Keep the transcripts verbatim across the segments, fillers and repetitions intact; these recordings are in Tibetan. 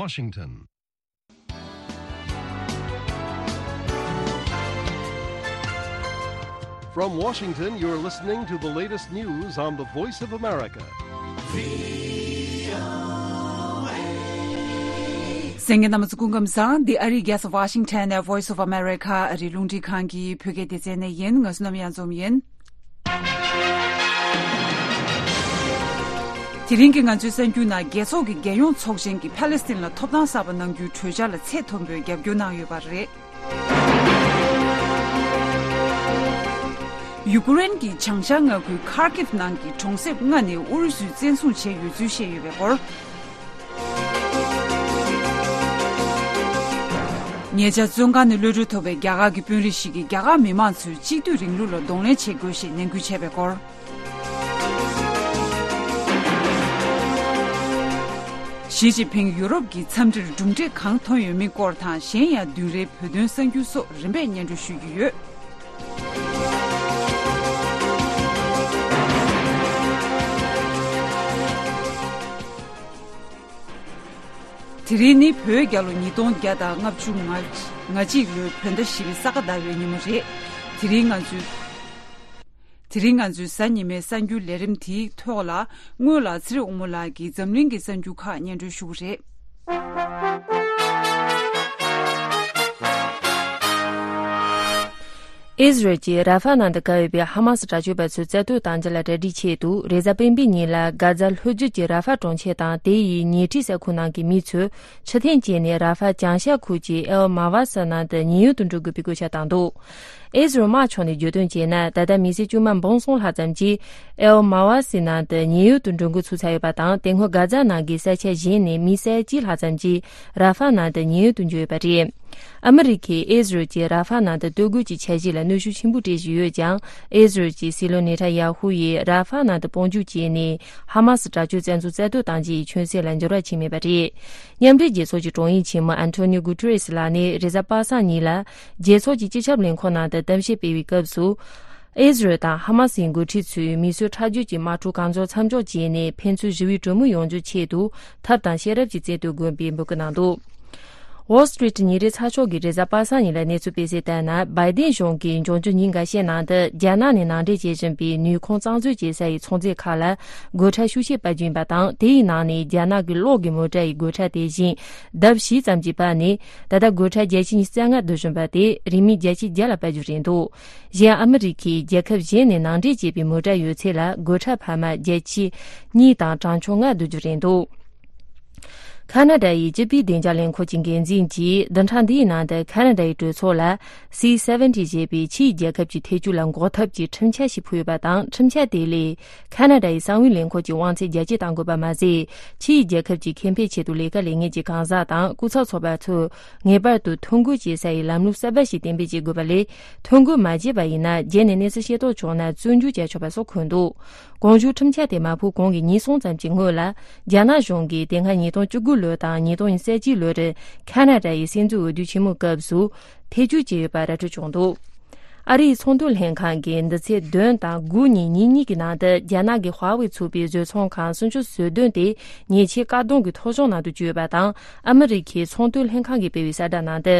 Washington. From Washington, you're listening to the latest news on the Voice of America. གསན་མཁན་རྣམ་པ་ཚོ་སྐུ་ཁམས་བཟང་། འདི་ཨ་རིའི་རྒྱལ་ས་Washington ནས་Voice of America ཨ་རིའི་རླུང་འཕྲིན་ཁང་གི་བོད་སྐད་སྡེ་ཚན་ནས་ཡིན། ང་བསོད་ནམས་གཡང་འཛོམས་ཡིན། དེ་རིང་གི་ང་ཚོའི་གསར་འགྱུར་ནང་། རྒྱལ་ཚོགས་ཀྱི་རྒྱལ་ཡོངས་ཚོགས་ཆེན་གྱིས་ཕ་ལེ་སི་ཐན་ལ་ཐོབ་ཐང་གསར་པ་གནང་རྒྱུའི་གྲོས་འཆར་ལ་ཚད་མཐོན་པོས་རྒྱབ་སྐྱོར་གནང་ཡོད་པ་རེད། ཡུ་ཀེ་རེན་གྱི་བྱང་ཤར་མངའ་ཁུལ་ཁར་ཀིབ་ནང་གི་གྲོང་གསེབ་ལྔ་ནི་ཨུ་རུ་སུས་བཙན་བཟུང་བྱས་ཡོད་ཚུལ་བཤད་ཡོད་པའི་སྐོར། ཉེ་ཆར་བཙོན་ཁང་ནས་གློད་གྲོལ་ཐོབ་པའི་རྒྱ་གར་གྱི་དཔོན་རིགས་ཤིག་གིས་རྒྱ་གར་མི་མང་ཚོས་གཅིག་སྡུད་རིང་ལུགས་ལ་གདོང་ལེན་བྱེད་དགོས་ཞེས་ནན་སྐུལ་བྱས་པའི་སྐོར། ཞི་ཅིན་ཕིང་ཡུ་རོབ་ཀྱི་འཚམས་འདྲིར་གྲུབ་འབྲས་གང་ཐོན་ཡོད་མིན་སྐོར་དང་། གཞན་ཡང་བདུན་རེའི་བོད་དོན་གསར་འགྱུར་སོགས་རིམ་པས་སྙན་སྒྲོན་ཞུ་རྒྱུ་ཡོད། དེ་རིང་ནི་བོད་རྒྱལ་ལོ་ཉིས་སྟོང་བརྒྱ་དང་ལྔ་བཅུ་ང་གཅིག་ལོའི་བོད་ཟླ་བཞི་པའི་ས་ག་ཟླ་བའི་ཉིན་མོ་རེད། དེ་རིང་ང་ཚོའི། དེ་རིང་ང་ཚོའི་གཟའ་ཉི་མའི་གསར་འགྱུར་ལས་རིམ་དེའི་ཐོག་ལ། སྔོན་ལ་ཚེ་རིང་དབང་མོ་ལགས་ཀྱིས་འཛམ་གླིང་གི་གསར་འགྱུར་ཁག་སྙན་སྒྲོན་ཞུ་གི་རེད། ཨིས་རལ་གྱིས་ར་ཧྥ་ནང་དུ་བཀག་ཡོད་པའི་ཧ་མ་སི་དྲག་སྤྱོད་པ་ཚོའི་རྩ་དོན་དང་འབྲེལ་ལ་གྲ་སྒྲིག་ཆེད་དུ། རེས་གཟའ་སྤེན་པའི་ཉིན་ལ་གྷ་ཛ་ལྷོ་རྒྱུད་ཀྱི་ར་ཧྥ་གྲོང་ཁྱེར་དང་དེ་ཡི་ཉེ་འཁྲིས་ས་ཁུལ་ནང་གི་མི་ཚོས་ཕྱིར་འཐེན་བྱས་ནས། ར་ཧྥ་བྱང་ཤར་ཁུལ་གྱི་ཨེལ་མ་ཝ་སི་ནང་དུ་ཉེན་གཡོལ་དུ་འགྲོ་དགོས་པའི་བཀོད་ཁྱབ་བཏང་འདུག་ཨེ་ཟི་རལ་དམག་ཕྱོགས་ནས་བརྗོད་དོན་བྱས་ན། ད་ལྟ་མི་སེར་བཅོ་ལྔ་འབུམ་གསུམ་ལྷག་ཙམ་གྱིས་ཨེལ་མ་ཝ་སི་ནང་དུ་ཉེན་གཡོལ་དུ་འགྲོ་འགོ་ཚུགས་ཚར་ཡོད་པ་དང་། དེ་སྔོན་གྷ་ཛ་ནང་གི་ས་ཆ་གཞན་ནས་མི་ས་ཡ་གཅིག་ལྷག་ཙམ་གྱིས་ར་ཧྥ་ནང་དུ་ཉེན་གཡོལ་དུ་འགྲོ་ཡོད་པ་རེད། ཨ་མི་རི་ཀས་ཨེ་ཟི་རལ་གྱིས་ར་ཧྥ་ནང་དུ་གཏོར་རྒོལ་གྱི་འཆར་གཞི་ལ་གནོན་ཤུགས་ཆེན་པོ་སྤྲད་བཞིན་ཡོད་ཀྱང་། ཨེ་ཟི་རལ་གྱི་སྲིད་བློན་ནེ་ཐན་ཡ་ཧུ་ཡིས་ར་ཧྥ་ནང་དུ་དཔུང་འཇུག་བྱས་ནས། ཧ་མ་སི་དྲག་སྤྱོད་བཙན་འཛུལ་རྩ་གཏོར་བཏང་རྒྱུ་ཡི་ཆོད་སེམས་ལ་འགྱུར་བ་ཕྱིན་མེད་པ་རེད། མཉམ་འབྲེལ་རྒྱལ་ཚོགས་ཀྱི་དྲུང་ཡིག་ཆེན་མོ་ཨན་ཐོ་ནིའོ་གུ་ཏེ་རེས་ལགས་ནས་རེས་གཟའ་པ་སངས་ཉིན་ལ། རྒྱལ་ཚོགས་ཀྱི་སྤྱི་ཁྱབ་ལས་ཁུངས་ནང་དུ་གཏམ་བཤད་སྤེལ་བའི་སྐབས་སུ། ཨེ་ཟི་རལ་དང་ཧ་མ་སིའི་འགོ་ཁྲིད་ཚོས་མི་གསོད་ཁྲག་སྦྱོར་གྱི་དམག་འཁྲུག་གང་མགྱོགས་མཚམས་འཇོག་བྱས་ནས། ཕན་ཚུན་ཞི་བའི་གྲོས་མོལ་ཡོང་རྒྱུའི་ཆེད་དུ། ཐབས་དང་ཤེས་རབ་ཀྱི་རྩལ་གཏོད་དགོས་པའི་འབོད་སྐུལ་གནང་འདུག Wall Street་ཉིན་རེའི་ཚགས་ཤོག་གིས་རེས་གཟའ་པ་སངས་ཉིན་ལ་གནས་ཚུལ་སྤེལ་གསལ་ལྟར་ན། བྷའི་ཏིན་གཞུང་གིས་འབྱུང་འགྱུར་ཉིན་འགའ་ཤས་ནང་དུ་རྒྱ་ནག་ནས་ནང་འདྲེན་བྱེད་བཞིན་པའི་ནུས་ཁུངས་གཙང་བཟོ་བྱེད་ས་ཡི་ཚོང་རྫས་ཁག་ལ་སྒོ་ཁྲལ་ཤུགས་ཆེ་སྤར་རྒྱུ་ཡིན་པ་དང་། དེའི་ནང་ནས་རྒྱ་ནག་གི་གློག་གི་མོ་ཊ་ཡི་སྒོ་ཁྲལ་དེ་བཞིན་ལྡབ་བཞི་ཙམ་གྱིས་སྤར་ནས། ད་ལྟ་སྒོ་ཁྲལ་བརྒྱ་ཆ་ཉི་ཤུ་རྩ་ལྔ་བསྡུ་བཞིན་པ་དེ་རིན་མེད་བརྒྱ་ཆ་བརྒྱ་ལ་སྤར་རྒྱུ་རེད་འདུག་གཞན་ཨ་མི་རི་ཁས་རྒྱལ་ཁབ་གཞན་ནས་ནང་འདྲེན་བྱས་པའི་མོ་ཊ་ཡོད་ཚད་ལ་སྒོ་ཁྲལ་འཕར་མ་བརྒྱ་ཆ་གཉིས་དང་གྲངས་ཆུང་ལྔ་བསྡུ་རྒྱུ་རེད་འདུག་ཁ་ན་ཌ་ཡི་སྤྱི་པའི་བདེ་འཇགས་ལས་ཁུངས་ཀྱི་འགན་འཛིན་གྱིས་བདུན་ཕྲག་འདིའི་ནང་དུ་ཁ་ན་ཌ་ཡི་གྲོས་ཚོགས་ལ་སི་སེ་ཝེན་ཊི་ཞེས་པའི་ཕྱིའི་རྒྱལ་ཁབ་ཀྱི་ཐེ་ཇུས་ལ་འགོག་ཐབས་ཀྱི་ཁྲིམས་འཆར་ཞིག་ཕུལ་ཡོད་པ་དང་། ཁྲིམས་འཆར་དེ་ལས་ཁ་ན་ཌ་ཡི་གསང་བའི་ལས་ཁུངས་ཀྱི་དབང་ཚད་རྒྱ་སྐྱེད་གཏང་དགོས་པ་མ་ཟད། ཕྱིའི་རྒྱལ་ཁབ་ཀྱི་ཁེ་ཕན་ཆེད་དུ་ལས་ཀ་ལས་མཁན་གྱི་གང་ཟག་དང་སྐུ་ཚབ་ཚོགས་པ་ཚོས་ངེས་པར་དུ་ཐོ་འགོད་བྱེད་ས་ཡི་ལམ་ལུགས་གསར་པ་ཞིག་གཏན་འབེབས་བྱེད་དགོས་པ་ལས། ཐོ་འགོད་མ་བྱས་པ་ཡིན་ན། རྗེས་ནས་གནས་ཚུལ་ཤེས་རྟོགས་བྱུང་ན་བཙོན་འཇུག་བྱ་ཆོག་པ་སོགས་འཁོད་འདུག་གོང་ཞུས་ཁྲིམས་འཆར་དེ་མ་ཕུལ་གོང་གི་ཉིན་གསུམ་ཙམ་གྱི་སྔོན་ལ། རྒྱ་ནག་གཞུང་གིས་དེ་སྔ་ཉིས་སྟོང་བཅུ་དགུ་ལོ་དང་ཉིས་སྟོང་ཉི་ཤུ་རྩ་གཅིག་ལོར་ཁ་ན་ཌ་ཡི་སྲིད་འཛིན་འོས་བསྡུ་ཆེན་མོའི་སྐབས་སུ་ཐེ་ཇུས་བྱས་ཡོད་པ་ར་སྤྲོད་བྱུང་འདུག་ཨ་རིའི་ཚོང་དོན་ལྷན་ཁང་གིས་འདི་ཚེས་བདུན་དང་དགུ་ཉིན་ཉིན་གཉིས་ཀྱི་ནང་དུ་རྒྱ་ནག་གི་ཧྭ་ཝེ་ཚུགས་པའི་བཟོ་ཚོང་ཁང་སུམ་ཅུ་སོ་བདུན་དེ་ཉེས་ཆད་བཀག་སྡོམ་གྱི་ཐོ་གཞུང་ནང་དུ་བཅུག་ཡོད་པ་དང་། ཨ་མི་རི་ཁའི་ཚོང་དོན་ལྷན་ཁང་གིས་སྤེལ་བའི་གསལ་བསྒྲགས་ནང་དུ།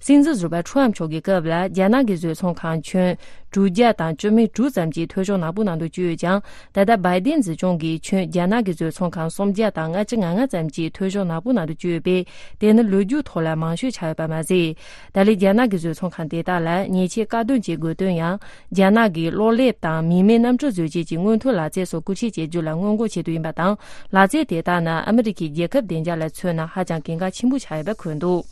སྲིད་འཛིན་ཟུར་པ་ཁྲུའམ་མཆོག་གི་སྐབས་ལ་རྒྱ་ནག་གི་བཟོ་ཚོང་ཁང་ཁྱོན་དྲུག་བརྒྱ་དང་བཅུ་མེད་དྲུག་ཙམ་གྱི་ཐོ་གཞུང་ནག་པོ་ནང་དུ་བཅུག་ཡོད་ཀྱང་། ད་ལྟ་བྷའི་ཏིན་སྲིད་གཞུང་གིས་ཁྱོན་རྒྱ་ནག་གི་བཟོ་ཚོང་ཁང་སུམ་བརྒྱ་དང་ལྔ་བཅུ་ང་ལྔ་ཙམ་གྱི་ཐོ་གཞུང་ནག་པོ་ནང་དུ་བཅུག་ཡོད་པས། དེ་ནི་ལོ་རྒྱུས་ཐོག་ལ་མང་ཤོས་ཆགས་ཡོད་པ་མ་ཟད། ད་ལན་རྒྱ་ནག་གི་བཟོ་ཚོང་ཁང་དེ་དག་ལ་ཉེས་ཆད་བཀག་སྡོམ་བྱེད་དགོས་དོན་ཡང་། རྒྱ་ནག་གིས་གློག་ཀླད་དང་མིག་སྨན་གནམ་གྲུ་བཟོ་བྱེད་ཀྱི་སྔོན་ཐོན་ལག་རྩལ་སོགས་བཀོལ་སྤྱོད་བྱེད་རྒྱུ་ལ་སྔོན་འགོག་ཆེད་དུ་ཡིན་པ་དང་། ལག་རྩལ་དེ་དག་ནི་ཨ་མི་རི་ཁའི་རྒྱལ་ཁབ་བདེ་འཇགས་ལ་མཚོན་ན་ཧ་ཅང་གལ་འགངས་ཆེན་པོ་ཆགས་ཡོད་པ་འཁོད་འདུག་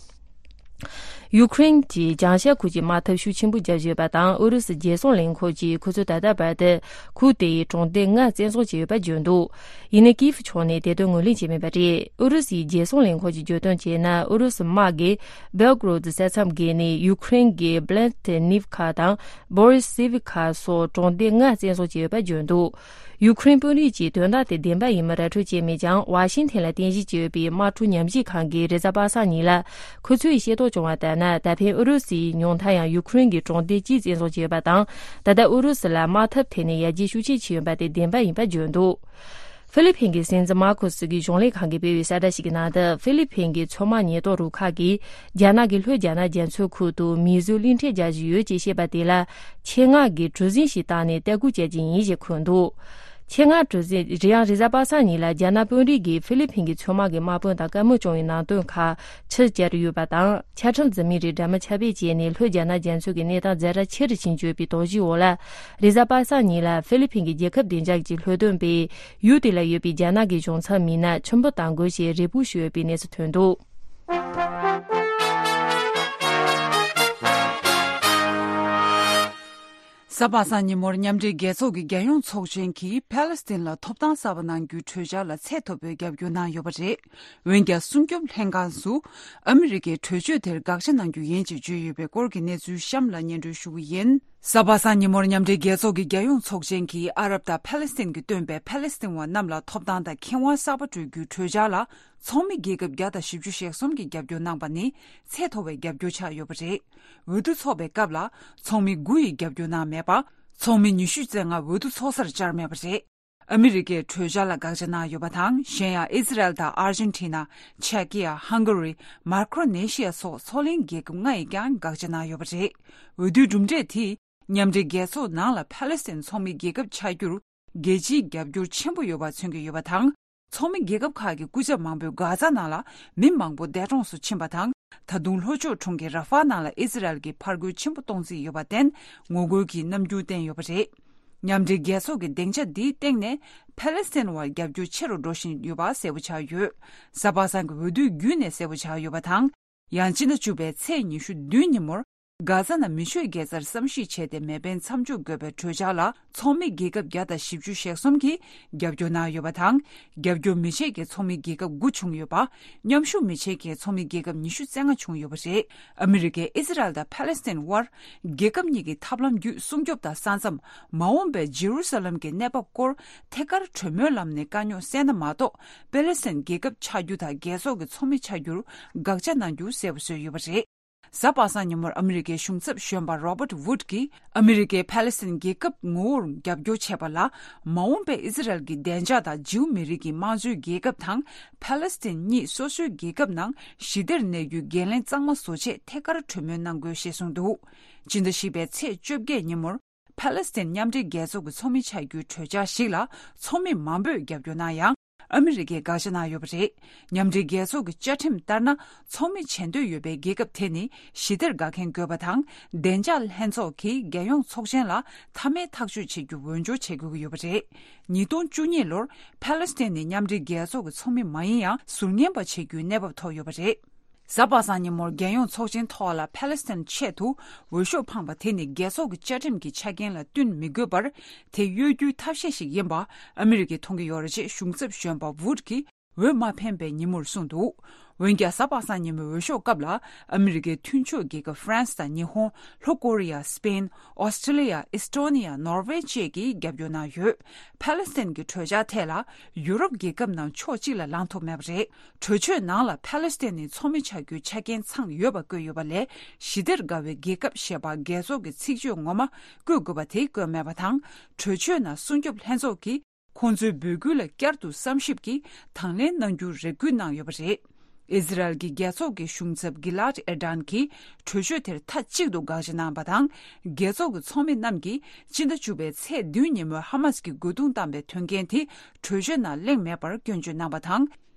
ཡུ་ཀེ་རེན་གྱིས་བྱང་ཤར་ཁུལ་གྱི་དམག་འཐབ་ཤུགས་ཆེན་པོ་བརྒྱབ་ཡོད་པ་དང་། ཨུ་རུ་སུའི་རྒྱལ་སྲུང་ལས་ཁུངས་ཀྱིས་ཁོ་ཚོས་ད་ལྟ་བར་དུ་ཁུལ་དེའི་གྲོང་སྡེ་ལྔ་བཙན་བཟུང་བྱས་ཡོད་པ་བརྗོད་འདུག་ཡིན་ནའི་ཀིབ་ཕྱོགས་ནས་དེ་དོན་ངོས་ལེན་བྱས་མེད་པ་རེད། ཨུ་རུ་སུའི་རྒྱལ་སྲུང་ལས་ཁུངས་ཀྱིས་བརྗོད་དོན་བྱས་ན། ཨུ་རུ་སུ་དམག་གིས་བེལ་གོ་རོད་ས་མཚམས་བརྒལ་ནས་ཡུ་ཀེ་རེན་གྱི་བྷི་ལན་ཏི་ནིབ་ཁ་དང་བོ་རི་སི་ཝི་ཁ་སོགས་གྲོང་སྡེ་ལྔ་བཙན་བཟུང་བྱས་ཡོད་པ་བརྗོད་འདུག་ཡུ་ཀེ་རེན་དཔོན་རིགས་ཀྱིས་དོན་དག་དེ་བདེན་པ་ཡིན་མིན་ར་སྤྲོད་བྱས་མེད་ཀྱང་། ཝ་ཤིང་ཐན་ལ་རྟེན་གཞི་བྱས་ཡོད་པའི་དམག་འཁྲུག་ཉམས་ཞིབ་ཁང་གིས་རེས་གཟའ་པ་སངས་ཉིན་ལ་ཁོ་ཚོས་ཤེས་རྟོགས་བྱུང་བ་ལྟར་ན། ད་ཕན་ཨུ་རུ་སུའི་ཉུང་མཐའ་ཡང་ཡུ་ཀེ་རེན་གྱི་གྲོང་སྡེ་གཅིག་བཙན་བཟུང་བྱས་ཡོད་པ་དང་། ད་ལྟ་ཨུ་རུ་སུ་ལ་དམག་འཐབ་ཐད་ནས་ཡར་རྒྱས་ཤུགས་ཆེ་ཕྱིན་ཡོད་པ་དེ་བདེན་པ་ཡིན་པ་བརྗོད་འདུག་ཧྥི་ལི་ཕིན་གྱི་སྲིད་འཛིན་མར་ཁོ་སི་གི་གཞུང་ལས་ཁང་གིས་སྤེལ་བའི་གསལ་བསྒྲགས་ཤིག་གི་ནང་དུ། ཧྥི་ལི་ཕིན་གྱི་མཚོ་དམག་ཉེན་རྟོག་རུ་ཁག་གིས་རྒྱ་ནག་གི་ལྷོ་རྒྱ་ནག་རྒྱ་མཚོའི་ཁུལ་དུ་མིའི་གཟུགས་བླུགས་འཕྲིན་རྒྱག་བཞིན་ཡོད་ཅེས་བཤད་པ་དེ་ལ་ཆེད་མངགས་ཀྱིས་གྲུ་གཟིངས་ཤིག་བཏང་ནས་ལྟ་སྐུལ་བྱས་རྗེས་ཡིན་ཞེས་འཁོད་འདུག་ཆེད་མངགས་གྲུ་གཟིངས་རེ་ཡང་རེས་གཟའ་པ་སངས་ཉིན་ལ་རྒྱ་ནག་དཔོན་རིགས་ཀྱིས་ཧྥི་ལི་ཕིན་གྱི་མཚོ་དམག་གི་དམག་དཔོན་དང་བཀའ་མོལ་བྱུང་བའི་ནང་དོན་ཁག་ཕྱིར་བསྐྱར་ཡོད་པ་དང་། ཆ་ཁྲིམས་འཛིན་མིའི་རིགས་འདྲ་མིན་ཁྱབ་སྤེལ་བྱས་ནས་ལྷོ་རྒྱ་ནག་རྒྱ་མཚོ་གི་གནས་སྟངས་ཛ་དྲག་ཆེ་རུ་ཕྱིན་ཡོད་པའི་དོགས་གཞིའི་འོག་ལ། རེས་གཟའ་པ་སངས་ཉིན་ལ་ཧྥི་ལི་ཕིན་གྱི་རྒྱལ་ཁབ་བདེ་འཇགས་ཀྱི་ལྷོ་སྟོན་པས་ཡུལ་དེ་ལ་ཡོད་པའི་རྒྱ་ནག་གི་གཞུང་ཚབ་མི་སྣ་ཆུ་འབུད་གཏང་དགོས་ཞེས་རེ་སྐུལ་ཞུས་ཡོད་པའི་གནས་ཚུལ་ཐོན་འདུག་གཟའ་པ་སངས་ཉིན་མོར་མཉམ་འབྲེལ་རྒྱལ་ཚོགས་ཀྱི་རྒྱལ་ཡོངས་ཚོགས་ཆེན་གྱིས་ཕཱ་ལེ་སི་ཐན་ལ་ཐོབ་ཐང་གསར་པ་གནང་རྒྱུའི་གྲོས་འཆར་ལ་ཚད་མཐོ་པོའི་རྒྱབ་སྐྱོར་གནང་ཡོད་པ་རེད། འོན་ཀྱང་། སྲུང་སྐྱོབ་ལྷན་ཁང་སུ་ཨ་མི་རི་ཀའི་གྲོས་ཆོད་དེར་དགག་བྱ་གནང་རྒྱུ་ཡིན་ཅེས་བརྗོད་ཡོད་པའི་སྐོར་གྱི་གནས་ཚུལ་གཤམ་ལ་སྙན་སྒྲོན་ཞུ་གི་ཡིན། གཟའ་པ་སངས་ཉིན་མོར་མཉམ་འབྲེལ་རྒྱལ་ཚོགས་ཀྱི་རྒྱལ་ཡོངས་ཚོགས་ཆེན་གྱིས་ཨ་རབ་དང་ཕཱ་ལེ་སི་ཐན་གྱི་སྟོན་པས་ཕཱ་ལེ་སི་ཐན་བ་རྣམས་ལ་ཐོབ་ཐང་དང་ཁེ་དབང་གསར་པ་སྤྲོད་རྒྱུའི་གྲོས་འཆར་ལ་ཚོགས་མི་རྒྱལ་ཁབ་བརྒྱ་དང་བཞི་བཅུ་ཞེ་གསུམ་གྱིས་རྒྱབ་སྐྱོར་གནང་པ་ནི་ཚད་མཐོ་བའི་རྒྱབ་སྐྱོར་ཆགས་ཡོད་པ་རེད། འོས་བསྡུ་འཚོགས་པའི་སྐབས་ལ་ཚོགས་མི་དགུ་ཡིས་རྒྱབ་སྐྱོར་གནང་མེད་པ། ཚོགས་མི་ཉི་ཤུ་རྩ་ལྔ་འོས་བསྡུ་འཚོགས་སར་བཅར་མེད་པ་རེད། ཨ་མི་རི་ཀས་གྲོས་འཆར་ལ་དགག་བྱ་གནང་ཡོད་པ་དང་། གཞན་ཡང་ཨི་ཟི་རལ་དང་ཨར་ཇེན་ཊི་ན། ཅེ་ཀི་ཡ། ཧང་ག་རི། མཱ་ཀྲོ་ནེ་ཤི་ཡ་སོགས་མཚོ་གླིང་རྒྱལ་ཁབ་ལྔ་ཡིས་ཀྱང་དགག་བྱ་གནང་ཡོད་པ་རེད། འོས་བསྡུའི་གྲུབ་འབྲས་དེས་མཉམ་འབྲེལ་རྒྱལ་ཚོགས་ནང་ལ་ཕཱ་ལེ་སི་ཐན་ཚོགས་མི་རྒྱལ་ཁབ་ཆགས་རྒྱུར་རྒྱལ་སྤྱིའི་རྒྱབ་སྐྱོར་ཆེན་པོ་ཡོད་པ་མཚོན་གྱི་ཡོད་པ་དང་། ཚོགས་མི་རྒྱལ་ཁབ་ཁག་གི་སྐུ་ཚབ་མང་པོས་གྷ་ཛ་ནང་ལ་མི་མང་པོ་འདས་གྲོངས་སུ་ཕྱིན་པ་དང་། ད་དུང་ལྷོ་ཕྱོགས་གྲོང་ཁྱེར་ར་ཧྥ་ནང་ལ་ཨི་ཟི་རལ་གྱིས་ཕར་རྒོལ་ཆེན་པོ་གཏོང་རྩིས་ཡོད་པར་བརྟེན། ངོ་རྒོལ་གྱི་རྣམ་འགྱུར་བསྟན་ཡོད་པ་རེད། མཉམ་འབྲེལ་རྒྱལ་ཚོགས་ཀྱི་སྡིངས་ཆ་འདིའི་སྟེང་ནས་ཕཱ་ལེ་སི་ཐན་བར་རྒྱབ་སྐྱོར་ཆེ་རུ་འགྲོ་བཞིན་ཡོད་པ་གསལ་པོ་ཆགས་ཡོད། གཟའ་པ་སངས་ཀྱི་འོས་བསྡུའི་བརྒྱུད་ནས་གསལ་པོ་ཆགས་ཡོད་པ་དང་། ཡང་སྤྱི་ཟླ་བཅུ་པའི་ཚེས་ཉི་ཤུ་བདུན་ཉིན་མོར། གྷ་ཛ་ནང་མི་ཆོས་དགེ་རྩར་བསམ་གཞིག་བྱས་ཏེ་མེ་འཕེན་མཚམས་འཇོག་དགོས་པའི་གྲོས་འཆར་ལ་ཚོགས་མི་རྒྱལ་ཁབ་བརྒྱ་དང་བཞི་བཅུ་ཞེ་གསུམ་གྱིས་རྒྱབ་སྐྱོར་གནང་ཡོད་པ་དང་། རྒྱབ་སྐྱོར་མི་བྱེད་མཁན་ཚོགས་མི་རྒྱལ་ཁབ་དགུ་བྱུང་ཡོད་པ། མཉམ་ཞུགས་མི་བྱེད་མཁན་ཚོགས་མི་རྒྱལ་ཁབ་ཉི་ཤུ་རྩ་ལྔ་བྱུང་ཡོད་པ་རེད། ཨ་མི་རི་ཀས་ཨི་ཟི་རལ་དང་ཕཱ་ལེ་སི་ཐན་དབར་རྒྱལ་ཁབ་གཉིས་ཀྱི་ཐབས་ལམ་བརྒྱུད་སྲུང་སྐྱོབ་དང་ས་མཚམས། མ་འོངས་པའི་ཇེ་རུ་ས་ལམ་གྱི་གནས་བབ་སྐོར་ཐད་ཀར་གྲོས་མོལ་ལམ་ནས་དཀའ་རྙོག་སེལ་ན་མ་གཏོགས། ཕཱ་ལེ་སི་ཐན་རྒྱལ་ཁབ་ཆགས་རྒྱུ་དང་རྒྱལ་ཚོགས་ཀྱི་ཚོགས་མི་ཆགས་རྒྱུར་དགག་བྱ་གནང་རྒྱུ་གསལ་པོ་བཟོས་ཡོད་པ་རེད། གཟའ་པ་སངས་ཉིན་མོར་ཨ་མི་རི་ཀའི་གཞུང་ཚབ་གཞོན་པ་རོ་བརྟ་ཝུད་ཀྱིས། ཨ་མི་རི་ཀས་ཕཱ་ལེ་སི་ཐན་རྒྱལ་ཁབ་ངོ་བོར་རྒྱབ་སྐྱོར་བྱས་པ་ལ། མ་འོངས་པའི་ཨི་ཟི་རལ་གྱི་བདེ་འཇགས་དང་ཇིའུ་མི་རིགས་ཀྱི་དམངས་གཙོའི་རྒྱལ་ཁབ་དང་། ཕཱ་ལེ་སི་ཐན་གཉིས་སོ་སོའི་རྒྱལ་ཁབ་ནང་ཞི་བདེར་གནས་རྒྱུའི་འགན་ལེན་གཙང་མ་བཟོ་ཆེད་ཐད་ཀར་གྲོས་མོལ་གནང་དགོས་ཞེས་གསུངས་འདུག་སྤྱི་ཟླ་བཞི་པའི་ཚེས་བཅོ་བརྒྱད་ཉིན་མོར། ཕཱ་ལེ་སི་ཐན་མཉམ་འབྲེལ་རྒྱལ་ཚོགས་ཀྱི་ཚོགས་མི་ཆགས་རྒྱུའི་གྲོས་འཆར་ཞིག་ལ་ཚོགས་མི་མང་པོས་རྒྱབ་སྐྱོར་གནང་ཡང་། ཨ་མི་རི་ཀས་དགག་བྱ་གནང་ཡོད་པ་རེད། མཉམ་འབྲེལ་རྒྱལ་ཚོགས་ཀྱི་བཅའ་ཁྲིམས་ལྟར་ན། ཚོགས་མི་བྱེད་འདོད་ཡོད་པའི་རྒྱལ་ཁབ་དེ་ནི་ཞི་བདེར་དགའ་མཁན་དགོས་པ་དང་། བདེ་འཇགས་ལྷན་ཚོགས་ཀྱིས་རྒྱལ་ཡོངས་ཚོགས་ཆེན་ལ་མཐའ་མའི་ཐག་གཅོད་བྱེད་རྒྱུ་འོས་སྦྱོར་བྱེད་དགོས་ཀྱི་ཡོད་པ་རེད། ཉིས་སྟོང་བཅུ་གཉིས་ལོར་ཕཱ་ལེ་སི་ཐན་ནི་མཉམ་འབྲེལ་རྒྱལ་ཚོགས་ཀྱི་ཚོགས་མི་མ་ཡིན་ཡང་ཟུར་ཉན་པ་བྱེད་རྒྱུའི་གནས་བབ་ཐོབ་ཡོད་པ་རེད། གཟའ་པ་སངས་ཉིན་མོར་རྒྱལ་ཡོངས་ཚོགས་ཆེན་ཐོག་ལ་ཕཱ་ལེ་སི་ཐན་ཆེད་དུ་འོས་ཤོག་འཕངས་པ་དེ་ནི་རྒྱལ་ཚོགས་ཀྱི་བཅའ་ཁྲིམས་ཀྱི་ཆ་རྐྱེན་ལ་བསྟུན་མི་དགོས་པར། དེ་གཡོལ་རྒྱུའི་ཐབས་ཤེས་ཤིག་ཡིན་པ་ཨ་མི་རི་ཀས་མཐོང་གི་ཡོད་རེད་ཅེས་གཞུང་ཚབ་གཞོན་པ་ཝུད་ཀྱིས་འོས་མ་འཕེན་པའི་ཉིན་མོར་གསུངས་འདུག་འོན་ཀྱང་། གཟའ་པ་སངས་ཉིན་མོའི་འོས་ཤོག་སྐབས་ལ་ཨ་མི་རི་ཀའི་མཐུན་ཕྱོགས་རྒྱལ་ཁབ་ཧྥ་རན་སི་དང་ཉི་ཧོང་། ལྷོ་ཀོ་རི་ཡ། སི་པེན། ཨོ་སི་ཀྲི་ལི་ཡ། ཨི་སི་ཀྲོ་ནི་ཡ། ནོར་ཝེ་བཅས་ཀྱིས་རྒྱབ་སྐྱོར་གནང་ཡོད། ཕཱ་ལེ་སི་ཐན་གྱི་གྲོས་འཆར་ཐད་ལ་ཡུ་རོབ་རྒྱལ་ཁབ་ནང་ཕྱོགས་གཅིག་ལ་ལངས་ཐུབ་མེད་པ་རེད། གྲོས་ཆོད་ནང་ལ་ཕཱ་ལེ་སི་ཐན་ནི་ཚོགས་མི་ཆགས་རྒྱུའི་ཆ་རྐྱེན་ཚང་ཡོད་པ་བཀོད་ཡོད་པ་ལས། ཞི་བདེར་དགའ་བའི་རྒྱལ་ཁབ་ཞེས་པ་རྒྱལ་ཚོགས་ཀྱི་ཚིག་བརྗོད་ངོ་མ་བཀོད་དགོས་པ་དེ་བཀོད་མེད་པ་དང་། གྲོས་ཆོད་ནང་སྲུང་སྐྱོབ་ལྷན་ཚོགས་ཀྱིས་ཁོང་ཚོའི་འབོད་སྐུལ་ལ་བསྐྱར་དུ་བསམ་ཞིབ་ཀྱིས་དང་ལེན་གནང་རྒྱུར་རེ་སྐུལ་གནང་ཡོད་པ་རེད། ཨི་ཟི་རལ་གྱི་རྒྱལ་ཚོགས་ཀྱི་གཞུང་ཚབ་གི་ལཱད་ཨེར་ཌན་གྱིས་གྲོས་ཆོད་དེར་མཐའ་གཅིག་ཏུ་དགག་བྱ་གནང་བ་དང་། རྒྱལ་ཚོགས་ཀྱི་ཚོགས་མི་རྣམས་ཀྱིས་སྤྱི་ཟླ་བཅུ་པའི་ཚེས་བདུན་ཉིན་མོའི་ཧ་མ་སི་ཀྱིས་རྒོལ་རྡུང་བཏང་པའི་དོན་རྐྱེན་དེ་གྲོས་ཆོད་ནང་གླེང་མེད་པར་སྐྱོན་བརྗོད་གནང་བ་དང་།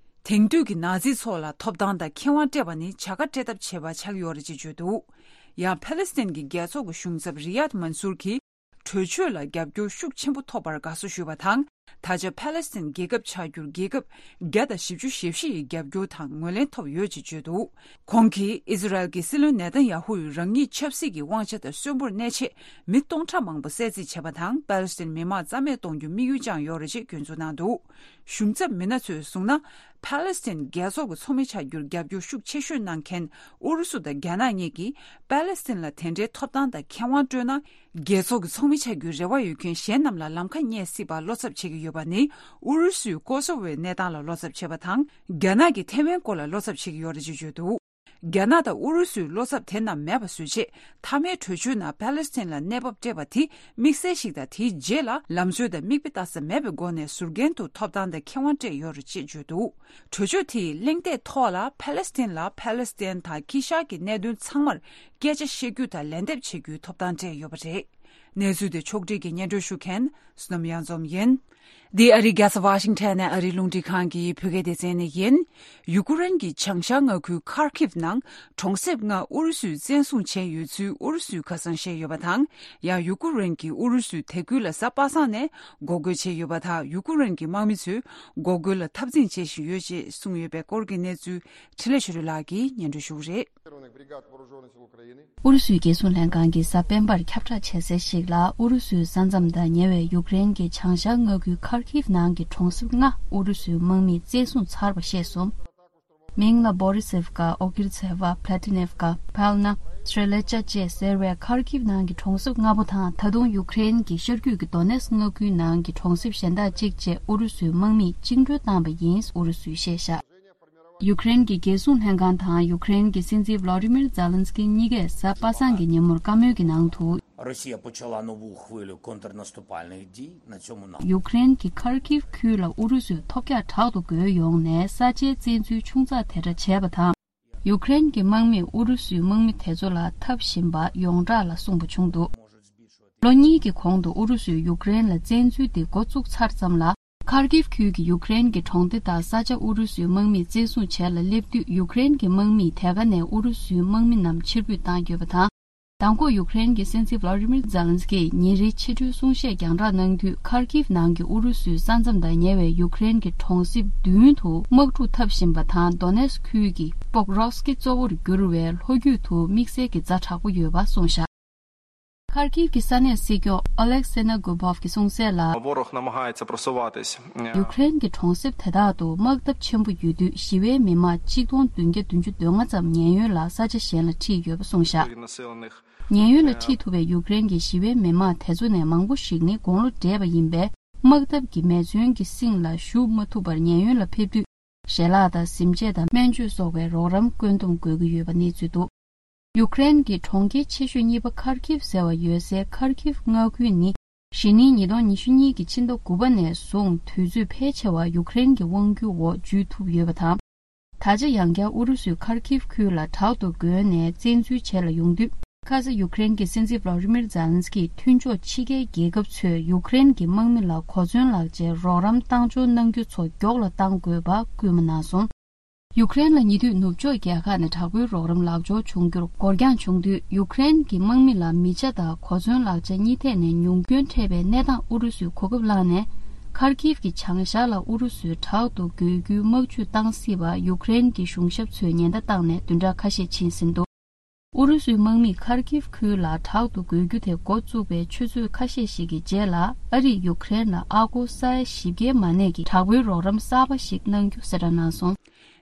དེང་དུས་ཀྱི་ནཱ་ཛི་ཚོ་ལ་ཐོབ་ཐང་དང་ཁེ་དབང་སྤྲད་པ་ནི་བྱ་དགའ་སྤྲད་ཐབས་བྱས་པ་ཆགས་ཡོད་རེད་ཅེས་བརྗོད་འདུག་ཡང་ཕཱ་ལེ་སི་ཐན་གྱི་རྒྱལ་ཚོགས་ཀྱི་གཞུང་ཚབ་རི་ཡཱད་མན་སུར་གྱིས། གྲོས་ཆོད་ལ་རྒྱབ་སྐྱོར་ཤུགས་ཆེན་པོ་ཐོབ་པར་དགའ་བསུ་ཞུས་པ་དང་། ད་ཆ་ཕཱ་ལེ་སི་ཐན་རྒྱལ་ཁབ་ཆགས་རྒྱུར་རྒྱལ་ཁབ་བརྒྱ་དང་བཞི་བཅུ་ཞེ་བཞི་ཡི་རྒྱབ་སྐྱོར་དང་ངོས་ལེན་ཐོབ་ཡོད་ཅེས་བརྗོད་འདུག་ཁོང་གིས་ཨི་ཟི་རལ་གྱི་སྲིད་བློན་ནེ་ཐན་ཡ་ཧུ་ཡིས་རང་ཉིད་ཆབ་སྲིད་ཀྱི་དབང་ཆ་དང་གསོན་པོར་གནས་ཆེད་མི་སྟོང་ཕྲག་མང་པོ་བསད་རྩིས་བྱས་པ་དང་། ཕཱ་ལེ་སི་ཐན་མི་མང་རྩ་མེད་གཏོང་རྒྱུ་དམིགས་ཡུལ་བཅངས་ཡོད་རེད་ཅེས་སྐྱོན་འཛུགས་གནང་འདུག་གཞུང་ཚབ་མི་སྣ་ཚོས་གསུངས་ན། ཕཱ་ལེ་སི་ཐན་རྒྱལ་ཚོགས་ཀྱི་ཚོགས་མི་ཆགས་རྒྱུར་རྒྱབ་སྐྱོར་ཤུགས་ཆེ་ཤོས་གནང་མཁན་ཨུ་རུ་སུ་དང་རྒྱ་ནག་གཉིས་ཀྱིས་ཕཱ་ལེ་སི་ཐན་ལ་དེ་འདྲའི་ཐོབ་ཐང་དང་ཁེ་དབང་སྤྲོད་ན། རྒྱལ་ཚོགས་ཀྱི་ཚོགས་མི་ཆགས་རྒྱུའི་རེ་བ་ཡོད་མཁན་གཞན་རྣམས་ལ་ལམ་ཁ་རྙེད་སྲིད་པར་བློ་འཚབ་བྱེད་ཀྱི་ཡོད་པ་ནི། ཨུ་རུ་སུས་ཀོ་སོ་ཝོའི་གནས་སྟངས་ལ་བློ་འཚབ་བྱེད་པ་དང་། རྒྱ་ནག་གིས་ཐེ་ཝན་སྐོར་ལ་བློ་འཚབ་བྱེད་ཀྱི་ཡོད་རེད་ཅེས་བརྗོད་འདུག་རྒྱ་ནག་དང་ཨུ་རུ་སུའི་བློ་འཚབ་དེ་རྣམས་མེད་པ་བཟོ་ཆེད། མཐའ་མའི་གྲོས་ཆོད་ནང་པཱ་ལེ་སི་ཐན་ལ་གནས་བབ་སྤྲད་པ་དེ་དམིགས་བསལ་ཞིག་དང་། དེའི་རྗེས་ལ་ལམ་སྲོལ་དང་མིག་དཔེ་ལྟ་ས་མེད་པའི་སྒོ་ནས་ཟུར་འགན་དུ་ཐོབ་ཐང་དང་ཁེ་དབང་སྤྲད་ཡོད་རེད་ཅེས་བརྗོད་འདུག་གྲོས་ཆོད་དེའི་གླེང་སྟེགས་ཐོག་ལ་པཱ་ལེ་སི་ཐན་ལ་པཱ་ལེ་སི་ཐན་དང་དཀྱིལ་ཤར་གྱི་གནད་དོན་ཚང་མར་སྐད་ཆ་བཤད་རྒྱུ་དང་ལན་འདེབས་བྱེད་རྒྱུའི་ཐོབ་ཐང་སྤྲད་ཡོད་པ་རེད། གནས་ཚུལ་དེ་ཕྱོགས་སྒྲིག་གིས་སྙན་སྒྲོན་ཞུ་མཁན་བསོད་ནམས་གཡང་འཛོམས་ཡིན། འདི་ཨ་རིའི་རྒྱལ་ས་ཝ་ཤིང་ཐན་ནས་ཨ་རིའི་རླུང་འཕྲིན་ཁང་གི་བོད་སྐད་སྡེ་ཚན་ནས་ཡིན། ཡུ་ཀེ་རེན་གྱི་བྱང་ཤར་མངའ་ཁུལ་ཁར་ཁིབ་ནང་གྲོང་གསེབ་ལྔ་ཨུ་རུ་སུས་བཙན་བཟུང་བྱས་ཡོད་ཚུལ་ཨུ་རུ་སུས་ཁ་སང་བཤད་ཡོད་པ་དང་། ཡང་ཡུ་ཀེ་རེན་གྱིས་ཨུ་རུ་སུས་དེ་ཁུལ་ལ་གཟའ་པ་སངས་ནས་འགོག་རྒོལ་བྱས་ཡོད་པ་དང་། ཡུ་ཀེ་རེན་གྱི་དམག་མི་ཚོས་འགོག་རྒོལ་ལ་འཐབ་འཛིང་བྱེད་བཞིན་ཡོད་ཅེས་གསུངས་ཡོད་པའི་སྐོར་གྱི་གནས་ཚུལ་འཕྲིན་ལས་ཆོས་སྒྲོན་ལགས་ཀྱིས་སྙན་སྒྲོན་ཞུ་གི་རེད། ཨུ་རུ་སུའི་རྒྱལ་སྲུང་ལྷན་ཁང་གིས་གཟའ་སྤེན་པར་ཁྱབ་བསྒྲགས་བྱས་གསལ་ཞིག་ལ། ཨུ་རུ་སུའི་ས་མཚམས་དང་ཉེ་བའི་ཡུཀ་རེན་གྱི་བྱང་ཤར་མངའ་ཁུལ་ཁར་ཁིབ་ནང་གི་གྲོང་གསེབ་ལྔ་ཨུ་རུ་སུའི་དམག་མིས་བཙན་བཟུང་ཚར་བ་ཤེས་སོང་། མིང་ལ་བོ་རི་སེབ་ཀ། ཨོ་ཀིར་ཚེ་བ། པླ་ཏི་ནེབ་ཀ། ཕལ་ན། སྲེ་ལེ་ཅ་བཅས་ཟེར་བའི་ཁར་ཁིབ་ནང་གི་གྲོང་གསེབ་ལྔ་པོ་དང་། ད་དུང་ཡུཀ་རེན་གྱི་ཤར་རྒྱུད་ཀྱི་དོ་ནེ་སི་མངའ་ཁུལ་ནང་གི་གྲོང་གསེབ་གཞན་དག་གཅིག་བཅས་ཨུ་རུ་སུའི་དམག་མིས་བཅིངས་འགྲོལ་བཏང་བ་ཡིན། ཨུ་རུ་སུས་བཤད་བཞག་ཡུཀ་རེན་གྱི་རྒྱལ་སྲུང་ལྷན་ཁང་དང་ཡུཀ་རེན་གྱི་སྲིད་འཛིན་ཝ་ལ་ཏི་མིར་ཛེ་ལན་སི་ཀི་གཉིས་ཀས་གཟའ་པ་སངས་ཀྱི་ཉིན་མོར་བཀའ་མོལ་གྱི་ནང་དུ། Росія почала нову хвилю контрнаступальних дій на цьому напрямку. ཡུཀ་རེན་གྱི་ཁར་ཁིབ་ཁུལ་ལ་ཨུ་རུ་སུས་ཐོལ་རྒྱག་དྲག་ཏུ་རྒོལ་ཡོང་ནས་ས་ཆའི་བཙན་འཛུལ་ཆུང་ཙག་དེ་འདྲ་བྱས་པ་དང་། ཡུཀ་རེན་གྱི་དམག་མིས་ཨུ་རུ་སུའི་དམག་མི་དེ་ཚོ་ལ་འཐབ་བཞིན་པ་ཡོངས་གྲགས་ལ་གསུངས་པ་བྱུང་འདུག་ལོ་གཉིས་ཀྱི་གོང་དུ་ཨུ་རུ་སུས་ཡུཀ་རེན་ལ་བཙན་འཛུལ་དེ་འགོ་བཙུགས་ཚར་ཙམ་ལ། ཁར་ཁིབ་ཁུལ་གྱི་ཡུཀ་རེན་གྱི་གྲོང་སྡེ་དང་ས་ཆ་ཨུ་རུ་སུའི་དམག་མིས་བཙན་བཟུང་བྱས་ལ་སླེབས་དུས། ཡུཀ་རེན་གྱི་དམག་མིས་དེ་ག་ནས་ཨུ་རུ་སུའི་དམག་མི་རྣམས་ཕྱིར་འབུད་བཏང་ཡོད་པ་དང་། མདང་དགོང་ཡུཀ་རེན་གྱི་སྲིད་འཛིན་ཝ་ལ་ཏི་མིར་ཛེ་ལན་སི་ཀིས་ཉིན་རེའི་ཕྱི་དྲོའི་གསུང་བཤད་རྒྱང་བསྒྲགས་གནང་དུས། ཁར་ཁིབ་ནང་གི་ཨུ་རུ་སུའི་ས་མཚམས་དང་ཉེ་བའི་ཡུཀ་རེན་གྱི་གྲོང་གསེབ་བདུན་དུ་དམག་འཁྲུག་འཐབ་བཞིན་པ་དང་། དོ་ནེ་སི་ཁུལ་གྱི་པོག་རོབ་སི་ཀི་གཙོ་བོར་གྱུར་བའི་ལྷོ་རྒྱུད་དུ་དམིགས་བསལ་གྱི་ཛ་དྲག་པོ་ཡོད་པ་གསུངས་བཞག་ཁར་ཁིབ་ཀྱི་ས་གནས་སྲིད་སྐྱོང་ཨོ་ལེག་སེ་ན་གུ་བོབ་ཀྱིས་གསུངས་གསལ་ལ། Ворог намагається просуватись. ཡུཀ་རེན་གྱི་གྲོང་གསེབ་དེ་དག་ཏུ་དམག་འཐབ་ཆེན་པོ་ཡོད་དུས། ཞི་བའི་མི་མང་གཅིག་སྟོང་བདུན་བརྒྱ་བདུན་ཅུ་དོན་ལྔ་ཙམ་ཉེན་གཡོལ་ལ་ས་ཆ་གཞན་ལ་ཁྲིད་ཡོད་པ་གསུངས་བཞག་ཉེན་གཡོལ་ལ་ཁྲིད་ཐུབ་པའི་ཡུཀ་རེན་གྱི་ཞི་བའི་མི་མང་དེ་ཚོ་ནས་མང་པོ་ཞིག་ནི་དགུང་ལོ་བགྲེས་པ་ཡིན་པས། དམག་འཐབ་ཀྱི་མེ་མཚོན་གྱི་སྲིང་ལ་ཞུགས་མ་ཐུབ་པར་ཉེན་གཡོལ་ལ་ཕེབས་དུས། ཞལ་ལག་དང་། གཟིམ་ཆས་དང་། སྨན་བཅོས་སོགས་པའི་རོགས་རམ་བཀོད་འདོམས་དགོས་ཀྱི་ཡོད་པ་གནས་ཚུལ་འདུག་ཡུཀ་རེན་གྱི་གྲོང་ཁྱེར་ཆེ་ཤོས་གཉིས་པ་ཁར་ཁིབ་ཟེར་བ་ཡོད་སའི་ཁར་ཁིབ་མངའ་ཁུལ་ནི། གཞེས་ནིང་ཉིས་སྟོང་ཉི་ཤུ་གཉིས་ཀྱི་ཕྱི་ཟླ་དགུ་པ་ནས་བཟུང་དུས་ཚོད་ཕལ་ཆེ་བ་ཡུཀ་རེན་གྱི་དབང་སྒྱུར་འོག་འཇུས་ཐུབ་ཡོད་པ་དང་། ད་ཆ་ཡང་བསྐྱར་ཨུ་རུ་སུས་ཁར་ཁིབ་ཁུལ་ལ་དྲག་ཏུ་རྒོལ་ནས་བཙན་འཛུལ་བྱེད་ལ་ཡོང་དུས། ཁ་ས་ཡུཀ་རེན་གྱི་སྲིད་འཛིན་ཝ་ལ་ཏི་མིར་ཛེ་ལན་སི་ཀིས་མཐུན་ཕྱོགས་ཕྱི་རྒྱལ་རྒྱལ་ཁབ་ཚོས་ཡུཀ་རེན་གྱི་དམག་མི་ལ་གོ་མཚོན་ལག་ཆའི་རོགས་རམ་བཏང་འབྱོར་གནང་རྒྱུ་ཚོ་མགྱོགས་ལ་གཏང་དགོས་པ་སྐུལ་མ་གནང་སོང་། ཡུཀ་རེན་ལ་ཉེ་དུས་ནུབ་ཕྱོགས་རྒྱལ་ཁག་ནས་དྲག་པོའི་རོགས་རམ་ལག་འབྱོར་བྱུང་རྒྱུར་འགོར་འགྱངས་བྱུང་དུས། ཡུཀ་རེན་གྱི་དམག་མི་ལ་མི་ཆ་དང་གོ་མཚོན་ལག་ཆ་གཉིས་ཐད་ནས་ཉུང་སྐྱོན་འཕྲད་པའི་གནས་སྟངས་ཨུ་རུ་སུས་གོ་སྐབས་བླངས་ནས། ཁར་ཁིབ་ཀྱི་བྱང་ཤར་ལ་ཨུ་རུ་སུས་དྲག་ཏུ་རྒོལ་རྒྱུའི་དམག་ཇུས་བཏང་སྲིད་པ་ཡུཀ་རེན་གྱི་གཞུང་ཞབས་ཚོས་ཉེན་བརྡ་བཏང་ནས་བདུན་ཕྲག་ཁ་ཤས་ཕྱིན་ཟིན་འདུག་ཨུ་རུ་སུའི་དམག་མིས་ཁར་ཁིབ་ཁུལ་ལ་དྲག་ཏུ་རྒོལ་རྒྱུ་དེ་འགོ་བཙུགས་པའི་ཆུ་ཚོད་ཁ་ཤས་ཤིག་གི་རྗེས་ལ། ཨ་རིས་ཡུཀ་རེན་ལ་ཨ་སྒོར་ས་ཡ་བཞི་བརྒྱའི་མ་གནས་ཀྱི་དྲག་པོའི་རོགས་རམ་གསར་པ་ཞིག་གནང་རྒྱུ་གསལ་བསྒྲགས་གནང་སོང་།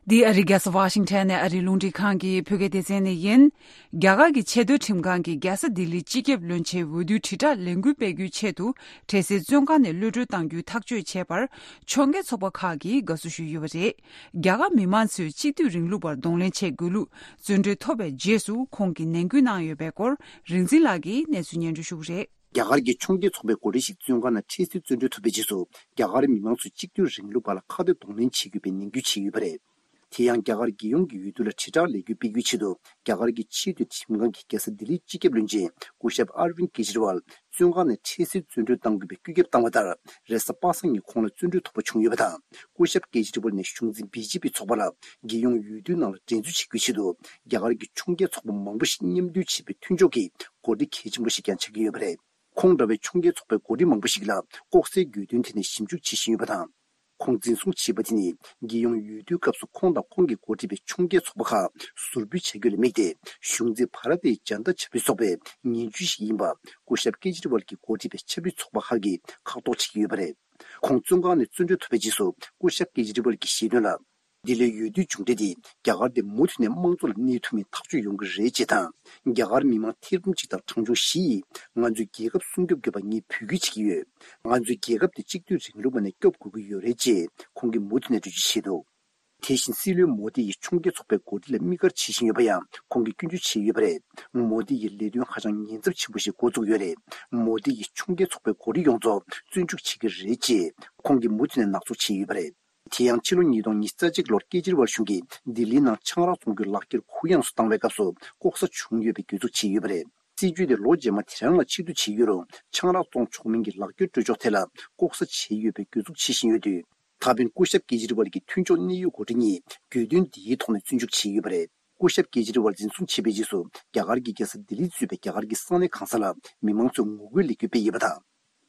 འདི་ཨ་རིའི་རྒྱལ་ས་ཝ་ཤིང་ཐན་ནས་ཨ་རིའི་རླུང་འཕྲིན་ཁང་གི་བོད་སྐད་སྡེ་ཚན་ནས་ཡིན། རྒྱ་གར་གྱི་ཆེས་མཐོའི་ཁྲིམས་ཁང་གིས་རྒྱལ་ས་ལྡི་ལིའི་སྤྱི་ཁྱབ་བློན་ཆེན་འོས་བསྡུའི་དྲིལ་བསྒྲགས་ལས་འགུལ་སྤེལ་རྒྱུའི་ཆེད་དུ། འཕྲལ་སེལ་བཙོན་ཁང་ནས་གློད་གྲོལ་གཏང་རྒྱུའི་ཐག་གཅོད་བྱས་པར། ཕྱོགས་འགལ་ཚོགས་པ་ཁག་གིས་དགའ་བསུ་ཞུས་ཡོད་པ་རེད། རྒྱ་གར་མི་མང་ཚོས་གཅིག་སྡུད་རིང་ལུགས་པར་གདོང་ལེན་བྱེད་དགོས་ལུགས་བརྩོན་འགྲུས་ཐོབ་པའི་རྗེས་སུ། ཁོང་གིས་ནན་སྐུལ་གནང་ཡོད་པའི་སྐོར། རིག་འཛིན་ལགས་ཀྱིས་གནས་ཚུལ་སྙན་སྒྲོན་ཞུ་གི་རེད། རྒྱ་གར་གྱི་ཕྱོགས་འགལ་ཚོགས་པའི་འགོ་ཁྲིད་ཞིག་བཙོན་ཁང་ནང་འཕྲལ་སེལ་བཙོན་གྲོལ་ཐོབ་པའི་རྗེས་སུ། རྒྱ་གར་མི་མང་ཚོས་གཅིག་སྡུད་རིང་ལུགས་པ་ལ་ཁ་གཏད་གདོང་ལེན་བྱེད་དགོས་པའི་ནན་སྐུལ་བྱས་ཡོད་པ་རེད། དེ་ཡང་། རྒྱ་གར་རྒྱལ་ཡོངས་ཀྱི་འོས་བསྡུ་ལ་དྲིལ་བསྒྲགས་ལས་འགུལ་སྤེལ་རྒྱུའི་ཆེད་དུ། རྒྱ་གར་གྱི་ཆེས་མཐོའི་ཁྲིམས་ཁང་གིས་རྒྱལ་ས་ལྡི་ལིའི་སྤྱི་ཁྱབ་བློན་ཆེན་སྐུ་ཞབས་ཨར་ཝིན་ཀེ་ཇི་རི་ཝལ་བཙོན་ཁང་ནས་འཕྲལ་སེལ་བཙོན་གྲོལ་གཏང་དགོས་པའི་བཀོད་ཁྱབ་བཏང་བ་ལྟར། རེས་གཟའ་པ་སངས་ཉིན་ཁོང་ལ་བཙོན་གྲོལ་ཐོབ་པ་བྱུང་ཡོད་པ་དང་། སྐུ་ཞབས་ཀེ་ཇི་རི་ཝལ་ནས་གཞུང་འཛིན་བི་ཇེ་པི་ཚོགས་པ་ལ་རྒྱལ་ཡོངས་འོས་བསྡུའི་ནང་ལ་འགྲན་རྩོད་བྱེད་རྒྱུའི་ཆེད་དུ། རྒྱ་གར་གྱི་ཕྱོགས་འགལ་ཚོགས་པ་མང་པོ་ཞིག་མཉམ་འདུས་བྱས་པའི་མཐུན་ཕྱོགས་ཀྱི་འགོ་ཁྲིད་གལ་ཆེན་པོ་ཞིག་ཀྱང་ཆགས་ཀྱི་ཡོད་པ་རེད། ཁོང་འདྲ་བའི་ཕྱོགས་འགལ་ཚོགས་པའི་འགོ་ཁྲིད་མང་པོ་ཞིག་ལ་ལྐོག་ཟའི་གྱོད་དོན་དེ་ནས་ཞིབ་འཇུག་བྱེད་བཞིན་ཡོད་པ་དང་། ཁོང་འཛིན་བཟུང་བྱས་པ་དེ་ནི། རྒྱལ་ཡོངས་འོས་བསྡུའི་སྐབས་སུ་ཁོང་དང་ཁོང་གིས་འགོ་ཁྲིད་པའི་ཕྱོགས་འགལ་ཚོགས་པ་ཁག་ཟུར་འབུད་བྱ་རྒྱུ་ལ་དམིགས་ཏེ། གཞུང་འཛིན་བྷ་ར་ཏའི་ཇན་ཏ་ཆབ་སྲིད་ཚོགས་པའི་ངན་ཇུས་ཤིག་ཡིན་པ། སྐུ་ཞབས་ཀེ་ཇི་རི་ཝལ་གྱིས་འགོ་ཁྲིད་པའི་ཆབ་སྲིད་ཚོགས་པ་ཁག་གིས་ཁག་ཐོག་བྱེད་ཀྱི་ཡོད་པ་རེད། ཁོང་བཙོན་ཁང་ནས་བཙོན་གྲོལ་ཐོབ་པའི་རྗེས་སུ། སྐུ་ཞབས་ཀེ་ཇི་རི་ཝལ་གྱིས་བཤད་དོན་ལ། འདི་ལོའི་འོས་བསྡུའི་མཇུག་འབྲས་དེ། རྒྱ་གར་དེ་མུ་མཐུད་ནས་དམངས་གཙོ་ལ་གནས་ཐུབ་མིན་ཐག་གཅོད་ཡོང་གི་རེད་ཅེས་དང་། རྒྱ་གར་མི་མང་ཐེར་འབུམ་གཅིག་དང་གྲངས་ཆུང་བཞི་ཡིས། ང་ཚོའི་རྒྱལ་ཁབ་སྲུང་སྐྱོབ་དགོས་པ་ངས་འབོད་སྐུལ་བྱེད་ཀྱི་ཡོད། ང་ཚོའི་རྒྱལ་ཁབ་དེ་གཅིག་སྡུད་རིང་ལུགས་པ་ནས་སྐྱོབ་དགོས་ཀྱི་ཡོད་རེད་ཅེས་ཁོང་གིས་མུ་མཐུད་ནས་འགྲེལ་བརྗོད་བྱས་འདུག་དེ་བཞིན་སྲིད་བློན་མོ་དི་ཡིས་ཕྱོགས་འགལ་ཚོགས་པའི་འགོ་ཁྲིད་ལ་དམིགས་བཀར་བྱེད་བཞིན་ཡོད་པ་ཡང་ཁོང་གིས་སྐྱོན་བརྗོད་བྱས་ཡོད་པ་རེད། མོ་དི་ཡི་ལས་དོན་ཧ་ཅང་ཉེན་ཚབས་ཆེན་པོ་ཞིག་འགོ་བཙུགས་ཡོད་རེད། མོ་དི་ཡིས་ཕྱོགས་འགལ་ཚོགས་པའི་འགོ་ཁྲིད་ཡོངས་རྫོགས་བཙོན་འཇུག་བྱེད་ཀྱི་རེད་ཅེས་ཁོང་གིས་མུ་མཐུད་ནས་ནག་འཛུགས་བྱས་ཡོད་པ་རེད། དེ་ཡང་ཕྱི་ལོ་ཉིས་སྟོང་ཉི་ཤུ་རྩ་གཅིག་ལོར་ཀེ་ཇི་རི་ཝལ་གཞུང་གིས་ལྡི་ལིའི་ནང་ཆང་རག་བཙོང་རྒྱུའི་ལག་འཁྱེར་གུ་ཡངས་སུ་བཏང་བའི་སྐབས་སུ་ལྐོག་ཟ་བྱུང་ཡོད་པའི་གྱོད་འཛུགས་བྱས་ཡོད་པ་རེད། སྲིད་ཇུས་དེ་ལོ་རྗེས་མ་དེ་རང་ལ་ཕྱིར་བསྡུ་བྱས་ཡོད་རུང་ཆང་རག་བཙོང་ཆོག་མིན་གྱི་ལག་འཁྱེར་སྤྲོད་ཕྱོགས་ཐད་ལ་ལྐོག་ཟ་བྱས་ཡོད་པའི་གྱོད་འཛུགས་བྱེད་བཞིན་ཡོད་དུས། ད་ཕན་སྐུ་ཞབས་ཀེ་ཇི་རི་ཝལ་གྱི་མཐུན་ཕྱོགས་གནད་ཡོད་འགོ་ཁྲིད་གཉིས་གྱོད་དོན་འདིའི་ཐོག་ནས་བཙོན་འཇུག་བྱས་ཡོད་པ་རེད། སྐུ་ཞབས་ཀེ་ཇི་རི་ཝལ་འཛིན་བཟུང་བྱས་པའི་རྗེས་སུ་རྒྱ་གར་གྱི་རྒྱལ་ས་ལྡི་ལི་གཙོས་པའི་རྒྱ་གར་གྱི་ས་གནས་གང་ས་ལ་མི་མང་ཚོས་ངོ་རྒོལ་ལས་འགུལ་སྤེལ་ཡོད་པ་དང་།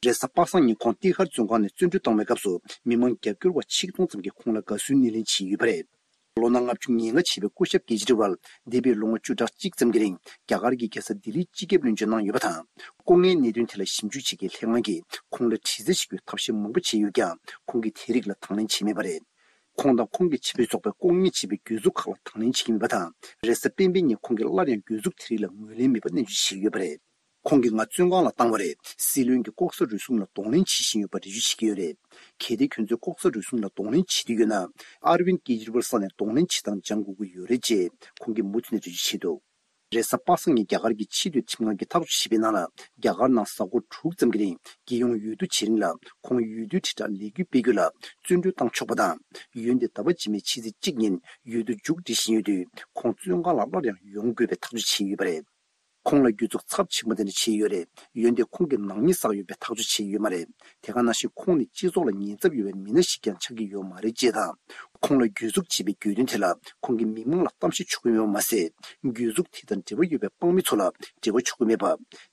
རེས་གཟའ་པ་སངས་ཉིན་ཁོང་ཏི་ཧར་བཙོན་ཁང་ནས་བཙོན་གྲོལ་བཏང་བའི་སྐབས་སུ་མི་མང་རྒྱབ་སྐྱོར་བ་ཆིག་སྟོང་ཙམ་གྱིས་ཁོང་ལ་དགའ་བསུའི་སྣེ་ལེན་བྱས་ཡོད་པ་རེད། ལོ་ན་ལྔ་བཅུ་ང་ལྔ་བྱས་པའི་སྐུ་ཞབས་ཀེ་ཇི་རི་ཝལ་འདས་པའི་ལོ་ངོ་བཅུ་ཕྲག་གཅིག་ཙམ་གྱི་རིང་རྒྱ་གར་གྱི་རྒྱལ་ས་ལྡི་ལིའི་སྤྱི་ཁྱབ་བློན་ཆེན་གནང་ཡོད་པ་དང་། ལྐོག་རྔན་གནད་དོན་ཐད་ལ་ཞིབ་འཇུག་བྱེད་མཁན་ལྷན་ཁང་གིས་ཁོང་ལ་དྲི་རྩད་བྱེད་རྒྱུའི་ཐབས་ཤེས་མང་པོ་བྱས་ཡོད་ཀྱང་ཁོང་གིས་དེ་རིགས་ལ་དང་ལེན་བྱས་མེད་པ་རེད། ཁོང་དང་ཁོང་གི་ཕྱི་པའི་ཚོགས་པས་ལྐོག་རྔན་བྱས་པའི་གྱོད་འཛུགས་ཁག་ལ་དང་ལེན་བྱེད་ཀྱི་མེད་པ་དང་། རེས་གཟའ་སྤེན་པའི་ཉིན་ཁོང་གིས་སླར་ཡང་གྱོད་འཛུགས་དེ་རིགས་ལ་ངོས་ལེན་མེད་པ་སྣེ་ཁྲིད་བྱས་ཡོད་པ་རེད། ཁོང་གིས་ང་བཙོན་ཁང་ལ་བཏང་བ་རེད། སྲིད་བློན་གྱིས་ལྐོག་ཟ་རུལ་སུངས་ལ་གདོང་ལེན་བྱེད་བཞིན་ཡོད་པ་འགྲེལ་བརྗོད་བྱེད་ཀྱི་ཡོད་རེད། གལ་ཏེ་ཁྱོད་ཚོས་ལྐོག་ཟ་རུལ་སུངས་ལ་གདོང་ལེན་བྱེད་འདོད་ཡོད་ན། ཨར་ཝིན་ཀེ་ཇི་རི་ཝལ་ས་ནས་གདོང་ལེན་བྱེད་སྟངས་སྦྱང་དགོས་ཀྱི་ཡོད་རེད་ཅེས་ཁོང་གིས་མུ་མཐུད་ནས་འགྲེལ་བརྗོད་བྱས་འདུག་རེས་གཟའ་པ་སངས་ཉིན་རྒྱ་གར་གྱི་ཕྱི་སྡོད་ཁྲིམས་ཁང་གིས་ཐག་གཅོད་བྱས་པའི་ནང་ལ། རྒྱ་གར་ནང་གཟའ་འཁོར་དྲུག་ཙམ་གྱི་རིང་རྒྱལ་ཡོངས་འོས་བསྡུ་བྱེད་རིང་ལ་ཁོང་འོས་བསྡུའི་དྲིལ་བསྒྲགས་ལས་འགུལ་སྤེལ་རྒྱུ་ལ་བཙོན་གྲོལ་བཏང་ཆོག་པ་དང་། འོན་ཏེ་ཟླ་བ་རྗེས་མའི་ཕྱི་ཚེས་གཅིག་ཉིན་འོས་བསྡུ་མཇུག་སྒྲིལ་བཞིན་ཡོད་དུས་ཁོང་བཙོན་ཁང་ལ་སླར་ཡང་ཡོང་དགོས་པའི་ཐག་གཅོད་བྱས་ཡོད་པ་རེད། ཁོང་ལ་གྱོད་འཛུགས་ཚབས་ཆེན་པོ་དེ་འདྲ་བྱས་ཡོད་རེད། འོན་ཏེ་ཁོང་གིས་ནག་ཉེས་བསགས་ཡོད་པའི་ཐག་གཅོད་བྱས་ཡོད་མ་རེད། དེ་ག་ནང་བཞིན་ཁོང་ནི་སྤྱི་ཚོགས་ལ་ཉེན་ཚབས་ཡོད་པའི་མི་སྣ་ཞིག་ཀྱང་ཆགས་ཀྱི་ཡོད་མ་རེད་ཅེས་དང་། ཁོང་ལ་གྱོད་འཛུགས་བྱས་པའི་གྱོད་དོན་དེ་ལ་ཁོང་གིས་མི་མང་ལ་གཏམ་བཤད་ཆོག་གི་མེད་པ་མ་ཟད། གྱོད་འཛུགས་དེ་དང་འབྲེལ་བ་ཡོད་པའི་དཔང་མི་ཚོ་ལ་འབྲེལ་བ་ཆོག་གི་མེད་པ།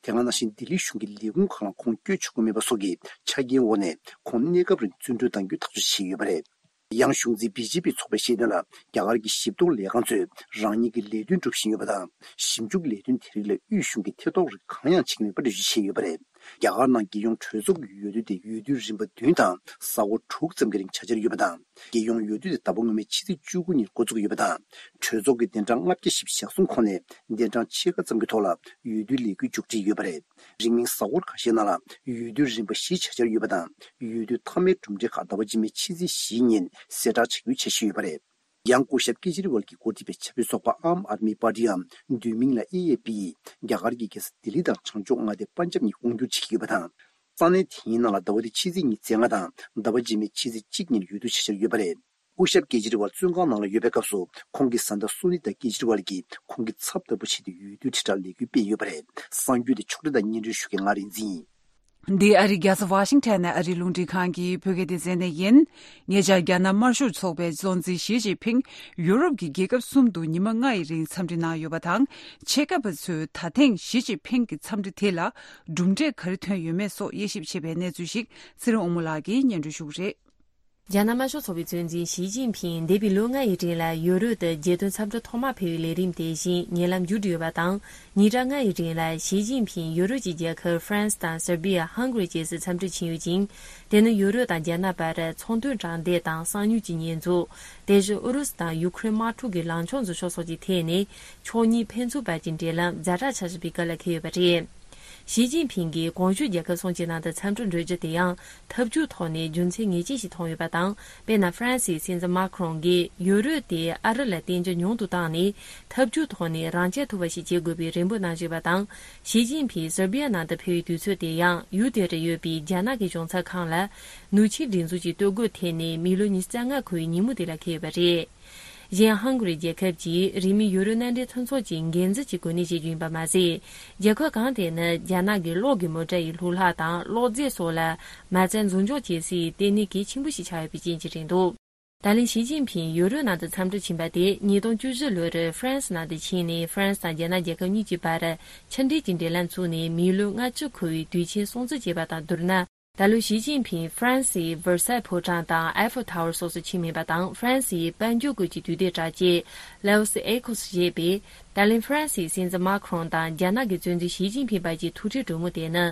དེ་ག་ནང་བཞིན་ལྡི་ལི་གཞུང་གི་ལས་ཁུངས་ཁག་ལ་ཁོང་བསྐྱོད་ཆོག་གི་མེད་པ་སོགས་ཀྱི་ཆ་རྐྱེན་འོག་ནས་ཁོང་གནས་སྐབས་རིང་བཙོན་གྲོལ་གཏང་རྒྱུའི་ཐག་གཅོད་བྱས་ཡོད་པ་རེད། ཡང་གཞུང་འཛིན་བི་ཇེ་པི་ཚོགས་པས་བཤད་དོན་ལ། རྒྱ་གར་གྱི་ཞིབ་འཚོལ་ལས་ཁང་ཚོས་རང་ཉིད་ཀྱི་ལས་དོན་སྒྲུབ་བཞིན་ཡོད་པ་དང་། ཞིབ་འཇུག་ལས་དོན་དེ་རིགས་ལ་དབུས་གཞུང་གིས་ཐེ་གཏོགས་རིགས་གང་ཡང་བྱེད་ཀྱི་མེད་པ་འགྲེལ་བརྗོད་བྱས་ཡོད་པ་རེད། རྒྱ་གར་ནང་རྒྱལ་ཡོངས་གྲོས་ཚོགས་ཀྱི་འོས་བསྡུ་དེ་འོས་བསྡུའི་རིམ་པ་བདུན་དང་གཟའ་འཁོར་དྲུག་ཙམ་གྱི་རིང་བྱ་འཆར་ཡོད་པ་དང་། རྒྱལ་ཡོངས་འོས་བསྡུ་དེ་ཟླ་བ་སྔོན་མའི་ཕྱི་ཚེས་བཅུ་དགུ་ཉིན་འགོ་འཛུགས་ཡོད་པ་དང་། གྲོས་ཚོགས་ཀྱི་བདུན་ཕྲག་ལྔ་བརྒྱ་ཞེ་གསུམ་ཁོངས་ནས་བདུན་ཕྲག་ཕྱེད་ཀ་ཙམ་གྱི་ཐོག་ལ་འོས་བསྡུའི་ལས་འགུལ་མཇུག་སྒྲིལ་ཡོད་པ་རེད། རིང་མིན་གཟའ་འཁོར་ཁ་ཤས་ནང་ལ་འོས་བསྡུའི་རིམ་པ་བཞི་བྱ་འཆར་ཡོད་པ་དང་། འོས་བསྡུ་མཐའ་མའི་གྲུབ་འབྲས་ཁག་ཟླ་བ་རྗེས་མའི་ཕྱི་ཚེས་བཞིའི་ཉིན་གསལ་བསྒྲགས་བྱ་རྒྱུའི་འཆར་གཞི་ཡོད་པ་རེད། ཡང་སྐུ་ཞབས་ཀེ་ཇི་རི་ཝལ་གྱིས་འགོ་ཁྲིད་པའི་ཆབ་སྲིད་ཚོགས་པ་ཨམ་ཨར་མི་པར་ཊིའམ་བསྡུས་མིང་ལ་ཨེ་ཨེ་པི་ཡིས་རྒྱ་གར་གྱི་རྒྱལ་ས་ལྡི་ལི་དང་བྱང་ཕྱོགས་མངའ་སྡེ་པན་ཇབ་གཉིས་དབང་སྒྱུར་བྱེད་ཀྱི་ཡོད་པ་དང་། ས་གནས་དེའི་ནང་ལ་ཟླ་བ་འདིའི་ཕྱི་ཚེས་ཉི་ཤུ་རྩ་ལྔ་དང་ཟླ་བ་རྗེས་མའི་ཕྱི་ཚེས་གཅིག་ཉིན་འོས་བསྡུ་བྱ་འཆར་ཡོད་པ་རེད། སྐུ་ཞབས་ཀེ་ཇི་རི་ཝལ་བཙོན་ཁང་ནང་ལ་ཡོད་པའི་སྐབས་སུ་ཁོང་གི་བཟའ་ཟླ་སུ་ནི་ཏཱ་ཀེ་ཇི་རི་ཝལ་གྱིས་ཁོང་གི་ཚབ་ལྟ་བུ་བྱས་ཏེ་འོས་བསྡུའི་དྲིལ་བསྒྲགས་ལས་འགུལ་སྤེལ་ཡོད་པ་རེད། གསར་འགྱུར་དེ་ཕྱོགས་སྒྲིག་དང་སྙན་སྒྲོན་ཞུ་མཁན་ང་རིག་འཛིན་ཡིན། འདི་ཨ་རིའི་རྒྱལ་ས་ཝ་ཤིང་ཊོན་ནས་ཨ་རིའི་རླུང་འཕྲིན་ཁང་གི་བོད་སྐད་སྡེ་ཚན་ནས་ཡིན། ཉེ་ཆར་རྒྱ་ནག་དམར་ཤོག་ཚོགས་པའི་གཙོ་འཛིན་ཞི་ཅིན་ཕིང་ཡུ་རོབ་ཀྱི་རྒྱལ་ཁབ་གསུམ་དུ་ཉི་མ་ལྔ་ཡི་རིང་འཚམས་འདྲི་གནང་ཡོད་པ་དང་། ཆེད་མཁས་པ་ཚོས་ད་ཐེངས་ཞི་ཅིན་ཕིང་གི་འཚམས་འདྲི་དེ་ལ་གྲུབ་འབྲས་ག་རེ་ཐོན་ཡོད་མེད་སོགས་དབྱེ་ཞིབ་བྱེད་པའི་གནས་ཚུལ་ཞིག་ཚེ་རིང་དབང་མོ་ལགས་ཀྱིས་སྙན་སྒྲོན་ཞུ་གི་རེད། རྒྱ་ནག་དམར་ཤོག་ཚོགས་པའི་གཙོ་འཛིན་ཞི་ཅིན་ཕིང་འདས་པའི་ལོ་ལྔ་ཡི་རིང་ལ་ཡུ་རོབ་ཏུ་རྒྱལ་དོན་འཚམས་འདྲི་ཐོག་མར་ཕེབས་པའི་ལས་རིམ་དེ་བཞིན་ཉེ་ལམ་མཇུག་བསྒྲིལ་ཡོད་པ་དང་། ཉིན་གྲངས་ལྔ་ཡི་རིང་ལ་ཞི་ཅིན་ཕིང་ཡུ་རོབ་ཀྱི་རྒྱལ་ཁབ་ཧྥ་རན་སི་དང་སར་བྷི་ཡ། ཧང་གྷ་རི་བཅས་སུ་འཚམས་འདྲིར་ཕྱིན་ཡོད་ཅིང་། དེ་ནི་ཡུ་རོབ་དང་རྒྱ་ནག་བར་ཚོང་དོན་དྲང་བདེན་དང་གསང་མྱུལ་གྱི་ཉེས་འཛུགས། དེ་བཞིན་ཨུ་རུ་སུ་དང་ཡུ་ཁུ་རེན་དམག་འཁྲུག་གི་ལངས་ཕྱོགས་འཛིན་ཕྱོགས་སོགས་ཀྱི་ཐད་ནས་ཕྱོགས་གཉིས་ཕན་ཚུན་བར་གྱི་འབྲེལ་ལམ་ཛ་དྲག་ཆགས་བཞིན་པའི་སྐབས་ལ་འཁེལ་ཡོད་པ་རེད། ཞི་ཅིན་ཕིང་གིས་གོང་ཞུས་རྒྱལ་ཁབ་གསུམ་གྱི་ནང་དུ་འཚམས་འདྲིར་འགྲོ་རྒྱུ་དེ་ཡང་ཐབས་ཇུས་ཐོག་ནས་རྒྱུ་མཚན་ངེས་ཅན་ཞིག་མཐོང་ཡོད་པ་དང་། དཔེར་ན། ཧྥ་རན་སིའི་སྲིད་འཛིན་མཱ་ཁི་རོང་གིས་ཡུ་རོབ་དེས་ཨ་རི་ལ་བརྟེན་རྒྱུ་ཉུང་དུ་བཏང་ནས། ཐབས་ཇུས་ཐོག་ནས་རང་རྐྱ་ཐུབ་པ་ཞིག་བྱེད་དགོས་པའི་རེ་འབོད་གནང་བཞིན་པ་དང་། ཞི་ཅིན་ཕིང་སར་བྷི་ཡ་ནང་དུ་ཕེབས་པའི་དུས་ཚོད་དེ་ཡང་ཡུལ་དེར་ཡོད་པའི་རྒྱ་ནག་གི་གཞུང་ཚབ་ཁང་ལ་ནུབ་ཕྱོགས་སྒྲིག་འཛུགས་ཀྱི་སྟོད་གོས་འཐེན་ནས་མི་ལོ་ཉི་ཤུ་རྩ་ལྔ་འཁོར་བའི་ཉིན་མོ་དེ་ལ་འཁེལ་ཡོད་པ་རེད། གཞན། ཧང་གྷ་རི་རྒྱལ་ཁབ་ཀྱིས་རིང་མིན་ཡུ་རོབ་མནའ་འབྲེལ་མཐུན་ཚོགས་ཀྱི་འགན་འཛིན་གྱི་གོ་གནས་བཞེས་རྒྱུ་ཡིན་པ་མ་ཟད། རྒྱལ་ཁབ་གང་དེ་ནི་རྒྱ་ནག་གི་གློག་གི་མོ་ཊ་ཡི་ལྷུ་ལག་དང་གློག་རྫས་སོགས་ལ་མ་རྩ་འཛུགས་འཇོག་བྱེད་སའི་ལྟེ་གནས་གལ་ཆེན་པོ་ཞིག་ཆགས་ཡོད་པའི་རྐྱེན་གྱིས་རེད་འདུག་ད་ལན་ཞི་ཅིན་ཕིང་ཡུ་རོབ་ནང་དུ་འཚམས་འདྲིར་ཕྱིན་པ་དེ་ཉིས་སྟོང་བཅུ་བཞི་ལོར་ཧྥ་རན་སི་ནང་དུ་ཕྱིན་ནས་ཧྥ་རན་སི་དང་རྒྱ་ནག་རྒྱལ་ཁབ་གཉིས་ཀྱི་བར་ཕྱི་འབྲེལ་གྱི་འབྲེལ་ལམ་བཙུགས་ནས་མི་ལོ་ལྔ་བཅུ་འཁོར་བའི་དུས་ཆེན་སྲུང་བརྩི་བྱས་པ་དང་བསྡུར་ན། ད་ལོ་ཞི་ཅིན་ཕིང་ཧྥ་རན་སིའི་ཝེར་སའི་ཕོ་བྲང་དང་ཨའི་ཧྥེལ་ཐ་ཝར་སོགས་སུ་ཕྱིན་མེད་པ་དང་། ཧྥ་རན་སིའི་དཔལ་འབྱོར་ཁུལ་གྱི་དུས་དེབ་དྲ་རྒྱས་L'Echo་ཞེས་པས། ད་ལན་ཧྥ་རན་སིའི་སྲིད་འཛིན་མཱ་ཁི་རོང་དང་རྒྱ་ནག་གི་གཙོ་འཛིན་ཞི་ཅིན་ཕིང་བར་གྱི་ཐུག་འཕྲད་གྲོས་མོལ་དེ་ནི།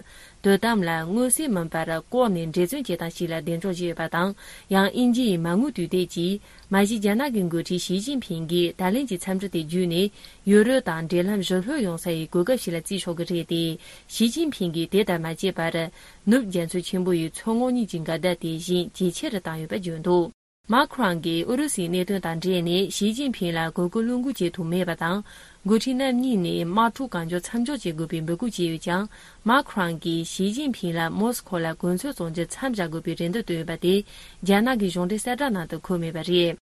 དོ་དམ་ལ་མངོན་གསལ་མིན་པར་ལྐོག་ནས་འབྲེལ་མཚོན་བྱེད་སྟངས་ཤིག་ལ་གདེང་འཇོག་བྱས་ཡོད་པ་དང་། ཡང་དབྱིན་ཇི་ཡི་མ་དངུལ་དུས་དེབ་ཀྱིས། མ་གཞི་རྒྱ་ནག་གི་འགོ་ཁྲིད་ཞི་ཅིན་ཕིང་གིས་ད་ལན་གྱི་འཚམས་འདྲི་དེ་བརྒྱུད་ནས། ཡུ་རོབ་དང་འབྲེལ་ལམ་ཞི་ལྷོད་ཡོང་ས་ཡི་གོ་སྐབས་ཤིག་ལ་བརྩི་ཆོག་གི་རེད་དེ། ཞི་ཅིན་ཕིང་གིས་དེ་ལྟར་མ་བྱས་པར། ནུབ་རྒྱ་མཚོ་ཆེན་པོ་ཡི་མཚོ་ངོགས་གཉིས་ཀྱི་འགལ་ཟླ་དེ་གཞན་ཇེ་ཆེ་རུ་བཏང་ཡོད་པ་བརྗོད་འདུག་མཱ་ཁྲོན་གྱིས་ཨུ་རུ་སུའི་གནད་དོན་དང་འབྲེལ་ནས་ཞི་ཅིན་ཕིང་ལ་གོ་སྐབས་བློས་འགུལ་བྱེད་ཐུབ་མེད་པ་དང་། འགོ་ཁྲིད་རྣམ་གཉིས་ནས་དམག་འཁྲུག་གང་མགྱོགས་མཚམས་འཇོག་བྱེད་དགོས་པའི་འབོད་སྐུལ་བྱས་ཡོད་ཀྱང་། མཱ་ཁྲོན་གྱིས་ཞི་ཅིན་ཕིང་ལ་མོ་སི་ཁོ་ལ་གོ་མཚོན་བཙོང་རྒྱུ་མཚམས་བཞག་དགོས་པའི་རེ་འདུན་བཏོན་ཡོད་པ་དེ་རྒྱ་ནག་གི་གཞུང་འབྲེལ་གསལ་བསྒྲགས་ནང་དུ་འཁོད་མེད་པ་རེད།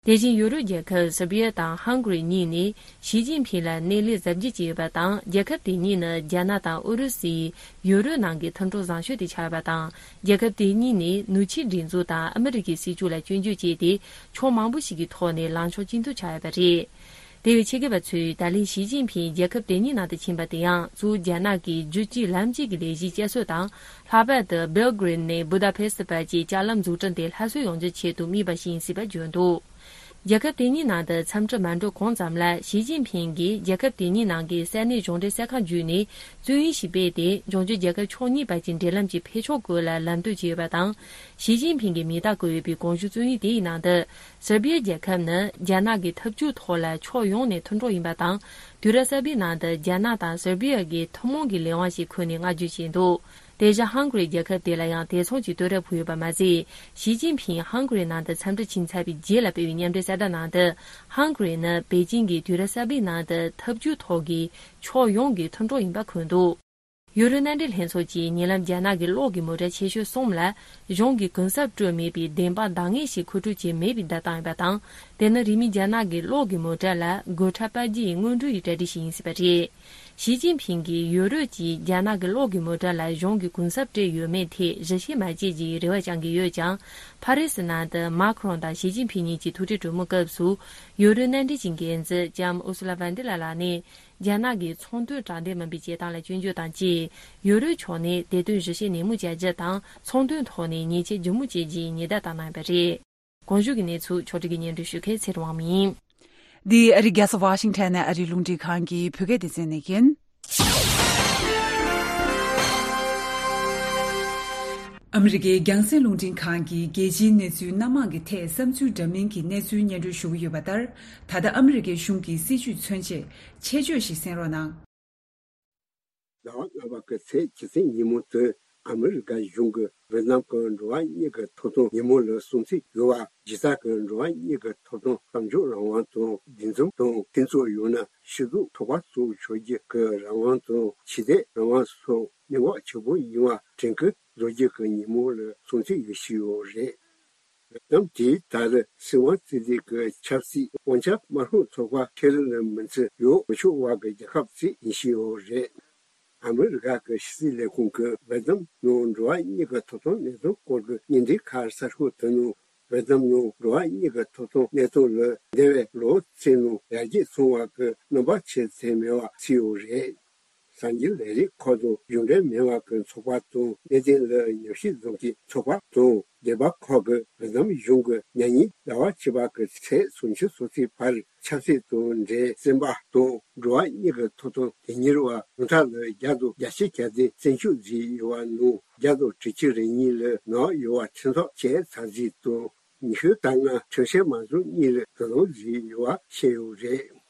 དེ་བཞིན་ཡུ་རོབ་རྒྱལ་ཁབ་སེར་བྷི་ཡ་དང་ཧང་གྷི་རི་གཉིས་ནས་ཞི་ཅིན་ཕིང་ལ་སྣེ་ལེན་གཟབ་རྒྱས་བྱས་ཡོད་པ་དང་། རྒྱལ་ཁབ་དེ་གཉིས་ནི་རྒྱ་ནག་དང་ཨུ་རུ་སུའི་ཡུ་རོབ་ནང་གི་མཐུན་གྲོགས་བཟང་ཤོས་དེ་ཆགས་ཡོད་པ་དང་། རྒྱལ་ཁབ་དེ་གཉིས་ནས་ནུབ་ཕྱོགས་སྒྲིག་འཛུགས་དང་ཨ་མི་རི་ཀའི་སྲིད་ཇུས་ལ་སྐྱོན་བརྗོད་བྱས་ཏེ། ཕྱོགས་མང་པོ་ཞིག་གི་ཐོག་ནས་ལངས་ཕྱོགས་གཅིག་མཐུན་ཆགས་ཡོད་པ་རེད། དེ་བས་ཆེད་མཁས་པ་ཚོས་ད་ལན་ཞི་ཅིན་ཕིང་རྒྱལ་ཁབ་དེ་གཉིས་ནང་དུ་ཕྱིན་པ་དེ་ཡང་གཙོ་བོ་རྒྱ་ནག་གི་རྒྱུད་གཅིག་ལམ་གཅིག་གི་ལས་གཞིའི་བསྐྱར་གསོ་དང་། ལྷག་པར་དུ་སྦེལ་གྷི་རེད་ནས་བུ་ད་པེ་སི་བར་གྱི་ལྕགས་ལམ་འཛུགས་སྐྲུན་དེ་སླར་གསོ་ཡོང་རྒྱུའི་ཆེད་དུ་དམིགས་པ་ཞིག་ཡིན་སྲིད་པ་བརྗོད་འདུག་རྒྱལ་ཁབ་དེ་གཉིས་ནང་དུ་འཚམས་འདྲི་མ་འགྲོ་གོང་ཙམ་ལ། ཞི་ཅིན་ཕིང་གིས་རྒྱལ་ཁབ་དེ་གཉིས་ནང་གི་ས་གནས་གཞུང་འབྲེལ་གསར་ཁང་བརྒྱུད་ནས་བཙན་གཡེམ་ཞིག་སྤེལ་ཏེ། འབྱུང་འགྱུར་རྒྱལ་ཁབ་ཕྱོགས་གཉིས་བར་གྱི་འབྲེལ་ལམ་གྱི་འཕེལ་ཕྱོགས་སྐོར་ལ་ལམ་སྟོན་བྱས་ཡོད་པ་དང་། ཞི་ཅིན་ཕིང་གི་མིང་རྟགས་བཀོད་ཡོད་པའི་གོང་ཞུས་བཙན་གཡེམ་དེའི་ནང་དུ། སེར་བྷི་ཡ་རྒྱལ་ཁབ་ནི་རྒྱ་ནག་གི་འཐབ་ཇུས་ཐོག་ལ་ཕྱོགས་ཡོངས་ནས་མཐུན་གྲོགས་ཡིན་པ་དང་། དུས་རབས་གསར་པའི་ནང་དུ་རྒྱ་ནག་དང་སེར་བྷི་ཡ་གི་ཐུན་མོང་གི་ལས་དབང་ཞིག་འཁུར་ནས་བསྔགས་བརྗོད་བྱས་འདུག་དེ་བཞིན་ཧང་གྷི་རི་རྒྱལ་ཁབ་དེ་ལ་ཡང་དེ་མཚུངས་ཀྱི་བསྟོད་ར་ཕུལ་ཡོད་པ་མ་ཟད། ཞི་ཅིན་ཕིང་ཧང་གྷི་རི་ནང་དུ་འཚམས་འདྲི་ཕྱིན་ཚར་བའི་རྗེས་ལ་སྤེལ་བའི་མཉམ་འབྲེལ་གསལ་བསྒྲགས་ནང་དུ། ཧང་གྷི་རི་ནི་པེ་ཅིང་གིས་དུས་རབས་གསར་པའི་ནང་དུ་འཐབ་ཇུས་ཐོག་གི་ཕྱོགས་ཡོངས་ཀྱི་མཐུན་གྲོགས་ཡིན་པ་འཁོད་འདུག་ཡུ་རོབ་མནའ་འབྲེལ་ལྷན་ཚོགས་ཀྱིས་ཉེ་ལམ་རྒྱ་ནག་གི་གློག་གི་མོ་ཊ་ཆེ་ཤོས་གསུམ་ལ་གཞུང་གིས་གུན་གསབ་སྤྲོད་མེད་པའི་བདེན་དཔང་འདང་ངེས་ཤིག་མཁོ་སྤྲོད་བྱས་མེད་པའི་བརྡ་བཏང་ཡོད་པ་དང་། དེ་ནི་རིང་མིན་རྒྱ་ནག་གི་གློག་གི་མོ་ཊ་ལ་སྒོ་ཁྲལ་སྤར་རྒྱུ་ཡི་སྔོན་འགྲོ་ཡི་གྲ་སྒྲིག་ཞིག་ཡིན་སྲིད་པ་རེད། ཞི་ཅིན་ཕིང་གིས་ཡུ་རོབ་ཀྱིས་རྒྱ་ནག་གི་གློག་གི་མོ་ཊ་ལ་གཞུང་གིས་གུན་གསབ་སྤྲད་ཡོད་མེད་ཐད་གཞི་བྱེ་མ་བྱེད་ཀྱི་རེ་བ་བཅང་གི་ཡོད་ཀྱང་། ཕ་རི་སི་ནང་དུ་མཱ་ཁི་རོང་དང་ཞི་ཅིན་ཕིང་གཉིས་ཀྱི་ཐུག་འཕྲད་གྲོས་མོལ་སྐབས་སུ། ཡུ་རོབ་མནའ་འབྲེལ་གྱི་འགན་འཛིན་ལྕམ་ཨུ་སུ་ལ་ཝན་ཏི་ལ་ལགས་ནས། རྒྱ་ནག་གིས་ཚོང་དོན་དྲང་བདེན་མིན་པའི་བྱེད་སྟངས་ལ་སྐྱོན་བརྗོད་དང་བཅས། ཡུ་རོབ་ཕྱོགས་ནས་དེ་དོན་ཞིབ་བཤེར་ནན་མོ་བྱ་རྒྱུ་དང་། ཚོང་དོན་ཐོག་ནས་ཉེས་ཆད་ལྗིད་མོ་བཅད་རྒྱུའི་ཉེན་བརྡ་བཏང་གནང་ཡོད་པ་རེད། གོང་ཞུས་ཀྱི་གནས་ཚུལ་ཕྱོགས་སྒྲིག་གིས་སྙན་སྒྲོན་ཞུ་མཁན་ཚེ་རིང་དབང་མོ་ཡིན། འདི་ཨ་རི་རྒྱལ་ས་ཝ་ཤིང་ཊོན་ནས་ཨ་རིའི་རླུང་འཕྲིན་ཁང་གི་བོད་སྐད་སྡེ་ཚན་ནས་ཡིན། ཨ་མི་རི་ཀའི་རྒྱང་སྲིང་རླུང་འཕྲིན་ཁང་གིས་རྒྱལ་སྤྱིའི་གནས་ཚུལ་སྣ་མང་གི་ཐད་བསམ་ཚུལ་འདྲ་མིན་གྱི་གནས་ཚུལ་སྙན་སྒྲོན་ཞུ་གི་ཡོད་པ་ལྟར། ད་ལྟ་ཨ་མི་རི་ཀའི་གཞུང་གི་སྲིད་བྱུས་མཚོན་ཆེད་ཆེད་བརྗོད་ཞིག་གསན་རོགས་གནང་། ཟླ་བ་ལྔ་པ་གི་ཚེས་བཅུ་གཅིག་ཉིན་མོ་དེ་ཨ་མི་རི་ཀ་གཞུང་གིས་ཝེ་ཏི་ནམ་གྱི་འགྲོ་བ་མིའི་གི་ཐོབ་ཐང་ཉིན་མོ་ལ་སྲུང་བརྩི་ཞུ་བ། གཞི་རྩ་གི་འགྲོ་བ་མིའི་གི་ཐོབ་ཐང་། གཏམ་བརྗོད་རང་དབང་དང་། འདུ་འཛོམས་དང་། མཐུན་ཚོགས་ཡང་ན་སྤྱི་ཚོགས་ཚོགས་པ་སོགས་ཆགས་རྒྱུ་གི་རང་དབང་དང་། ཆོས་དད་རང་དབང་སོགས་གནད་འགག་ཆེ་པོ་ཡིན་པ་དྲན་སྐུལ་བཟོ་རྒྱུ་གི་ཉིན་མོ་ལ་སྲུང་བརྩི་ཡོད་ཞུས་ཡོད་རེད། ལམ་དེའི་ད་རེས་སྲིད་དབང་རྩོད་ལེན་གྱི་ཆབ་སྲིད་དབང་ཆ་དམར་ཤོག་ཚོགས་པ་ཁེ་རི་ལ་མི་ཚེ་ཡོད་མི་ཆོག་བར་གྱི་རྒྱལ་ཁབ་ཅིག་ཡིན་ཞུས་ཡོད་རེད། ཨ་མི་རི་ཀ་གི་ཕྱི་སྲིད་ལས་ཁུངས་ཀྱིས་ཝེ་ཏི་ནམ་ནང་འགྲོ་བ་མིའི་གི་ཐོབ་ཐང་གནད་དོན་སྐོར་གྱི་བརྙན་འཕྲིན་ཁ་གསར་ཤོག་དེ་ནང་ཝེ་ཏི་ནམ་ནང་འགྲོ་བ་མིའི་གི་ཐོབ་ཐང་གནད་དོན་ལ་འདས་པའི་ལོ་ཚན་ནང་ཡར་རྒྱས་སོང་བ་གི་རྣམ་པ་ཆེ་ཚད་མེད་པ་བརྩིས་ཡོད་རེད། གསར་འགྱུར་ལས་རིགས་ཁག་དང་གཞུང་འབྲེལ་མིན་པ་གི་ཚོགས་པ་དང་། གནད་དོན་ལ་ཉམས་ཞིབ་བཟོ་མཁན་ཚོགས་པ་དང་། སྡེ་པ་ཁག་གིས་ཝེ་ཏི་ནམ་གཞུང་གིས་ཉེ་ཉིན་ཟླ་བ་བཅུ་པ་གི་ཚེས་སུམ་ཅུ་སོ་གཅིག་བར་ཆབ་སྲིད་དང་འབྲེལ་བཙོན་པ་དང་འགྲོ་བ་མིའི་གི་ཐོབ་ཐང་དོན་གཉེར་བ་ཉུང་མཐའ་ལ་བརྒྱ་དང་བརྒྱད་ཅུ་གྱ་བདུན་བཙོན་འཇུག་བྱས་ཡོད་པ་ནང་། བརྒྱ་དང་དྲུག་ཅུ་རེ་གཉིས་ལ་ནག་ཡོད་པ་ཁྲིམས་ཐག་བཅད་ཚར་རྗེས་དང་། ཉི་ཤུ་རྩ་ལྔ་ཁྲིམས་བཤེར་མ་བཟོ་གཉིས་ལ་དོ་དམ་བྱས་ཡོད་པ་བཤད་ཡོད་རེད།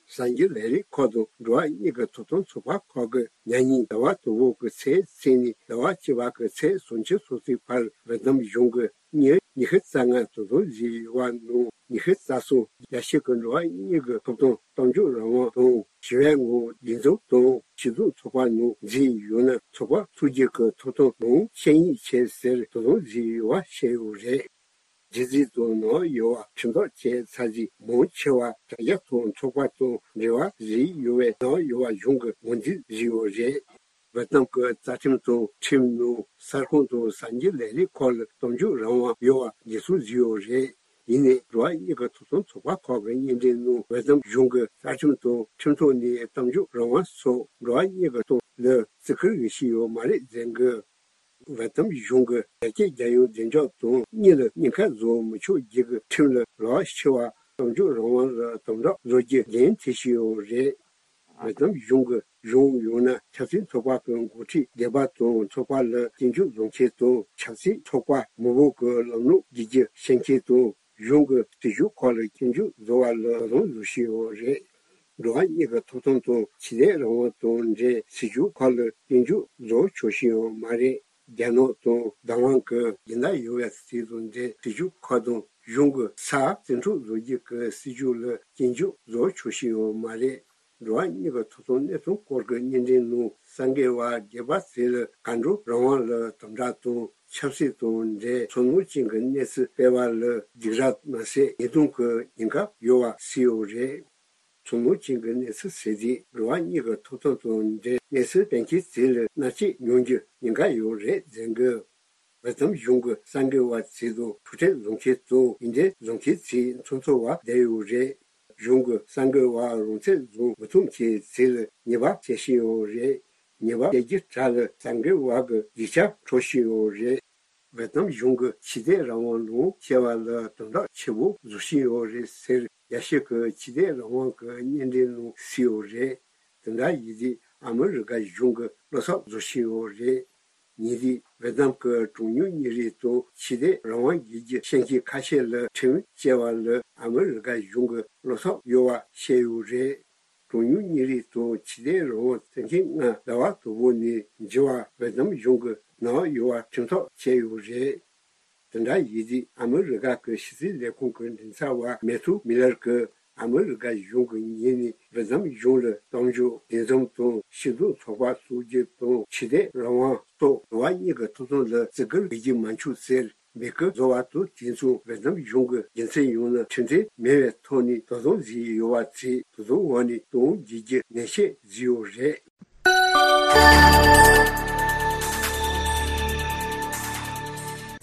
གསར་འགྱུར་ལས་རིགས་ཁག་དང་འགྲོ་བ་མིའི་གི་ཐོབ་ཐང་ཚོགས་པ་ཁག་གིས་ཉེ་ཉིན་ཟླ་བ་དང་པོ་གི་ཚེས་གཅིག་ནས་ཟླ་བ་བཅུ་པ་གི་ཚེས་སུམ་ཅུ་སོ་གཅིག་བར་ཝེ་ཏི་ནམ་གཞུང་གིས་མི་ཉི་ཤུ་རྩ་ལྔ་དོ་དམ་བྱས་ཡོད་པ་ནང་། ཉི་ཤུ་རྩ་གསུམ་རྒྱ་ཆེ་གི་འགྲོ་བ་མིའི་གི་ཐོབ་ཐང་། གཏམ་བརྗོད་རང་དབང་དང་། ཞི་བའི་ངང་འདུ་འཛོམས་དང་སྤྱི་ཚོགས་ཚོགས་པ་ནང་འཛུལ་ཡོད་ན་ཚོགས་པ་འཚོགས་རྒྱུ་གི་ཐོབ་ཐང་ལམ་ལྷོང་ཕྱིར་སྙེག་བྱེད་ཟེར་དོ་དམ་བྱས་ཡོད་པ་བཤད་ཡོད་རེད། རྒྱུ་མཚན་དང་ནག་ཡོད་པ་ཁྲིམས་ཐག་བཅད་ཚར་རྗེས་མང་ཆེ་བ་དྲ་རྒྱ་དང་ཚོགས་པ་དང་འབྲེལ་བ་བྱས་ཡོད་པས་ནག་ཡོད་པ་གཞུང་གིས་ངོས་འཛིན་བྱས་ཡོད་རེད། ཝེ་ཏི་ནམ་གྱི་རྩ་ཁྲིམས་དང་ཁྲིམས་ནང་གསར་ཁང་དང་གསར་འགྱུར་ལས་རིགས་ཁག་ལ་གཏམ་བརྗོད་རང་དབང་ཡོད་པ་འགྲེལ་བཤད་བྱས་ཡོད་རེད། ཡིན་ནའི་འགྲོ་བ་མིའི་གི་ཐོབ་ཐང་ཚོགས་པ་ཁག་གི་སྙན་འགྲེལ་ནང་ཝེ་ཏི་ནམ་གཞུང་གི་རྩ་ཁྲིམས་དང་ཁྲིམས་ཐོག་ནས་གཏམ་བརྗོད་རང་དབང་སོགས་འགྲོ་བ་མིའི་གི་ཐོབ་ཐང་ལ་བརྩི་བཀུར་ཡོད་ཞུས་ཡོད་མ་རེད་ཟེར་གི། ཝེ་ཏི་ནམ་གཞུང་གིས་རྒྱ་སྐྱེད་རྒྱལ་ཡོངས་བདེ་འཇགས་དང་གཉིས་ལ་ཉེན་ཁ་བཟོ་མི་ཆོག་རྒྱུ་གི་ཁྲིམས་ལ་ལག་ཆེ་བ་གཏམ་བརྗོད་རང་དབང་ལ་དམ་དྲག་བཟོ་རྒྱུ་འགན་འཁྲི་ཞུས་ཡོད་རེད། ཝེ་ཏི་ནམ་གཞུང་གི་གཞུང་ཡང་ན་ཆབ་སྲིད་ཚོགས་པ་གི་འགོ་ཁྲིད་སྡེ་པ་དང་ཚོགས་པ་ལ་སྐྱོན་བརྗོད་བཟོ་མཁན་དང་། ཆབ་སྲིད་ཚོགས་པ་མང་པོ་གི་ལམ་ལུགས་བསྒྱུར་བཅོས་བྱེད་མཁན་དང་། གཞུང་གི་སྲིད་བྱུས་ཁག་ལ་སྐྱོན་བརྗོད་བཟོ་བ་ལ་དོ་དམ་བཟོ་བཞིན་ཡོད་རེད། འགྲོ་བ་མིའི་གི་ཐོབ་ཐང་དང་ཆོས་དད་རང་དབང་དང་འབྲེལ་སྲིད་བྱུས་ཁག་ལ་སྐྱོན་བརྗོད་བཟོ་ཆོག་བཞིན་ཡོད་མ་རེད། རྒྱ་ནག་དང་བདག་དབང་གི་སྦྱིན་བདག་ཡོད་པའི་ཚིག་དང་འབྲེལ་སྲིད་བྱུས་ཁག་དང་ གཞུང་གི་ས་བཙན་འཕྲོག་བཟོ་རྒྱུ་གི་སྲིད་ཇུས་ལ་སྐྱོན་བརྗོད་བཟོ་ཆོག་ཤེས་ཡོད་མ་རེད། འགྲོ་བ་མིའི་གི་ཐོབ་ཐང་གནས་སྟངས་སྐོར་གྱི་སྙན་འགྲེལ་ནང་གསར་འགོད་པ་སྒེར་པ་ཚོ་ལ་གར་འགྲོ་རང་དབང་ལ་དམ་དྲག་དང་ཆབ་སྲིད་དང་འབྲེལ་ཚོར་སྣང་ཅན་གྱི་གནས་ཚུལ་སྤེལ་བ་ལ་སྡིགས་ར་མ་ཟད་ཉེས་རྡུང་གི་ཉེན་ཁ་ཡོད་པ་གསལ་ཡོད་རེད། ཚོར་སྣང་ཅན་གྱི་གནས་ཚུལ་ཟེར་དུས་འགྲོ་བ་མིའི་གི་ཐོབ་ཐང་དང་འབྲེལ་གནས་ཚུལ་སྤེལ་མཁན་ཚོ་ལ་མནར་གཅོད་མྱོང་རྒྱུ་ཉེན་ཁ་ཡོད་རེད་ཟེར་གི། ཝེ་ཏམ་གཞུང་གི་གསར་འགོད་པ་ཚོ་དང་ཐུག་འཕྲད་བཟོ་མཁན་དང་ཡིག་འབྲེལ་བཟོ་མཁན་ཚོ་མཚམས་འཚོལ་བ་བསྡད་ཡོད་རེད། གཞུང་གི་གསར་འགོད་པ་རང་འཚམས་བཟོ་མི་ཐུབ་མཁན་ཚོ་ལ་ཉེས་པ་བྱེད་བཞིན་ཡོད་རེད། ཉེས་པ་བྱེད་རྒྱུ་གྲས་ལ་གསར་འགོད་པ་གི་ཡིག་ཆ་འཕྲོག་བཞིན་ཡོད་རེད། ཝེ་ཏམ་གཞུང་གིས་ཆོས་དད་རང་དབང་ལོངས་སྤྱོད་པ་ལ་དོ་སྣང་ཆེན་པོ་བཟོ་བཞིན་ཡོད་རེད་ཟེར། རྒྱ་ཤོད་ཀྱི་ཆོས་དད་རང་དབང་གི་སྙན་འགྲེལ་ནང་གསལ་ཡོད་རེད། དེ་འདྲ་ཡིན་དུས་ཨ་མི་རི་ཀ་གཞུང་གིས་བློ་འཚབ་བཟོ་བཞིན་ཡོད་རེད། ཉེ་དུས་ཝེ་ཏམ་གྱི་གྲངས་ཉུང་མི་རིགས་དང་ཆོས་དད་རང་དབང་རྒྱལ་གྱི་བཤད་མཁན་ཁ་ཤས་ལ་ཁྲིམས་བཅད་པ་ལ་ཨ་མི་རི་ཀ་གཞུང་གི་བློ་འཚབ་ཡོད་པ་བཤད་ཡོད་རེད། གྲངས་ཉུང་མི་རིགས་དང་ཆོས་དད་རང་དབང་བཙན་ཁྱབ་ལྔ་ཟླ་བ་དང་པོ་ནས་འགྱུར་བ་ཝེ་ཏམ་གཞུང་གིས་གནང་ཡོད་པ་ཁྲིམས་ཐག་བཅད་ཡོད་རེད། དེ་འདྲ་ཡིན་དུས་ཨ་མི་རི་ཀ་གི་ཕྱི་སྲིད་ལས་ཁུངས་ཀྱི་མགྲིན་ཚབ་པ་མེ་ཐུ་མི་ལར་གྱིས་ཨ་མི་རི་ཀ་གཞུང་གི་ངོས་ནས་ཝེ་ཏམ་གཞུང་ལ་གཏམ་བརྗོད་འདུ་འཛོམས་དང་སྤྱི་མཐུན་ཚོགས་པ་བཙུགས་རྒྱུ་དང་ཆོས་དད་རང་དབང་སོགས་འགྲོ་བ་མིའི་གི་ཐོབ་ཐང་ལ་བརྩི་བཀུར་བྱེད་རྒྱུ་མ་འཆུག་ཟེར་འབོད་སྐུལ་བཟོ་བ་དང་དེ་མཚུངས་ཝེ་ཏམ་གཞུང་གི་རྒྱུ་མཚན་ཡོད་ན་ཁྲིམས་མཐུན་མེད་པའི་ཐོག་ནས་དོ་དམ་བྱེད་ཀྱི་ཡོད་པ་ཚོས་དོ་དམ་འོག་ནས་གཏོང་རྒྱུའི་ནན་བཤད་བཟོས་ཡོད་རེད།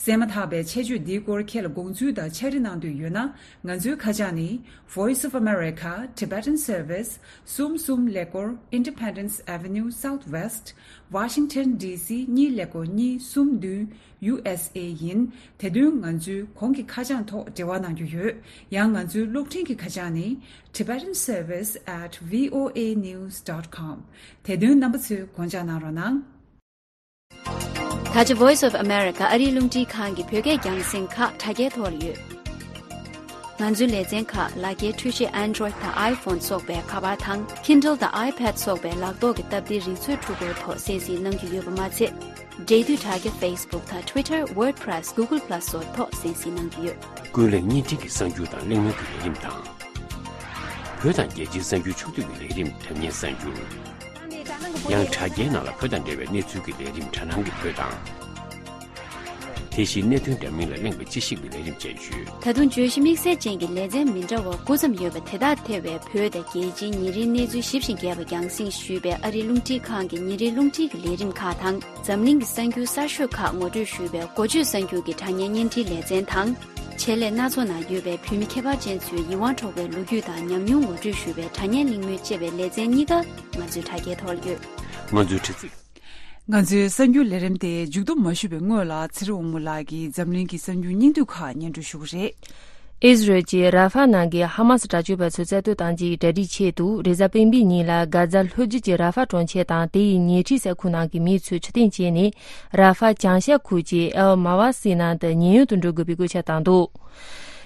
གསན་མ་ཐག་པའི་ཆེད་བརྗོད་འདིའི་སྐོར་ཁྱེད་ལ་དགོངས་ཚུལ་དང་ཕྱག་བྲིས་གནང་འདོད་ཡོད་ན། ང་ཚོའི་ཁ་བྱང་ནི། Voice of America Tibetan Service གསུམ་གསུམ་ཀླད་ཀོར་Independence Avenue Southwest Washington D C གཉིས་ཀླད་ཀོར་གཉིས་གསུམ་བདུན། ཡུ་ཨེས་ཨེ་ཡིན། དེ་དོན་ང་ཚོའི་གོང་གི་ཁ་བྱང་ཐོག་འབྲེལ་བ་གནང་རྒྱུ་ཡོད། ཡང་ང་ཚོའི་གློག་འཕྲིན་གྱི་ཁ་བྱང་ནི། Tibetan Service at V O A news dot com དེ་དོན་རྣམ་པ་ཚོས་དགོངས་འཇགས་གནང་རོགས་གནང་། ད་ཆ་Voice of America ཨ་རིའི་རླུང་འཕྲིན་ཁང་གི་བོད་སྐད་རྒྱང་སྲིང་ཁག་དྲ་རྒྱའི་ཐོག་ལ་ཡོད། ང་ཚོའི་ལེ་ཚན་ཁག་ལག་འཁྱེར་འཕྲུལ་ཆས་Android དང་iPhone སོགས་པའི་ཁ་པར་དང་Kindle དང་iPad སོགས་པའི་ལག་ཐོག་གི་སྟབས་བདེའི་རིག་མཛོད་འཕྲུལ་འཁོར་ཐོག་གསན་གཟིགས་གནང་རྒྱུ་ཡོད་པ་མ་ཚད། འབྲེལ་མཐུད་དྲ་རྒྱ་Facebook དང་Twitter WordPress Google Plus སོགས་ཐོག་གསན་གཟིགས་གནང་རྒྱུ་ཡོད། ཀུན་གླེང་བརྙན་འཕྲིན་གྱི་གསར་འགྱུར་དང་གླེང་མོལ་གྱི་ལས་རིམ་དང་། བོད་དང་རྒྱལ་སྤྱིའི་གསར་འགྱུར་ཕྱོགས་བསྡུས་ཀྱི་ལས་རིམ་དྲ་བརྙན་གསར་འགྱུར། ཡང་དྲ་རྒྱའི་ནང་ལ་བོད་དང་འབྲེལ་བའི་གནས་ཚུལ་གྱི་ལས་རིམ་དྲ་སྣང་གི་བོད་དང་། དེ་བཞིན་གནད་དོན་འདྲ་མིན་ལ་གླེང་བའི་དཔྱད་ཞིབ་ཀྱི་ལས་རིམ་བཅས་ཡོད། ད་དུང་བརྗོད་གཞི་དམིགས་བསལ་ཅན་གྱི་ལེ་ཚན་མི་འདྲ་བ་དགུ་ཙམ་ཡོད་པ་དེ་དག་ཐེ་བའི་བོད་དང་རྒྱལ་སྤྱིའི་ཉིན་རེའི་གནས་ཚུལ་ཞིབ་ཅིང་རྒྱས་པ་རྒྱང་སྲིང་ཞུས་པའི་ཨ་རིའི་རླུང་འཕྲིན་ཁང་གི་ཉིན་རེའི་རླུང་འཕྲིན་གྱི་ལས་རིམ་ཁག་དང་། འཛམ་གླིང་གི་གསར་འགྱུར་གསར་ཤོས་ཁག་ངོ་སྤྲོད་ཞུས་པའི་འགོ་བརྗོད་གསར་འགྱུར་གྱི་དྲ་བརྙན་བརྙན་འཕྲིན་ལེ་ཚན་དང་། བྱེད་ལས་སྣ་ཚོགས་ནང་ཡོད་པའི་བོད་མི་ཁྱད་པར་ཅན་ཚོའི་ཡིད་དབང་འཕྲོག་པའི་ལོ་རྒྱུས་དང་ཉམས་མྱོང་ངོ་སྤྲོད་ཞུས་པའི་དྲ་བརྙན་གླེང་མོལ་བཅས་པའི་ལེ་ཚན་གཉིས་ཀ་ང་ཚོའི་དྲ་རྒྱའི་ཐོག་ལ་ཡོད། ང་ཚོའི་དྲ་ཚིགས། ང་ཚོའི་གསར་འགྱུར་ལས་རིམ་དེ་མཇུག་བསྡོམས་མ་ཞུས་པའི་སྔོན་ལ་ཚེ་རིང་དབང་མོ་ལགས་ཀྱིས་འཛམ་གླིང་གི་གསར་འགྱུར་སྙིང་བསྡུས་ཁག་སྙན་སྒྲོན་ཞུ་གི་རེད། ཨིས་རལ་གྱིས་ར་ཧྥ་ནང་གི་ཧ་མ་སི་དྲག་སྤྱོད་པ་ཚོའི་རྩ་གཏོར་བཏང་རྒྱུའི་གྲ་སྒྲིག་ཆེད་དུ་རེས་གཟའ་སྤེན་པའི་ཉིན་ལ་གྷ་ཛ་ལྷོ་རྒྱུད་ཀྱི་ར་ཧྥ་གྲོང་ཁྱེར་དང་དེ་ཡི་ཉེ་འཁྲིས་ས་ཁུལ་ནང་གི་མི་ཚོས་ཕྱིར་འཐེན་བྱས་ནས་ར་ཧྥ་བྱང་ཤར་ཁུལ་གྱི་ཨེལ་མ་ཝ་སི་ནང་དུ་ཉེན་གཡོལ་དུ་འགྲོ་དགོས་པའི་བཀོད་ཁྱབ་བཏང་འདུག་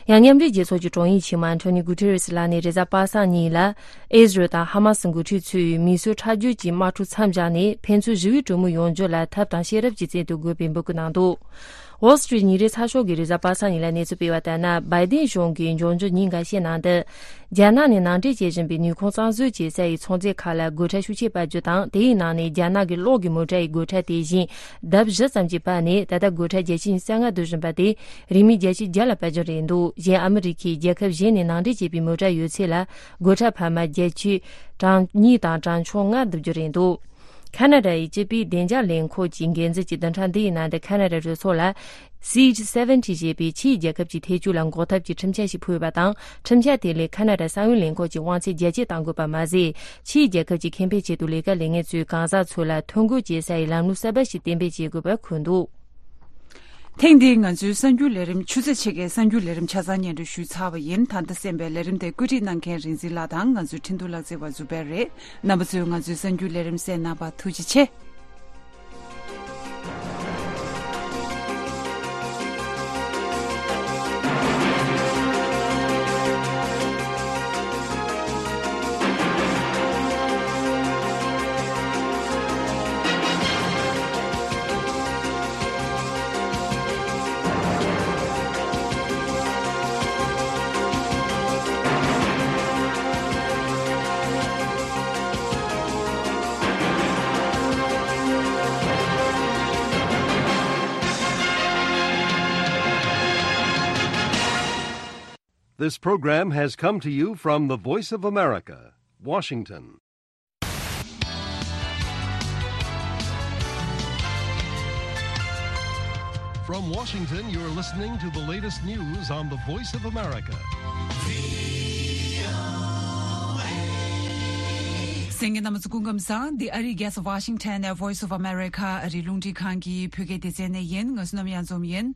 ཡང་མཉམ་འབྲེལ་རྒྱལ་ཚོགས་ཀྱི་དྲུང་ཡིག་ཆེན་མོ་ཨན་ཐོ་ནི་གུ་ཐེ་རེ་སི་ལགས་ནས་རེས་གཟའ་པ་སངས་ཉིན་ལ། ཨིས་རལ་དང་ཧ་མ་སི་འགོ་ཁྲིད་ཚོས་མི་གསོད་ཁྲག་སྦྱོར་གྱི་དམག་འཁྲུག་མཚམས་བཞག་ནས་ཕན་ཚུན་ཞི་བའི་གྲོས་མོལ་ཡོང་རྒྱུ་ལ་ཐབས་དང་ཤེས་རབ་ཀྱི་རྩལ་དུ་དགོས་པའི་འབོད་སྐུལ་གནང་འདུག Wall Street ཉིན་རེའི་ཚགས་ཤོག་གིས་རེས་གཟའ་པ་སངས་ཉིན་ལ་གནས་ཚུལ་སྤེལ་བ་ལྟར་ན། བྷའི་ཏིན་གཞུང་གིས་འབྱུང་འགྱུར་ཉིན་འགའ་ཤས་ནང་དུ། རྒྱ་ནག་ནས་ནང་འདྲེན་བྱེད་བཞིན་པའི་ནུས་ཁུངས་གཙང་བཟོ་བྱེད་ས་ཡི་ཚོང་རྫས་ཁག་ལ་སྒོ་ཁྲལ་ཤུགས་ཆེ་སྤར་རྒྱུ་དང་། དེའི་ནང་ནས་རྒྱ་ནག་གི་གློག་གི་མོ་ཊ་ཡི་སྒོ་ཁྲལ་དེ་བཞིན་ལྡབ་བཞི་ཙམ་གྱིས་སྤར་ནས་ད་ལྟ་སྒོ་ཁྲལ་བརྒྱ་ཆ་ཉི་ཤུ་རྩ་ལྔ་བསྡུ་བཞིན་པ་དེ། རིན་མེད་བརྒྱ་ཆ་བརྒྱ་ལ་སྤར་རྒྱུ་རེད་འདུག་གཞན་ཨ་མི་རི་ཁས་རྒྱལ་ཁབ་གཞན་ནས་ནང་འདྲེན་བྱས་པའི་མོ་ཊ་ཡོད་ཚད་ལ་སྒོ་ཁྲལ་འཕར་མ་བརྒྱ་ཆ་གྲངས་གཉིས་དང་གྲངས་ཆུང་ལྔ་བསྡུ་རྒྱུ་རེད་འདུག་ཁ་ན་ཌ་ཡི་སྤྱི་པའི་བདེ་འཇགས་ལས་ཁུངས་ཀྱི་འགན་འཛིན་གྱིས་བདུན་ཕྲག་འདིའི་ནང་དུ་ཁ་ན་ཌ་གྲོས་ཚོགས་ལ། Seat seventy ཞེས་པའི་ཕྱིའི་རྒྱལ་ཁབ་ཀྱི་ཐེ་བྱུས་ལ་འགོག་ཐབས་ཀྱི་ཁྲིམས་འཆར་ཞིག་ཕུལ་བ་དང་། ཁྲིམས་འཆར་དེ་ལས་ཁ་ན་ཌ་ས་བོན་ལས་ཁུངས་ཀྱི་དབང་ཚད་བརྒྱ་ཆ་གཏང་དགོས་པ་མ་ཟད། ཕྱིའི་རྒྱལ་ཁབ་ཀྱི་ཁེ་ཕན་ཆེད་དུ་ལས་ཀ་ལས་མཁན་ཚོའི་གང་ཟག་ཚོ་ལ་ཐོ་འགོད་བྱེད་སའི་ལམ་ལུགས་གསར་པ་ཞིག་གཏན་འབེབས་བྱེད་དགོས་པ་འཁོད་འདུག་ཐེངས་འདིའི་ང་ཚོའི་གསར་འགྱུར་ལས་རིམ་ཆུ་ཚོད་ཕྱེད་ཀའི་གསར་འགྱུར་ལས་རིམ་ཆ་ཚང་སྙན་སྒྲོན་ཞུས་ཚར་བ་ཡིན། ད་ལྟ་གསན་པའི་ལས་རིམ་དེ་བཀོད་སྒྲིག་གནང་མཁན་རིག་འཛིན་ལགས་དང་ང་ཚོའི་འཕྲིན་གཏོང་ལག་རྩལ་བ་ཛུ་བེར་རེད། རྣམ་པ་ཚོས་ང་ཚོའི་གསར་འགྱུར་ལས་རིམ་གསན་གནང་བར་ཐུགས་རྗེ་ཆེ། This program has come to you from the Voice of America, Washington. From Washington, you're listening to the latest news on the Voice of America. གསན་མཁན་རྣམ་པ་ཚོ་སྐུ་ཁམས་བཟང་། འདི་ཨ་རིའི་རྒྱལ་ས་ཝ་ཤིང་ཊོན་ནས་Voice of America ཨ་རིའི་རླུང་འཕྲིན་ཁང་གི་བོད་སྐད་སྡེ་ཚན་ནས་ཡིན། ང་བསོད་ནམས་གཡང་འཛོམས་ཡིན།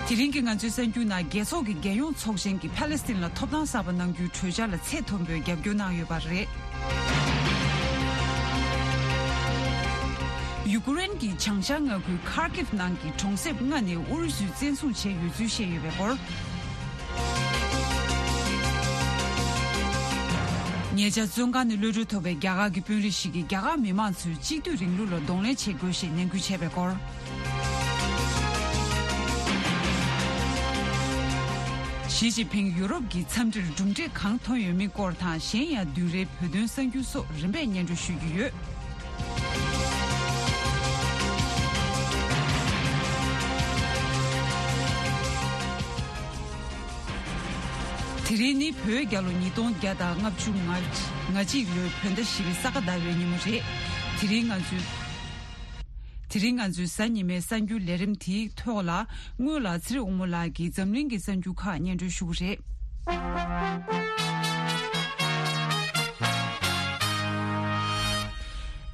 དེ་རིང་གི་ང་ཚོའི་གསར་འགྱུར་ནང་རྒྱལ་ཚོགས་ཀྱི་རྒྱལ་ཡོངས་ཚོགས་ཆེན་གྱིས་ཕ་ལེ་སི་ཐན་ལ་ཐོབ་ཐང་གསར་པ་གནང་རྒྱུའི་གྲོས་འཆར་ལ་ཚད་མཐོན་པོས་རྒྱབ་སྐྱོར་གནང་ཡོད་པ་རེད། ཡུ་ཀེ་རེན་གྱི་བྱང་ཤར་མངའ་ཁུལ་Kharkiv ནང་གི་གྲོང་གསེབ་ལྔ་ནས་ཨུ་རུ་སུས་བཙན་བཟུང་བྱས་ཡོད་ཚུལ་བཤད་ཡོད་པའི་སྐོར། ཉེ་ཆར་བཙོན་ཁང་ནས་གློད་གྲོལ་ཐོབ་པའི་རྒྱ་གར་གྱི་དཔོན་རིགས་ཤིག་གིས་རྒྱ་གར་མི་མང་ཚོས་གཅིག་སྡུད་རིང་ལུགས་ལ་གདོང་ལེན་བྱེད་དགོས་ཞེས་ནན་སྐུལ་བྱས་པའི་སྐོར། ཞི་ཅིན་ཕིང་ཡུ་རོབ་ཀྱི་འཚམས་འདྲིར་གྲུབ་འབྲས་གང་ཐོན་ཡོད་མིན་སྐོར་དང་། གཞན་ཡང་བདུན་རེའི་བོད་དོན་གསར་འགྱུར་སོགས་རིམ་པས་སྙན་སྒྲོན་ཞུ་རྒྱུ་ཡོད། དེ་རིང་ནི་བོད་རྒྱལ་ལོ་ཉིས་སྟོང་བརྒྱ་དང་ལྔ་བཅུ་ང་གཅིག་ལོའི་བོད་ཟླ་བཞི་པའི་ས་ག་ཟླ་བའི་ཉིན་མོ་རེད། དེ་རིང་ང་ཚོའི། དེ་རིང་ང་ཚོའི་གཟའ་ཉི་མའི་གསར་འགྱུར་ལས་རིམ་དེའི་ཐོག་ལ། སྔོན་ལ་ཚེ་རིང་དབང་མོ་ལགས་ཀྱིས་འཛམ་གླིང་གི་གསར་འགྱུར་ཁག་སྙན་སྒྲོན་ཞུ་གི་རེད།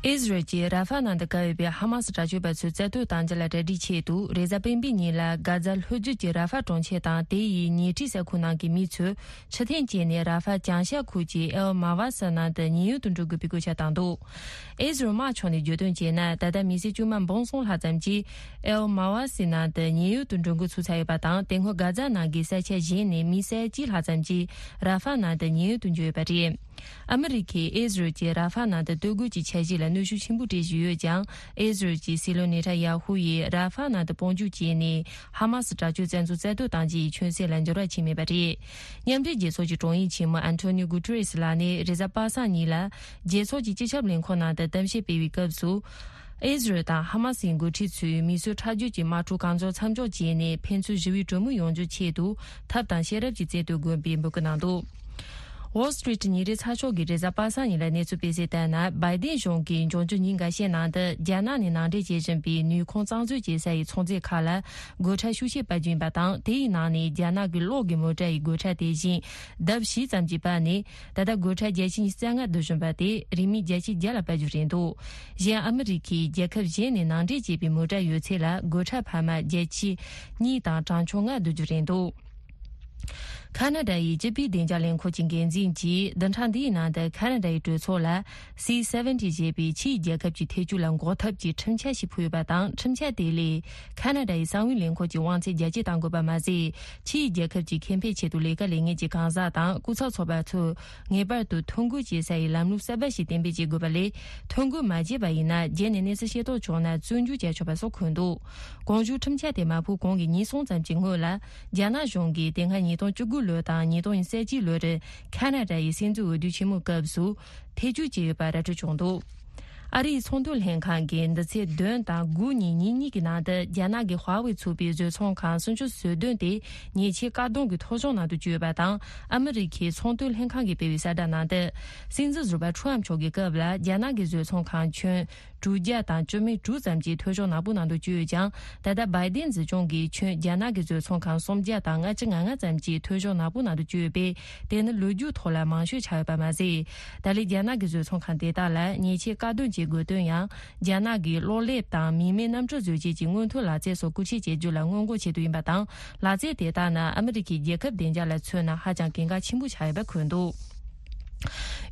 ཨི་ཟི་རལ་གྱིས་ར་ཧྥ་ནང་དུ་བཀལ་ཡོད་པའི་ཧ་མ་སི་དྲག་སྤྱོད་པ་ཚོའི་རྩ་གཏོར་བཏང་རྒྱུ་ལ་གྲ་སྒྲིག་ཆེད་དུ། རེས་གཟའ་སྤེན་པའི་ཉིན་ལ་གྷ་ཛ་ལྷོ་རྒྱུད་ཀྱི་ར་ཧྥ་གྲོང་ཁྱེར་དང་དེ་ཡི་ཉེ་འཁྲིས་ས་ཁུལ་ནང་གི་མི་ཚོས་ཕྱིར་འཐེན་བྱས་ནས་ར་ཧྥ་བྱང་ཤར་ཁུལ་གྱི་ཨེལ་མ་ཝ་ས་ནང་དུ་ཉེན་གཡོལ་དུ་འགྲོ་དགོས་པའི་སྐུལ་ལྕག་བཏང་འདུག་ཨི་ཟི་རལ་དམག་ཕྱོགས་ནས་བརྗོད་དོན་བྱས་ན། ད་ལྟ་མི་སེར་བཅོ་ལྔ་འབུམ་གསུམ་ལྷག་ཙམ་གྱིས་ཨེལ་མ་ཝ་སི་ནང་དུ་ཉེན་གཡོལ་དུ་འགྲོ་འགོ་ཚུགས་ཚར་ཡོད་པ་དང་། དེ་སྔོན་གྷ་ཛ་ནང་གི་ས་ཆ་གཞན་ནས་མི་ས་ཡ་གཅིག་ལྷག་ཙམ་གྱིས་ར་ཧྥ་ནང་དུ་ཉེན་གཡོལ་དུ་འགྲོ་ཡོད་པ་རེད། ཨ་མི་རི་ཁས་ཨི་ཟི་རལ་གྱིས་ར་ཧྥ་ནང་དུ་སྡོད་དགོས་ཀྱི་འཆར་གཞི་ལ་གནོན་ཤུགས་ཆེན་པོ་སྤྲད་བཞིན་ཡོད་ཀྱང་། ཨི་ཟི་རལ་གྱི་སྲིད་བློན་ནེ་ཐན་ཡ་ཧུ་ཡིས་ར་ཧྥ་ནང་དུ་དཔུང་འཇུག་བྱས་ནས་ཧ་མ་སི་དྲག་སྤྱོད་བཙན་འཛུལ་རྩ་གཏོར་བཏང་རྒྱུ་ཡི་ཆོད་སེམས་ལ་འགྱུར་བ་ཕྱིན་མེད་པ་རེད། མཉམ་འབྲེལ་རྒྱལ་ཚོགས་ཀྱི་དྲུང་ཡིག་ཆེན་མོ་ཨན་ཐོ་ནིའོ་གུ་ཏེ་རེས་ལགས་ནས་རེས་གཟའ་པ་སངས་ཉིན་ལ་རྒྱལ་ཚོགས་ཀྱི་སྤྱི་ཁྱབ་ལས་ཁུངས་ནང་དུ་གཏམ་བཤད་སྤེལ་བའི་སྐབས་སུ། ཨི་ཟི་རལ་དང་ཧ་མ་སིའི་འགོ་ཁྲིད་ཚོས་མི་གསོད་ཁྲག་སྦྱོར་གྱི་དམག་འཁྲུག་གང་མགྱོགས་མཚམས་འཇོག་བྱས་ནས་ཕན་ཚུན་ཞི་བའི་གྲོས་མོལ་ཡོང་རྒྱུའི་ཆེད་དུ་ཐབས་དང་ཤེས་རབ་ཀྱིས་རྩལ་གཏོད་དགོས་པའི་འབོད་སྐུལ་གནང་འདུག Wall Street ཉིན་རེའི་ཚགས་ཤོག་གིས་རེས་གཟའ་པ་སངས་ཉིན་ལ་གནས་ཚུལ་སྤེལ་གསལ་ལྟར་ན། བའི་ཌེན་གཞུང་གིས་འབྱུང་འགྱུར་ཉིན་འགའ་ཤས་ནང་དུ་རྒྱ་ནག་ནས་ནང་འདྲེན་བྱེད་བཞིན་པའི་ནུས་ཁུངས་གཙང་བཟོ་བྱེད་ས་ཡི་ཚོང་རྫས་ཁག་ལ་སྒོ་ཁྲལ་ཤུགས་ཆེ་སྤར་རྒྱུ་ཡིན་པ་དང་། དེ་ཡི་ནང་ནས་རྒྱ་ནག་གི་གློག་གི་མོ་ཊ་ཡི་སྒོ་ཁྲལ་དེ་བཞིན་ལྡབ་བཞི་ཙམ་གྱིས་སྤར་ནས། ད་ལྟ་སྒོ་ཁྲལ་བརྒྱ་ཆ་ཉི་ཤུ་རྩ་ལྔ་བསྡུ་བཞིན་པ་དེ་རིན་མེད་བརྒྱ་ཆ་བརྒྱ་ལ་སྤར་རྒྱུ་རེད་འདུག་གཞན་ཨ་མི་རི་ཁས་རྒྱལ་ཁབ་གཞན་ནས་ནང་འདྲེན་བྱས་པའི་མོ་ཊ་ཡོད་ཚད་ལ་སྒོ་ཁྲལ་འཕར་མ་བརྒྱ་ཆ་གཉིས་དང་གྲངས་ཆུང་ལྔ་བསྡུ་རྒྱུ་རེད་འདུག་ཁ་ན་ཌ་ཡི་སྤྱི་པའི་བདེ་འཇགས་ལས་ཁུངས་ཀྱི་འགན་འཛིན་གྱིས་བདུན་ཕྲག་འདིའི་ནང་དུ་ཁ་ན་ཌ་ཡི་གྲོས་ཚོགས་ལ་སི་སེ་ཝེན་ཊི་ཞེས་པའི་ཕྱིའི་རྒྱལ་ཁབ་ཀྱི་ཐེ་བྱུས་ལ་འགོག་ཐབས་ཀྱི་ཁྲིམས་འཆར་ཞིག་ཕུལ་ཡོད་པ་དང་། ཁྲིམས་འཆར་དེ་ལས་ཁ་ན་ཌ་ཡི་གསང་བའི་ལས་ཁུངས་ཀྱི་དབང་ཚད་རྒྱ་སྐྱེད་གཏང་དགོས་པ་མ་ཟད། ཕྱིའི་རྒྱལ་ཁབ་ཀྱི་ཁེ་ཕན་ཆེད་དུ་ལས་ཀ་ལས་མཁན་གྱི་གང་ཟག་དང་སྐུ་ཚབ་ཚོགས་པ་ཚོས་ངེས་པར་དུ་ཐོ་འགོད་བྱེད་ས་ཡི་ལམ་ལུགས་གསར་པ་ཞིག་གཏན་འབེབས་བྱེད་དགོས་པ་ལས། ཐོ་འགོད་མ་བྱས་པ་ཡིན་ན། རྗེས་ནས་གནས་ཚུལ་ཤེས་རྟོགས་བྱུང་ན་བཙོན་འཇུག་བྱ་ཆོག་པ་སོགས་འཁོད་འདུག་གོང་ཞུས་ཁྲིམས་འཆར་དེ་མ་ཕུལ་གོང་གི་ཉིན་གསུམ་ཙམ་གྱི་སྔོན་ལ། རྒྱ་ནག་གཞུང་གིས་དེ་སྔ་ཉིས་སྟོང་བཅུ་དགུ་ལོ་དང་ཉིས་སྟོང་ཉེར་གཅིག་ལོར་ཁ་ན་ཌ་ཡི་སྲིད་འཛིན་འོས་བསྡུ་ཆེན་མོའི་སྐབས་སུ་ཐེ་བྱུས་བྱས་ཡོད་པ་ར་སྤྲོད་བྱུང་འདུག་ཨ་རིའི་ཚོང་དོན་ལྷན་ཁང་གིས་འདི་ཚེས་བདུན་དང་དགུ་ཉིན་ཉིན་གཉིས་ཀྱི་ནང་དུ་རྒྱ་ནག་གི་ཧྭ་ཝེ་ཚུགས་པའི་བཟོ་ཚོང་ཁང་སུམ་ཅུ་སོ་བདུན་དེ་ཉེས་ཆད་བཀག་སྡོམ་གྱི་ཐོ་གཞུང་ནང་དུ་བསྐྱོད་ཡོད་པ་དང་། ཨ་མི་རི་ཁའི་ཚོང་དོན་ལྷན་ཁང་གིས་སྤེལ་བའི་གསལ་བསྒྲགས་ནང་དུ། སྲིད་འཛིན་ཟུར་པ་ཁྲུའམ་མཆོག་གི་སྐབས་ལ་རྒྱ་ནག་གི་བཟོ་ཚོང་ཁང་ཁྱོན་དྲུག་བརྒྱ་དང་བཅུ་མེད་དྲུག་ཙམ་གྱི་ཐོ་གཞུང་ནག་པོ་ནང་དུ་བསྐྱོད་ཡོད་ཀྱང་། ད་ལྟ་བའི་ཌེན་སྲིད་སྐྱོང་གིས་ཁྱོན་རྒྱ་ནག་གི་བཟོ་ཚོང་ཁང་སུམ་བརྒྱ་དང་ལྔ་བཅུ་ང་ལྔ་ཙམ་གྱི་ཐོ་གཞུང་ནག་པོ་ནང་དུ་བསྐྱོད་ཡོད་པས། དེ་ནི་ལོ་རྒྱུས་ཐོག་ལ་མང་ཤོས་ཆགས་ཡོད་པ་མ་ཟད། ད་ལན་རྒྱ་ནག་གི་བཟོ་ཚོང་ཁང་དེ་དག་ལ་ཉེས་ཆད་བཀག་སྡོམ་བྱེད་དགོས་དོན་ཡང་། རྒྱ་ནག་གི་གློག་ལེབ་དང་མི་མེད་གནམ་གྲུ་བཟོ་བྱེད་ཀྱི་སྔོན་ཐོན་ལག་རྩལ་སོགས་སྐུལ་ཁྲིད་བྱེད་རྒྱུ་ལ་སྔོན་འགོག་ཆེད་དུ་ཡིན་པ་དང་། ལག་རྩལ་དེ་དག་ནི་ཨ་མི་རི་ཁའི་རྒྱལ་ཁབ་བདེ་འཇགས་ལ་མཚོན་ན་ཧ་ཅང་གལ་འགངས་ཆེན་པོ་ཆགས་ཡོད་པ་འཁོད་འདུག་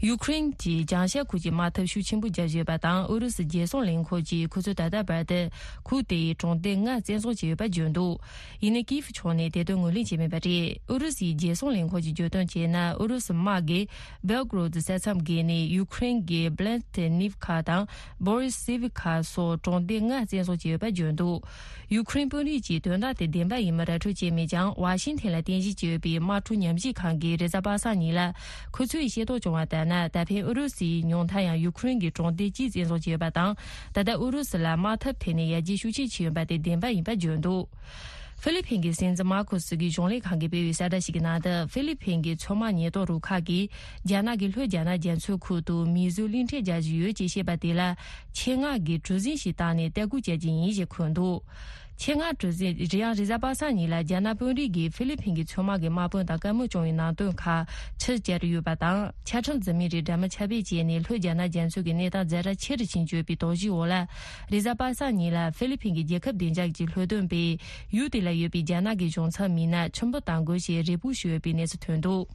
ཡུ་ཁུ་རེན་གྱིས་བྱང་ཤར་ཁུལ་གྱི་དམག་འཐབ་ཤུགས་ཆེན་པོ་བརྒྱབ་ཡོད་པ་དང་། ཨུ་རུ་སུའི་རྒྱལ་སྲུང་ལས་ཁུངས་ཀྱིས་ཁོ་ཚོས་ད་ལྟ་བར་དུ་ཁུལ་དེའི་གྲོང་སྡེ་ལྔ་བཙན་བཟུང་བྱས་ཡོད་པ་བརྗོད་འདུག་ཡིན་ནའི་ཀིབ་ཕྱོགས་ནས་དེ་དོན་ངོས་ལེན་བྱས་མེད་པ་རེད། ཨུ་རུ་སུའི་རྒྱལ་སྲུང་ལས་ཁུངས་ཀྱིས་བརྗོད་དོན་བྱས་ན། ཨུ་རུ་སུ་དམག་གིས་སྦེལ་ཀོ་རོད་ས་མཚམས་བརྒལ་ནས་ཡུ་ཁུ་རེན་གྱི་བྷི་ལན་ཏི་ནིབ་ཁ་དང་བོ་རི་སི་བྷི་ཁ་སོགས་གྲོང་སྡེ་ལྔ་བཙན་བཟུང་བྱས་ཡོད་པ་བརྗོད་འདུག་ཡུ་ཁུ་རེན་དཔོན་རིགས་ཀྱིས་དོན་དག་དེ་བདེན་པ་ཡིན་མིན་ར་སྤྲོད་བྱས་མེད་ཀྱང་། ཝ་ཤིང་ཐན་ལ་རྟེན་གཞི་བྱས་ཡོད་པའི་དམག་འཁྲུག་ཉམས་ཞིབ་ཁང་གིས་རེས་གཟའ་པ་སངས་ཉིན་ལ་ཁོ་ཚོས་ཤེས་རྟོགས་བྱུང་བ་ལྟར་ན། ད་ཕན་ཨུ་རུ་སུའི་ཉུང་མཐའ་ཡང་ཡུ་ཁུ་རེན་གྱི་གྲོང་སྡེ་གཅིག་བཙན་བཟུང་བྱས་ཡོད་པ་དང་། ད་ལྟ་ཨུ་རུ་སུ་ལ་དམག་འཐབ་ཐད་ནས་ཡར་རྒྱས་ཤུགས་ཆེ་ཕྱིན་ཡོད་པ་དེ་བདེན་པ་ཡིན་པ་བརྗོད་འདུག་ཧྥི་ལི་ཕིན་གྱི་སྲིད་འཛིན་མར་ཁོ་སི་གྱི་གཞུང་ལས་ཁང་གིས་སྤེལ་བའི་གསལ་བསྒྲགས་ཤིག་གི་ནང་དུ། ཧྥི་ལི་ཕིན་གྱི་མཚོ་དམག་ཉེན་རྟོག་རུ་ཁག་གིས་རྒྱ་ནག་གི་ལྷོ་རྒྱ་ནག་རྒྱ་མཚོའི་ཁུལ་དུ་མིའི་བཟོས་གླིང་ཕྲན་རྒྱག་བཞིན་ཡོད་ཅེས་བཤད་པ་དེ་ལ་ཆེད་མངགས་ཀྱིས་གྲུ་གཟིངས་ཤིག་བཏང་ནས་བརྟག་བཀོད་བྱས་ཀྱི་ཡིན་ཞེས་འཁོད་འདུག་ཆེད་མངགས་གྲུ་གཟིངས་རི་ཡང་རེས་གཟའ་པ་སངས་ཉིན་ལ་རྒྱ་ནག་དཔོན་རིགས་ཀྱིས་ཧྥི་ལི་ཕིན་གྱི་མཚོ་དམག་གི་དམག་དཔོན་དང་བཀའ་མོལ་བྱུང་བའི་ནང་དོན་ཁག་ཕྱིར་བསྐྱར་ཡོད་པ་དང་། ཆ་ཁྲིམས་འཛིན་མི་རིགས་འདྲ་མིན་ཁྱབ་སྤེལ་བྱས་ནས་ལྷོ་རྒྱ་ནག་རྒྱ་མཚོ་གི་གནས་སྟངས་ཛ་དྲག་ཆེ་རུ་ཕྱིན་ཡོད་པའི་དོགས་གཞིའི་འོག་ལ། རེས་གཟའ་པ་སངས་ཉིན་ལ་ཧྥི་ལི་ཕིན་གྱི་རྒྱལ་ཁབ་བདེ་འཇགས་ཀྱི་ལྷོ་སྟོན་པས་ཡུལ་དེ་ལ་ཡོད་པའི་རྒྱ་ནག་གི་གཞུང་ཚབ་མི་སྣ་ཆུ་འབུད་གཏང་དགོས་ཞེས་རེ་སྤོགས་ཞུས་ཡོད་པའི་གནས་ཚུལ་ཐོན་འདུག་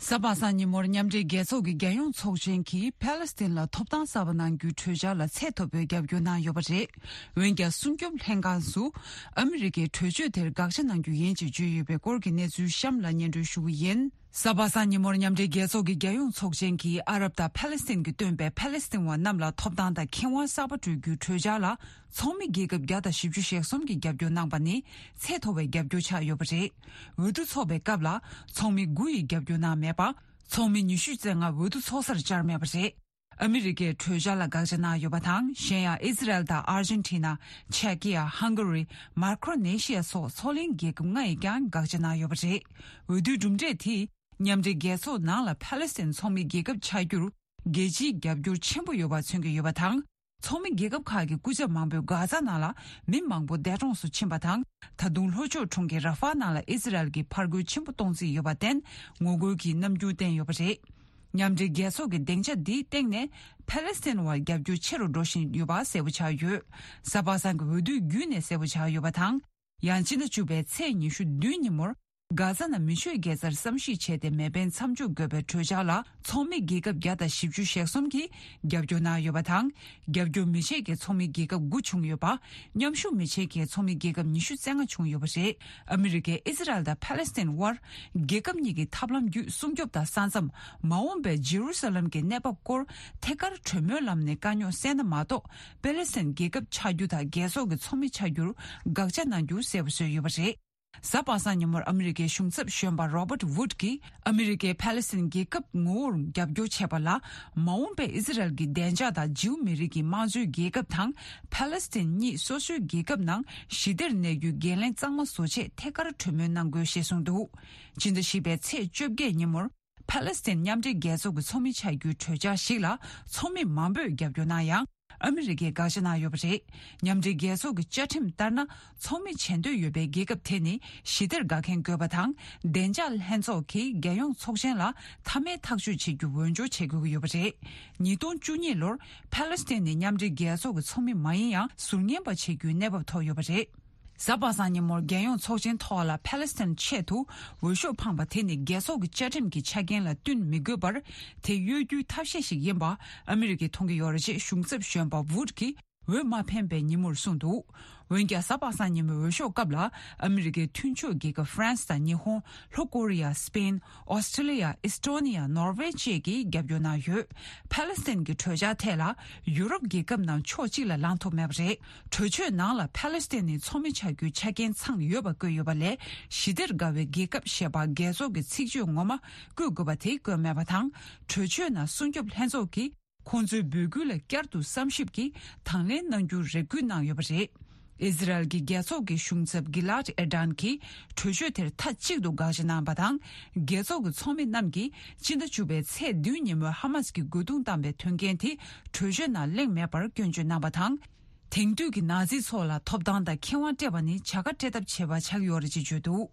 གཟའ་པ་སངས་ཉིན་མོར་མཉམ་འབྲེལ་རྒྱལ་ཚོགས་ཀྱི་རྒྱལ་ཡོངས་ཚོགས་ཆེན་གྱིས་ཕ་ལེ་སི་ཐན་ལ་ཐོབ་ཐང་གསར་པ་གནང་རྒྱུའི་གྲོས་འཆར་ལ་ཚད་མཐོ་པོའི་རྒྱབ་སྐྱོར་གནང་ཡོད་པ་རེད། འོན་ཀྱང་། སྲུང་སྐྱོབ་ལྷན་ཁང་སུ་ཨ་མི་རི་ཀས་གྲོས་ཆོད་དེར་དགག་བྱ་གནང་རྒྱུ་ཡིན་ཅེས་བརྗོད་ཡོད་པའི་སྐོར་གྱི་གནས་ཚུལ་གཤམ་ལ་སྙན་སྒྲོན་ཞུ་གི་ཡིན། གཟའ་པ་སངས་ཉིན་མོར་མཉམ་འབྲེལ་རྒྱལ་ཚོགས་ཀྱི་རྒྱལ་ཡོངས་ཚོགས་ཆེན་གྱིས་ཨ་རབ་དང་ཕ་ལེ་སི་ཐན་གྱི་སྟོན་པས་ཕ་ལེ་སི་ཐན་བ་རྣམས་ལ་ཐོབ་ཐང་དང་ཁེ་དབང་གསར་པ་སྤྲོད་རྒྱུའི་གྲོས་འཆར་ལ། ཚོགས་མི་རྒྱལ་ཁབ་བརྒྱ་དང་བཞི་བཅུ་ཞེ་གསུམ་གྱིས་རྒྱབ་སྐྱོར་གནང་པ་ནི་ཚད་མཐོ་བའི་རྒྱབ་སྐྱོར་ཆགས་ཡོད་པ་རེད། འོས་བསྡུ་འཚོགས་པའི་སྐབས་ལ་ཚོགས་མི་དགུ་ཡིས་རྒྱབ་སྐྱོར་གནང་མེད་པ། ཚོགས་མི་ཉི་ཤུ་རྩ་ལྔ་འོས་བསྡུ་འཚོགས་སར་བཅར་མེད་པ་རེད། ཨ་མི་རི་ཀས་གྲོས་འཆར་ལ་དགག་བྱ་གནང་ཡོད་པ་དང་། གཞན་ཡང་ཨི་ཟི་རལ་དང་ཨར་ཇེན་ཊི་ན། ཆེ་ཀི་ཡ། ཧང་ག་རི། མཱ་ཀྲོ་ནེ་ཤི་ཡ་སོགས་མཚོ་གླིང་རྒྱལ་ཁབ་ལྔ་ཡིས་ཀྱང་དགག་བྱ་གནང་ཡོད་པ་རེད། འོས་བསྡུའི་གྲུབ་འབྲས་དེས་མཉམ་འབྲེལ་རྒྱལ་ཚོགས་ནང་ལ་ཕ་ལེ་སི་ཐན་ཚོགས་མི་རྒྱལ་ཁབ་ཆགས་རྒྱུར། རྒྱལ་སྤྱིའི་རྒྱབ་སྐྱོར་ཆེན་པོ་ཡོད་པ་མཚོན་གྱི་ཡོད་པ་དང་། ཚོགས་མི་རྒྱལ་ཁབ་ཁག་གི་སྐུ་ཚབ་མང་པོས་གྷ་ཛ་ནང་ལ་མི་མང་པོ་འདས་གྲོངས་སུ་ཕྱིན་པ་དང་། ད་དུང་ལྷོ་ཕྱོགས་གྲོང་ཁྱེར་ར་ཧྥ་ནང་ལ་ཨི་ཟི་རལ་གྱིས་ཕར་རྒོལ་ཆེན་པོ་གཏོང་རྩིས་ཡོད་པར་བརྟེན། ངོ་རྒོལ་གྱི་རྣམ་འགྱུར་བསྟན་ཡོད་པ་རེད། མཉམ་འབྲེལ་རྒྱལ་ཚོགས་ཀྱི་སྡིངས་ཆ་འདིའི་སྟེང་ནས་ཕ་ལེ་སི་ཐན་བར་རྒྱབ་སྐྱོར་ཆེ་རུ་འགྲོ་བཞིན་ཡོད་པ་གསལ་པོ་ཆགས་ཡོད། གཟའ་པ་སངས་ཀྱི་འོས་བསྡུ་བརྒྱུད་ནས་གསལ་པོ་ཆགས་ཡོད་པ་དང་། ཡང་། སྤྱི་ཟླ་བཅུ་པའི་ཚེས་ཉི་ཤུ་བདུན་ཉིན་མོར། གྷ་ཛ་ནང་མི་ཆོས་དགེ་རྩར་བསམ་གཞིག་བྱས་ཏེ་མེ་འཕེན་མཚམས་འཇོག་དགོས་པའི་གྲོས་འཆར་ལ་ཚོགས་མི་རྒྱལ་ཁབ་བརྒྱ་དང་བཞི་བཅུ་ཞེ་གསུམ་གྱིས་རྒྱབ་སྐྱོར་གནང་ཡོད་པ་དང་། རྒྱབ་སྐྱོར་མི་བྱེད་མཁན་ཚོགས་མི་རྒྱལ་ཁབ་དགུ་བྱུང་ཡོད་པ། མཉམ་ཞུགས་མི་བྱེད་མཁན་ཚོགས་མི་རྒྱལ་ཁབ་ཉི་ཤུ་རྩ་ལྔ་བྱུང་ཡོད་པ་རེད། ཨ་མི་རི་ཀས་ཨི་ཟི་རལ་དང་ཕ་ལེ་སི་ཐན་དབར་རྒྱལ་ཁབ་གཉིས་ཀྱི་ཐབས་ལམ་བརྒྱུད་སྲུང་སྐྱོབ་དང་ས་མཚམས། མ་འོངས་པའི་ཇེ་རུ་སཱ་ལམ་གྱི་གནས་བབ་སྐོར་ཐད་ཀར་གྲོས་མོལ་ལམ་ནས་དཀའ་རྙོག་སེལ་ན་མ་གཏོགས། པེ་ལེ་སི་ཐན་རྒྱལ་ཁབ་ཆགས་རྒྱུ་དང་རྒྱལ་ཚོགས་ཀྱི་ཚོགས་མི་ཆགས་རྒྱུར་དགག་བྱ་གནང་རྒྱུ་གསལ་པོ་བཟོས་ཡོད་པ་རེད། གཟའ་པ་སངས་ཉིན་མོར་ཨ་མི་རི་ཀའི་གཞུང་ཚབ་གཞོན་པ་རོ་བརྟ་ཝུད་ཀྱིས། ཨ་མི་རི་ཀས་ཕ་ལེ་སི་ཐན་རྒྱལ་ཁབ་ངོ་བོར་རྒྱབ་སྐྱོར་བྱས་པ་ལ། མ་འོངས་པའི་ཨི་ཟི་རལ་གྱི་བདེ་འཇགས་དང་ཇིའུ་མི་རིགས་ཀྱི་དམངས་གཙོའི་རྒྱལ་ཁབ་དང་། ཕ་ལེ་སི་ཐན་གཉིས་སོ་སོའི་རྒྱལ་ཁབ་ནང་ཞི་བདེར་གནས་རྒྱུའི་འགན་ལེན་གཙང་མ་བཟོ་ཆེད་ཐད་ཀར་གྲོས་མོལ་གནང་དགོས་ཞེས་གསུངས་འདུག་སྤྱི་ཟླ་བཞི་པའི་ཚེས་བཅོ་བརྒྱད་ཉིན་མོར། ཕ་ལེ་སི་ཐན་མཉམ་འབྲེལ་རྒྱལ་ཚོགས་ཀྱི་ཚོགས་མི་ཆགས་རྒྱུའི་གྲོས་འཆར་ཞིག་ལ་ཚོགས་མི་མང་པོས་རྒྱབ་སྐྱོར་གནང་ཡང་། ཨ་མི་རི་ཀས་དགག་བྱ་གནང་ཡོད་པ་རེད། མཉམ་འབྲེལ་རྒྱལ་ཚོགས་ཀྱི་བཅའ་ཁྲིམས་ལྟར་ན། ཚོགས་མི་བྱེད་འདོད་ཡོད་པའི་རྒྱལ་ཁབ་དེ་ནི་ཞི་བདེར་དགའ་མཁན་དགོས་པ་དང་། བདེ་འཇགས་ལྷན་ཚོགས་ཀྱིས་རྒྱལ་ཡོངས་ཚོགས་ཆེན་ལ་མཐའ་མའི་ཐག་གཅོད་བྱེད་རྒྱུ་འོས་སྦྱོར་བྱེད་དགོས་ཀྱི་ཡོད་པ་རེད། ཉིས་སྟོང་བཅུ་གཉིས་ལོར་ཕ་ལེ་སི་ཐན་ནི་མཉམ་འབྲེལ་རྒྱལ་ཚོགས་ཀྱི་ཚོགས་མི་མ་ཡིན་ཡང་ཟུར་ཉན་པ་བྱེད་རྒྱུའི་གནས་བབ་ཐོབ་ཡོད་པ་རེད། གཟའ་པ་སངས་ཉིན་མོར་རྒྱལ་ཡོངས་ཚོགས་ཆེན་ཐོག་ལ་ཕ་ལེ་སི་ཐན་ཆེད་དུ་འོས་ཤོག་འཕངས་པ་དེ་ནི་རྒྱལ་ཚོགས་ཀྱི་བཅའ་ཁྲིམས་ཀྱི་ཆ་རྐྱེན་ལ་བསྟུན་མི་དགོས་པར། དེ་གཡོ་སྒྱུའི་ཐབས་ཤེས་ཤིག་ཡིན་པ་ཨ་མི་རི་ཀས་མཐོང་གི་ཡོད་རེད་ཅེས་གཞུང་ཚབ་གཞོན་པ་ཝུད་ཀྱིས་འོས་མ་འཕེན་པའི་ཉིན་མོར་གསུངས་འདུག་འོན་ཀྱང་། གཟའ་པ་སངས་ཉིན་མོའི་འོས་ཤོག་སྐབས་ལ་ཨ་མི་རི་ཀའི་མཐུན་ཕྱོགས་རྒྱལ་ཁབ་ཧྥ་རན་སི་དང་ཉི་ཧོང་། ལྷོ་ཀོ་རི་ཡ། སི་པེན། ཨོ་སི་ཀྲི་ལི་ཡ། ཨི་སི་ཀྲོ་ནི་ཡ། ནོར་ཝེ་བཅས་ཀྱིས་རྒྱབ་སྐྱོར་གནང་ཡོད། ཕ་ལེ་སི་ཐན་གྱི་གྲོས་འཆར་ཐད་ལ་ཡུ་རོབ་རྒྱལ་ཁབ་རྣམས་ཕྱོགས་གཅིག་ལ་ལངས་ཐུབ་མེད་པ་རེད། གྲོས་ཆོད་ནང་ལ་ཕ་ལེ་སི་ཐན་ནི་ཚོགས་མི་ཆགས་རྒྱུའི་ཆ་རྐྱེན་ཚང་ཡོད་པ་བཀོད་ཡོད་པ་ལས། ཞི་བདེར་དགའ་བའི་རྒྱལ་ཁབ་ཞེས་པ་རྒྱལ་ཚོགས་ཀྱི་ཚིག་བརྗོད་ངོ་མ་བཀོད་དགོས་པ་དེ་བཀོད་མེད་པ་དང་། གྲོས་ཆོད་ནང་སྲུང་སྐྱོབ་ལྷན་ཚོགས་ཀྱིས་ཁོང་ཚོའི་འབོད་སྐུལ་ལ་བསྐྱར་དུ་བསམ་ཞིབ་ཀྱིས་དང་ལེན་གནང་རྒྱུར་རེ་སྐུལ་གནང་ཡོད་པ་རེད། ཨི་ཟི་རལ་གྱི་རྒྱལ་ཚོགས་ཀྱི་གཞུང་ཚབ་གི་ལཱད་ཨེར་ཌན་གྱིས་གྲོས་ཆོད་དེར་མཐའ་གཅིག་ཏུ་དགག་བྱ་གནང་བ་དང་། རྒྱལ་ཚོགས་ཀྱི་ཚོགས་མི་རྣམས་ཀྱིས་སྤྱི་ཟླ་བཅུ་པའི་ཚེས་བདུན་ཉིན་མོའི་ཧ་མ་སི་ཀྱིས་རྒོལ་རྡུང་བཏང་པའི་དོན་རྐྱེན་དེ་གྲོས་ཆོད་ནང་གླེང་མེད་པར་སྐྱོན་བརྗོད་གནང་བ་དང་། དེང་དུས་ཀྱི་ནཱ་ཛི་ཚོ་ལ་ཐོབ་ཐང་དང་ཁེ་དབང་སྤྲད་པ་ནི་བྱ་དགའ་སྤྲད་ཐབས་བྱས་པ་ཆགས་ཡོད་རེད་ཅེས་བརྗོད་འདུག་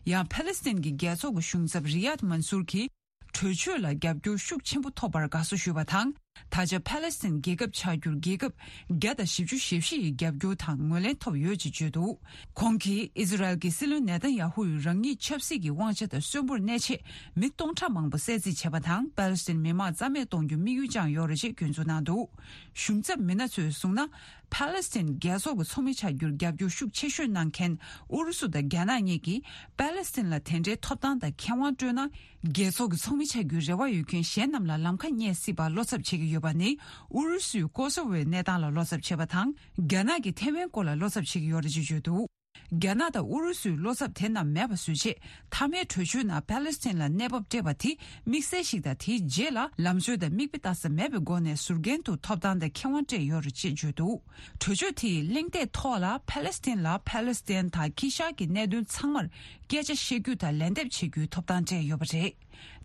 ཡང་། ཕ་ལེ་སི་ཐན་གྱི་རྒྱལ་ཚོགས་ཀྱི་གཞུང་ཚབ་རི་ཡཱད་མན་སུར་གྱིས། གྲོས་ཆོད་ལ་རྒྱབ་སྐྱོར་ཤུགས་ཆེན་པོ་ཐོབ་པར་དགའ་བསུ་ཞུས་པ་དང་། ད་ཆ་ཕ་ལེ་སི་ཐན་རྒྱལ་ཁབ་ཆགས་རྒྱུར་རྒྱལ་ཁབ་བརྒྱ་དང་བཞི་བཅུ་ཞེ་བཞི་ཡི་རྒྱབ་སྐྱོར་དང་ངོས་ལེན་ཐོབ་ཡོད་ཅེས་བརྗོད་འདུག་ཁོང་གིས་ཨི་ཟི་རལ་གྱི་སྲིད་བློན་ནེ་ཐན་ཡ་ཧུ་ཡིས་རང་ཉིད་ཆབ་སྲིད་ཀྱི་དབང་ཆ་དང་གསོན་པོར་གནས་ཆེད་མི་སྟོང་ཕྲག་མང་པོ་བསད་རྩིས་བྱས་པ་དང་། པ་ལེ་སི་ཐན་མི་མང་རྩ་མེད་གཏོང་རྒྱུ་དམིགས་ཡུལ་བཅངས་ཡོད་རེད་ཅེས་སྐྱོན་འཛུགས་གནང་འདུག་གཞུང་ཚབ་མི་སྣ་ཚོས་གསུངས་ན། ཕ་ལེ་སི་ཐན་རྒྱལ་ཚོགས་ཀྱི་ཚོགས་མི་ཆགས་རྒྱུར་རྒྱབ་སྐྱོར་ཤུགས་ཆེ་ཤོས་གནང་མཁན་ཨུ་རུ་སུ་དང་རྒྱ་ནག་གཉིས་ཀྱིས་པ་ལེ་སི་ཐན་ལ་དེ་འདྲའི་ཐོབ་ཐང་དང་ཁེ་དབང་སྤྲོད་ན། རྒྱལ་ཚོགས་ཀྱི་ཚོགས་མི་ཆགས་རྒྱུའི་རེ་བ་ཡོད་མཁན་གཞན་རྣམས་ལ་ལམ་ཁ་རྙེད་སྲིད་པར་བློ་འཚབ་བྱེད་ཀྱི་ཡོད་པ་ནི། ཨུ་རུ་སུས་ཀོ་སོ་ཝོའི་གནས་སྟངས་ལ་བློ་འཚབ་བྱེད་པ་དང་། རྒྱ་ནག་གིས་ཐེ་ཝན་སྐོར་ལ་བློ་འཚབ་བྱེད་ཀྱི་ཡོད་རེད་ཅེས་བརྗོད་འདུག་རྒྱ་ནག་དང་ཨུ་རུ་སུའི་བློ་འཚབ་དེ་རྣམས་མེད་པ་བཟོ་ཆེད། མཐའ་མའི་གྲོས་ཆོད་ནང་ཕཱ་ལེ་སི་ཐན་ལ་གནས་བབ་སྤྲད་པ་དེ་དམིགས་བསལ་ཞིག་དང་། དེའི་རྗེས་ལ་ལམ་སྲོལ་དང་མིག་དཔེ་ལྟ་ས་མེད་པའི་སྒོ་ནས་ཟུར་འགན་དུ་ཐོབ་ཐང་དང་ཁེ་དབང་སྤྲད་ཡོད་རེད་ཅེས་བརྗོད་འདུག་གྲོས་ཆོད་དེ་ཡི་གླེང་སྟེགས་ཐོག་ལ་ཕཱ་ལེ་སི་ཐན་ལ་ཕཱ་ལེ་སི་ཐན་དང་ཁི་ཤ་གི་གནད་དོན་ཚང་མར་སྐད་ཆ་བཤད་རྒྱུ་དང་ལན་འདེབས་བྱེད་རྒྱུའི་ཐོབ་ཐང་སྤྲད་ཡོད་པ་རེད།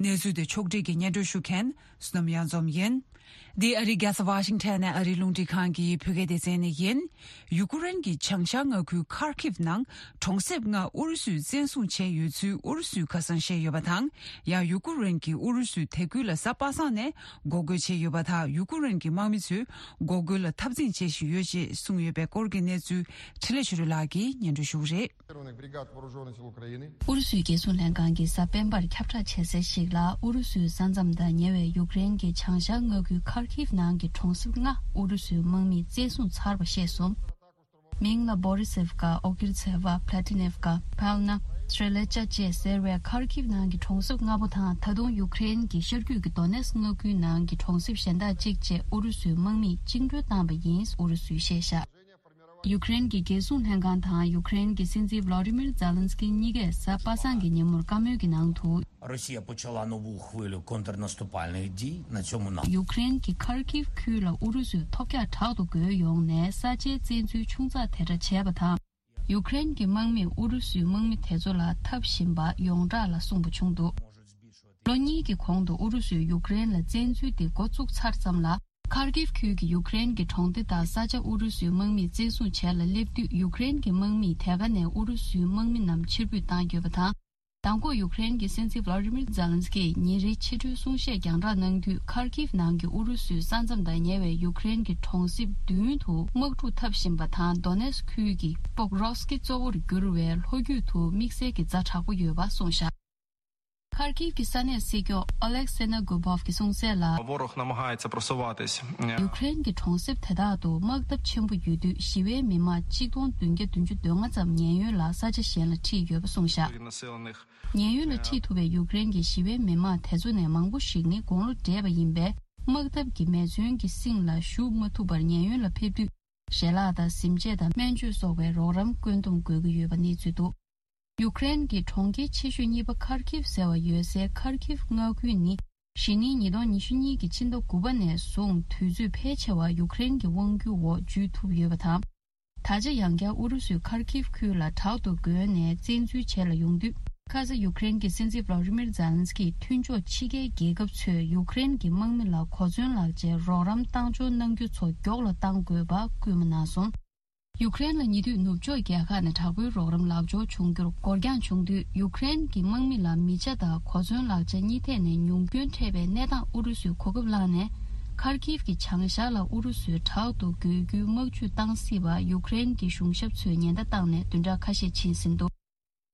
གནས་ཚུལ་དེ་ཕྱོགས་སྒྲིག་གིས་སྙན་སྒྲོན་ཞུ་མཁན་བསོད་ནམས་གཡང་འཛོམས་ཡིན། འདི་ཨ་རིའི་རྒྱལ་ས་ཝ་ཤིང་ཊོན་ནས་ཨ་རིའི་རླུང་འཕྲིན་ཁང་གི་བོད་སྐད་སྡེ་ཚན་ནས་ཡིན། ཡུ་ཀེ་རེན་གྱི་བྱང་ཤར་མངའ་ཁུལ་ཁར་ཁིབ་ནང་གྲོང་གསེབ་ལྔ་ཨུ་རུ་སུས་བཙན་བཟུང་བྱས་ཡོད་ཚུལ་ཨུ་རུ་སུས་ཁ་སང་བཤད་ཡོད་པ་དང་། ཡང་ཡུ་ཀེ་རེན་གྱིས་ཨུ་རུ་སུའི་དེ་ཁུལ་ལ་གཟའ་པ་སངས་ནས་འགོག་རྒོལ་བྱས་ཡོད་པ་དང་། ཡུ་ཀེ་རེན་གྱི་དམག་མི་ཚོས་འགོག་རྒོལ་ལ་འཐབ་འཛིང་བྱེད་བཞིན་ཡོད་ཅེས་གསུངས་ཡོད་པའི་སྐོར་གྱི་གནས་ཚུལ་འཕྲིན་ལས་ཆོས་སྒྲོན་ལགས་ཀྱིས་སྙན་སྒྲོན་ཞུ་གི་རེད། Вооружённых сил Украины. ཨུ་རུ་སུའི་རྒྱལ་སྲུང་ལྷན་ཁང་གིས་གཟའ་སྤེན་པར་ཁྱབ་བསྒྲགས་བྱས་གསལ་ཞིག་ལ། ཨུ་རུ་སུའི་ས་མཚམས་དང་ཉེ་བའི་ཡུཀ་རེན་གྱི་བྱང་ཤར་མངའ་ཁུལ་ཁར་ཁིབ་ནང་གི་གྲོང་གསེབ་ལྔ་ཨུ་རུ་སུའི་དམག་མིས་བཙན་བཟུང་ཚར་བ་ཤེས་སོང་། མིང་ལ་Borisivka, Ogirtseva, Platinivka, Palna, Streletsha བཅས་ཟེར་བའི་ཁར་ཁིབ་ནང་གི་གྲོང་གསེབ་ལྔ་པོ་དང་། ད་དུང་ཡུཀ་རེན་གྱི་ཤར་རྒྱུད་ཀྱི་Donetsk མངའ་ཁུལ་ནང་གི་གྲོང་གསེབ་གཞན་དག་གཅིག་བཅས་ཨུ་རུ་སུའི་དམག་མིས་བཅིངས་འགྲོལ་བཏང་བ་ཡིན། ཨུ་རུ་སུས་བཤད་བཞག་ཡུཀ་རེན་གྱི་རྒྱལ་སྲུང་ལྷན་ཁང་དང་ཡུཀ་རེན་གྱི་སྲིད་འཛིན་Volodymyr Zelensky གཉིས་ཀས་གཟའ་པ་སངས་ཀྱི་ཉིན་མོར་བཀའ་མོལ་གྱི་ནང་དུ། Росія почала нову хвилю контрнаступальних дій на цьому напрямку. ཡུཀ་རེན་གྱི་ཁར་ཁིབ་ཁུལ་ལ་ཨུ་རུ་སུས་ཐོལ་རྒྱག་དྲག་ཏུ་རྒོལ་ཡོང་ནས་ས་ཆའི་བཙན་འཛུལ་ཆུང་ཙག་དེ་འདྲ་བྱས་པ་དང་། ཡུཀ་རེན་གྱི་དམག་མིས་ཨུ་རུ་སུའི་དམག་མི་དེ་ཚོ་ལ་འཐབ་བཞིན་པ་ཡོངས་གྲགས་ལ་གསུངས་པ་བྱུང་འདུག་ལོ་གཉིས་ཀྱི་གོང་དུ་ཨུ་རུ་སུས་ཡུཀ་རེན་ལ་བཙན་འཛུལ་འདི་འགོ་བཙུགས་ཚར་ཙམ་ལ། ཁར་ཁིབ་ཁུལ་གྱི་ཡུཀ་རེན་གྱི་གྲོང་སྡེ་དང་ས་ཆ་ཨུ་རུ་སུའི་དམག་མིས་བཙན་བཟུང་བྱས་ལ་སླེབས་དུས། ཡུཀ་རེན་གྱི་དམག་མིས་དེ་ག་ནས་ཨུ་རུ་སུའི་དམག་མི་རྣམས་ཕྱིར་འབུད་བཏང་ཡོད་པ་དང་། མདང་དགོང་ཡུཀ་རེན་གྱི་སྲིད་འཛིན་Volodymyr Zelensky ཉིན་རེའི་ཕྱི་དྲོའི་གསུང་བཤད་རྒྱང་བསྒྲགས་གནང་དུས། ཁར་ཁིབ་ནང་གི་ཨུ་རུ་སུའི་ས་མཚམས་དང་ཉེ་བའི་ཡུཀ་རེན་གྱི་གྲོང་གསེབ་བདུན་དུ་དམག་འཁྲུག་འཐབ་བཞིན་པ་དང་། Donetsk ཁུལ་གྱི་Pokrovsk གཙོ་བོར་གྱུར་བའི་ལྷོ་རྒྱུད་དུ་དམིགས་བསལ་གྱི་ཛ་དྲག་པོ་ཡོད་པ་གསུངས་བཞག་ཁར་ཁིབ་ཀྱི་ས་གནས་སྲིད་སྐྱོང་Oleg Senegubov གྱིས་གསུངས་གསལ་ལ། Ворог намагається просуватись. ཡུཀ་རེན་གྱི་གྲོང་གསེབ་དེ་དག་ཏུ་དམག་འཐབ་ཆེན་པོ་ཡོད་དུས། ཞི་བའི་མི་མང་གཅིག་སྟོང་བདུན་བརྒྱ་བདུན་ཅུ་དོན་ལྔ་ཙམ་ཉེན་གཡོལ་ལ་ས་ཆ་གཞན་ལ་ཁྲིད་ཡོད་པ་གསུངས་བཞག་ཉེན་གཡོལ་ལ་ཁྲིད་ཐུབ་པའི་ཡུཀ་རེན་གྱི་ཞི་བའི་མི་མང་དེ་ཚོ་ནས་མང་པོ་ཞིག་ནི་དགུང་ལོ་བགྲེས་པ་ཡིན་པས། དམག་འཐབ་ཀྱི་མེ་མཚོན་གྱི་གསེང་ལ་ཞུགས་མ་ཐུབ་པར་ཉེན་གཡོལ་ལ་ཕེབས་དུས། ཞལ་ལག་དང་གཟིམ་ཆས་དང་སྨན་བཅོས་སོགས་པའི་རོགས་རམ་བཀོད་འདོམས་དགོས་ཀྱི་ཡོད་པ་གནས་ཚུལ་འདུག་ཡུཀ་རེན་གྱི་གྲོང་ཁྱེར་ཆེ་ཤོས་གཉིས་པ་ཁར་ཁིབ་ཟེར་བ་ཡོད་སའི་ཁར་ཁིབ་མངའ་ཁུལ་ནི། གཞེས་ནིང་ཉིས་སྟོང་ཉི་ཤུ་གཉིས་ཀྱི་ཕྱི་ཟླ་དགུ་པ་ནས་བཟུང་དུས་ཚོད་ཕལ་ཆེ་བ་ཡུཀ་རེན་གྱི་དབང་སྒྱུར་འོག་འཇུས་ཐུབ་ཡོད་པ་དང་། ད་ཆ་ཡང་བསྐྱར་ཨུ་རུ་སུས་ཁར་ཁིབ་ཁུལ་ལ་དྲག་ཏུ་རྒོལ་ནས་བཙན་འཛུལ་བྱེད་ལ་ཡོང་དུས། ཁ་ས་ཡུཀ་རེན་གྱི་སྲིད་འཛིན་Volodymyr Zelensky མཐུན་ཕྱོགས་ཕྱི་རྒྱལ་རྒྱལ་ཁབ་ཚོས་ཡུཀ་རེན་གྱི་དམག་མི་ལ་གོ་མཚོན་ལག་ཆའི་རོགས་རམ་བཏང་འབྱོར་གནང་རྒྱུ་ཚོ་མགྱོགས་ལ་གཏང་དགོས་པ་སྐུལ་མ་གནང་སོང་། ཡུཀ་རེན་ལ་ཉེ་དུས་ནུབ་ཕྱོགས་རྒྱལ་ཁག་ནས་དྲག་པོའི་རོགས་རམ་ལག་འབྱོར་བྱུང་རྒྱུར་འགོར་འགྱངས་བྱུང་དུས། ཡུཀ་རེན་གྱི་དམག་མི་ལ་མི་ཆ་དང་གོ་མཚོན་ལག་ཆ་གཉིས་ཐད་ནས་ཉུང་སྐྱོན་འཕྲད་པའི་གནས་སྟངས་ཨུ་རུ་སུས་གོ་སྐབས་བླངས་ནས། ཁར་ཁིབ་ཀྱི་བྱང་ཤར་ལ་ཨུ་རུ་སུས་དྲག་ཏུ་རྒོལ་རྒྱུའི་དམག་ཇུས་བཏང་སྲིད་པ་ཡུཀ་རེན་གྱི་གཞུང་ཞབས་ཚོས་ཉེན་བརྡ་བཏང་ནས་བདུན་ཕྲག་ཁ་ཤས་ཕྱིན་ཟིན་འདུག་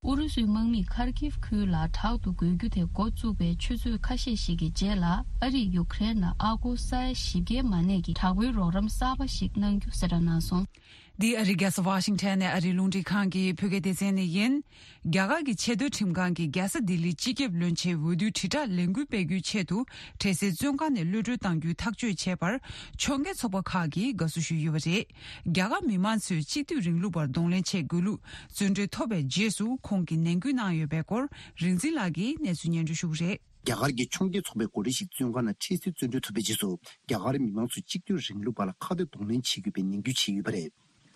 ཨུ་རུ་སུའི་དམག་མིས་ཁར་ཁིབ་ཁུལ་ལ་དྲག་ཏུ་རྒོལ་རྒྱུ་དེ་འགོ་བཙུགས་པའི་ཆུ་ཚོད་ཁ་ཤས་ཤིག་གི་རྗེས་ལ། ཨ་རིས་ཡུཀ་རེན་ལ་ཨ་སྒོར་ས་ཡ་བཞི་བརྒྱའི་མ་གནས་ཀྱི་དྲག་པོའི་རོགས་རམ་གསར་པ་ཞིག་གནང་རྒྱུ་གསལ་བསྒྲགས་གནང་སོང་། འདི་ཨ་རིའི་རྒྱལ་ས་ཝ་ཤིང་ཊོན་ནས་ཨ་རིའི་རླུང་འཕྲིན་ཁང་གི་བོད་སྐད་སྡེ་ཚན་ནས་ཡིན། རྒྱ་གར་གྱི་ཆེས་མཐོའི་ཁྲིམས་ཁང་གིས་རྒྱལ་ས་ལྡི་ལིའི་སྤྱི་ཁྱབ་བློན་ཆེན་འོས་བསྡུའི་དྲིལ་བསྒྲགས་ལས་འགུལ་སྤེལ་རྒྱུའི་ཆེད་དུ། འཕྲལ་སེལ་བཙོན་ཁང་ནས་གློད་གྲོལ་གཏང་རྒྱུའི་ཐག་གཅོད་བྱས་པར། ཕྱོགས་འགལ་ཚོགས་པ་ཁག་གིས་དགའ་བསུ་ཞུས་ཡོད་པ་རེད། རྒྱ་གར་མི་མང་ཚོས་གཅིག་སྡུད་རིང་ལུགས་པར་གདོང་ལེན་བྱེད་དགོས་ལུགས་བརྩོན་འགྲུས་ཐོབ་པའི་རྗེས་སུ། ཁོང་གིས་ནན་སྐུལ་གནང་ཡོད་པའི་སྐོར། རིག་འཛིན་ལགས་ཀྱིས་གནས་ཚུལ་སྙན་སྒྲོན་ཞུ་གི་རེད། རྒྱ་གར་གྱི་ཕྱོགས་འགལ་ཚོགས་པའི་འགོ་ཁྲིད་ཞིག་བཙོན་ཁང་ནང་འཕྲལ་སེལ་བཙོན་གྲོལ་ཐོབ་པའི་རྗེས་སུ། རྒྱ་གར་མི་མང་ཚོས་གཅིག་སྡུད་རིང་ལུགས་པ་ལ་ཁ་གཏད་གདོང་ལེན་བྱེད་དགོས་པའི་ནན་སྐུལ་བྱས་ཡོད་པ་རེད།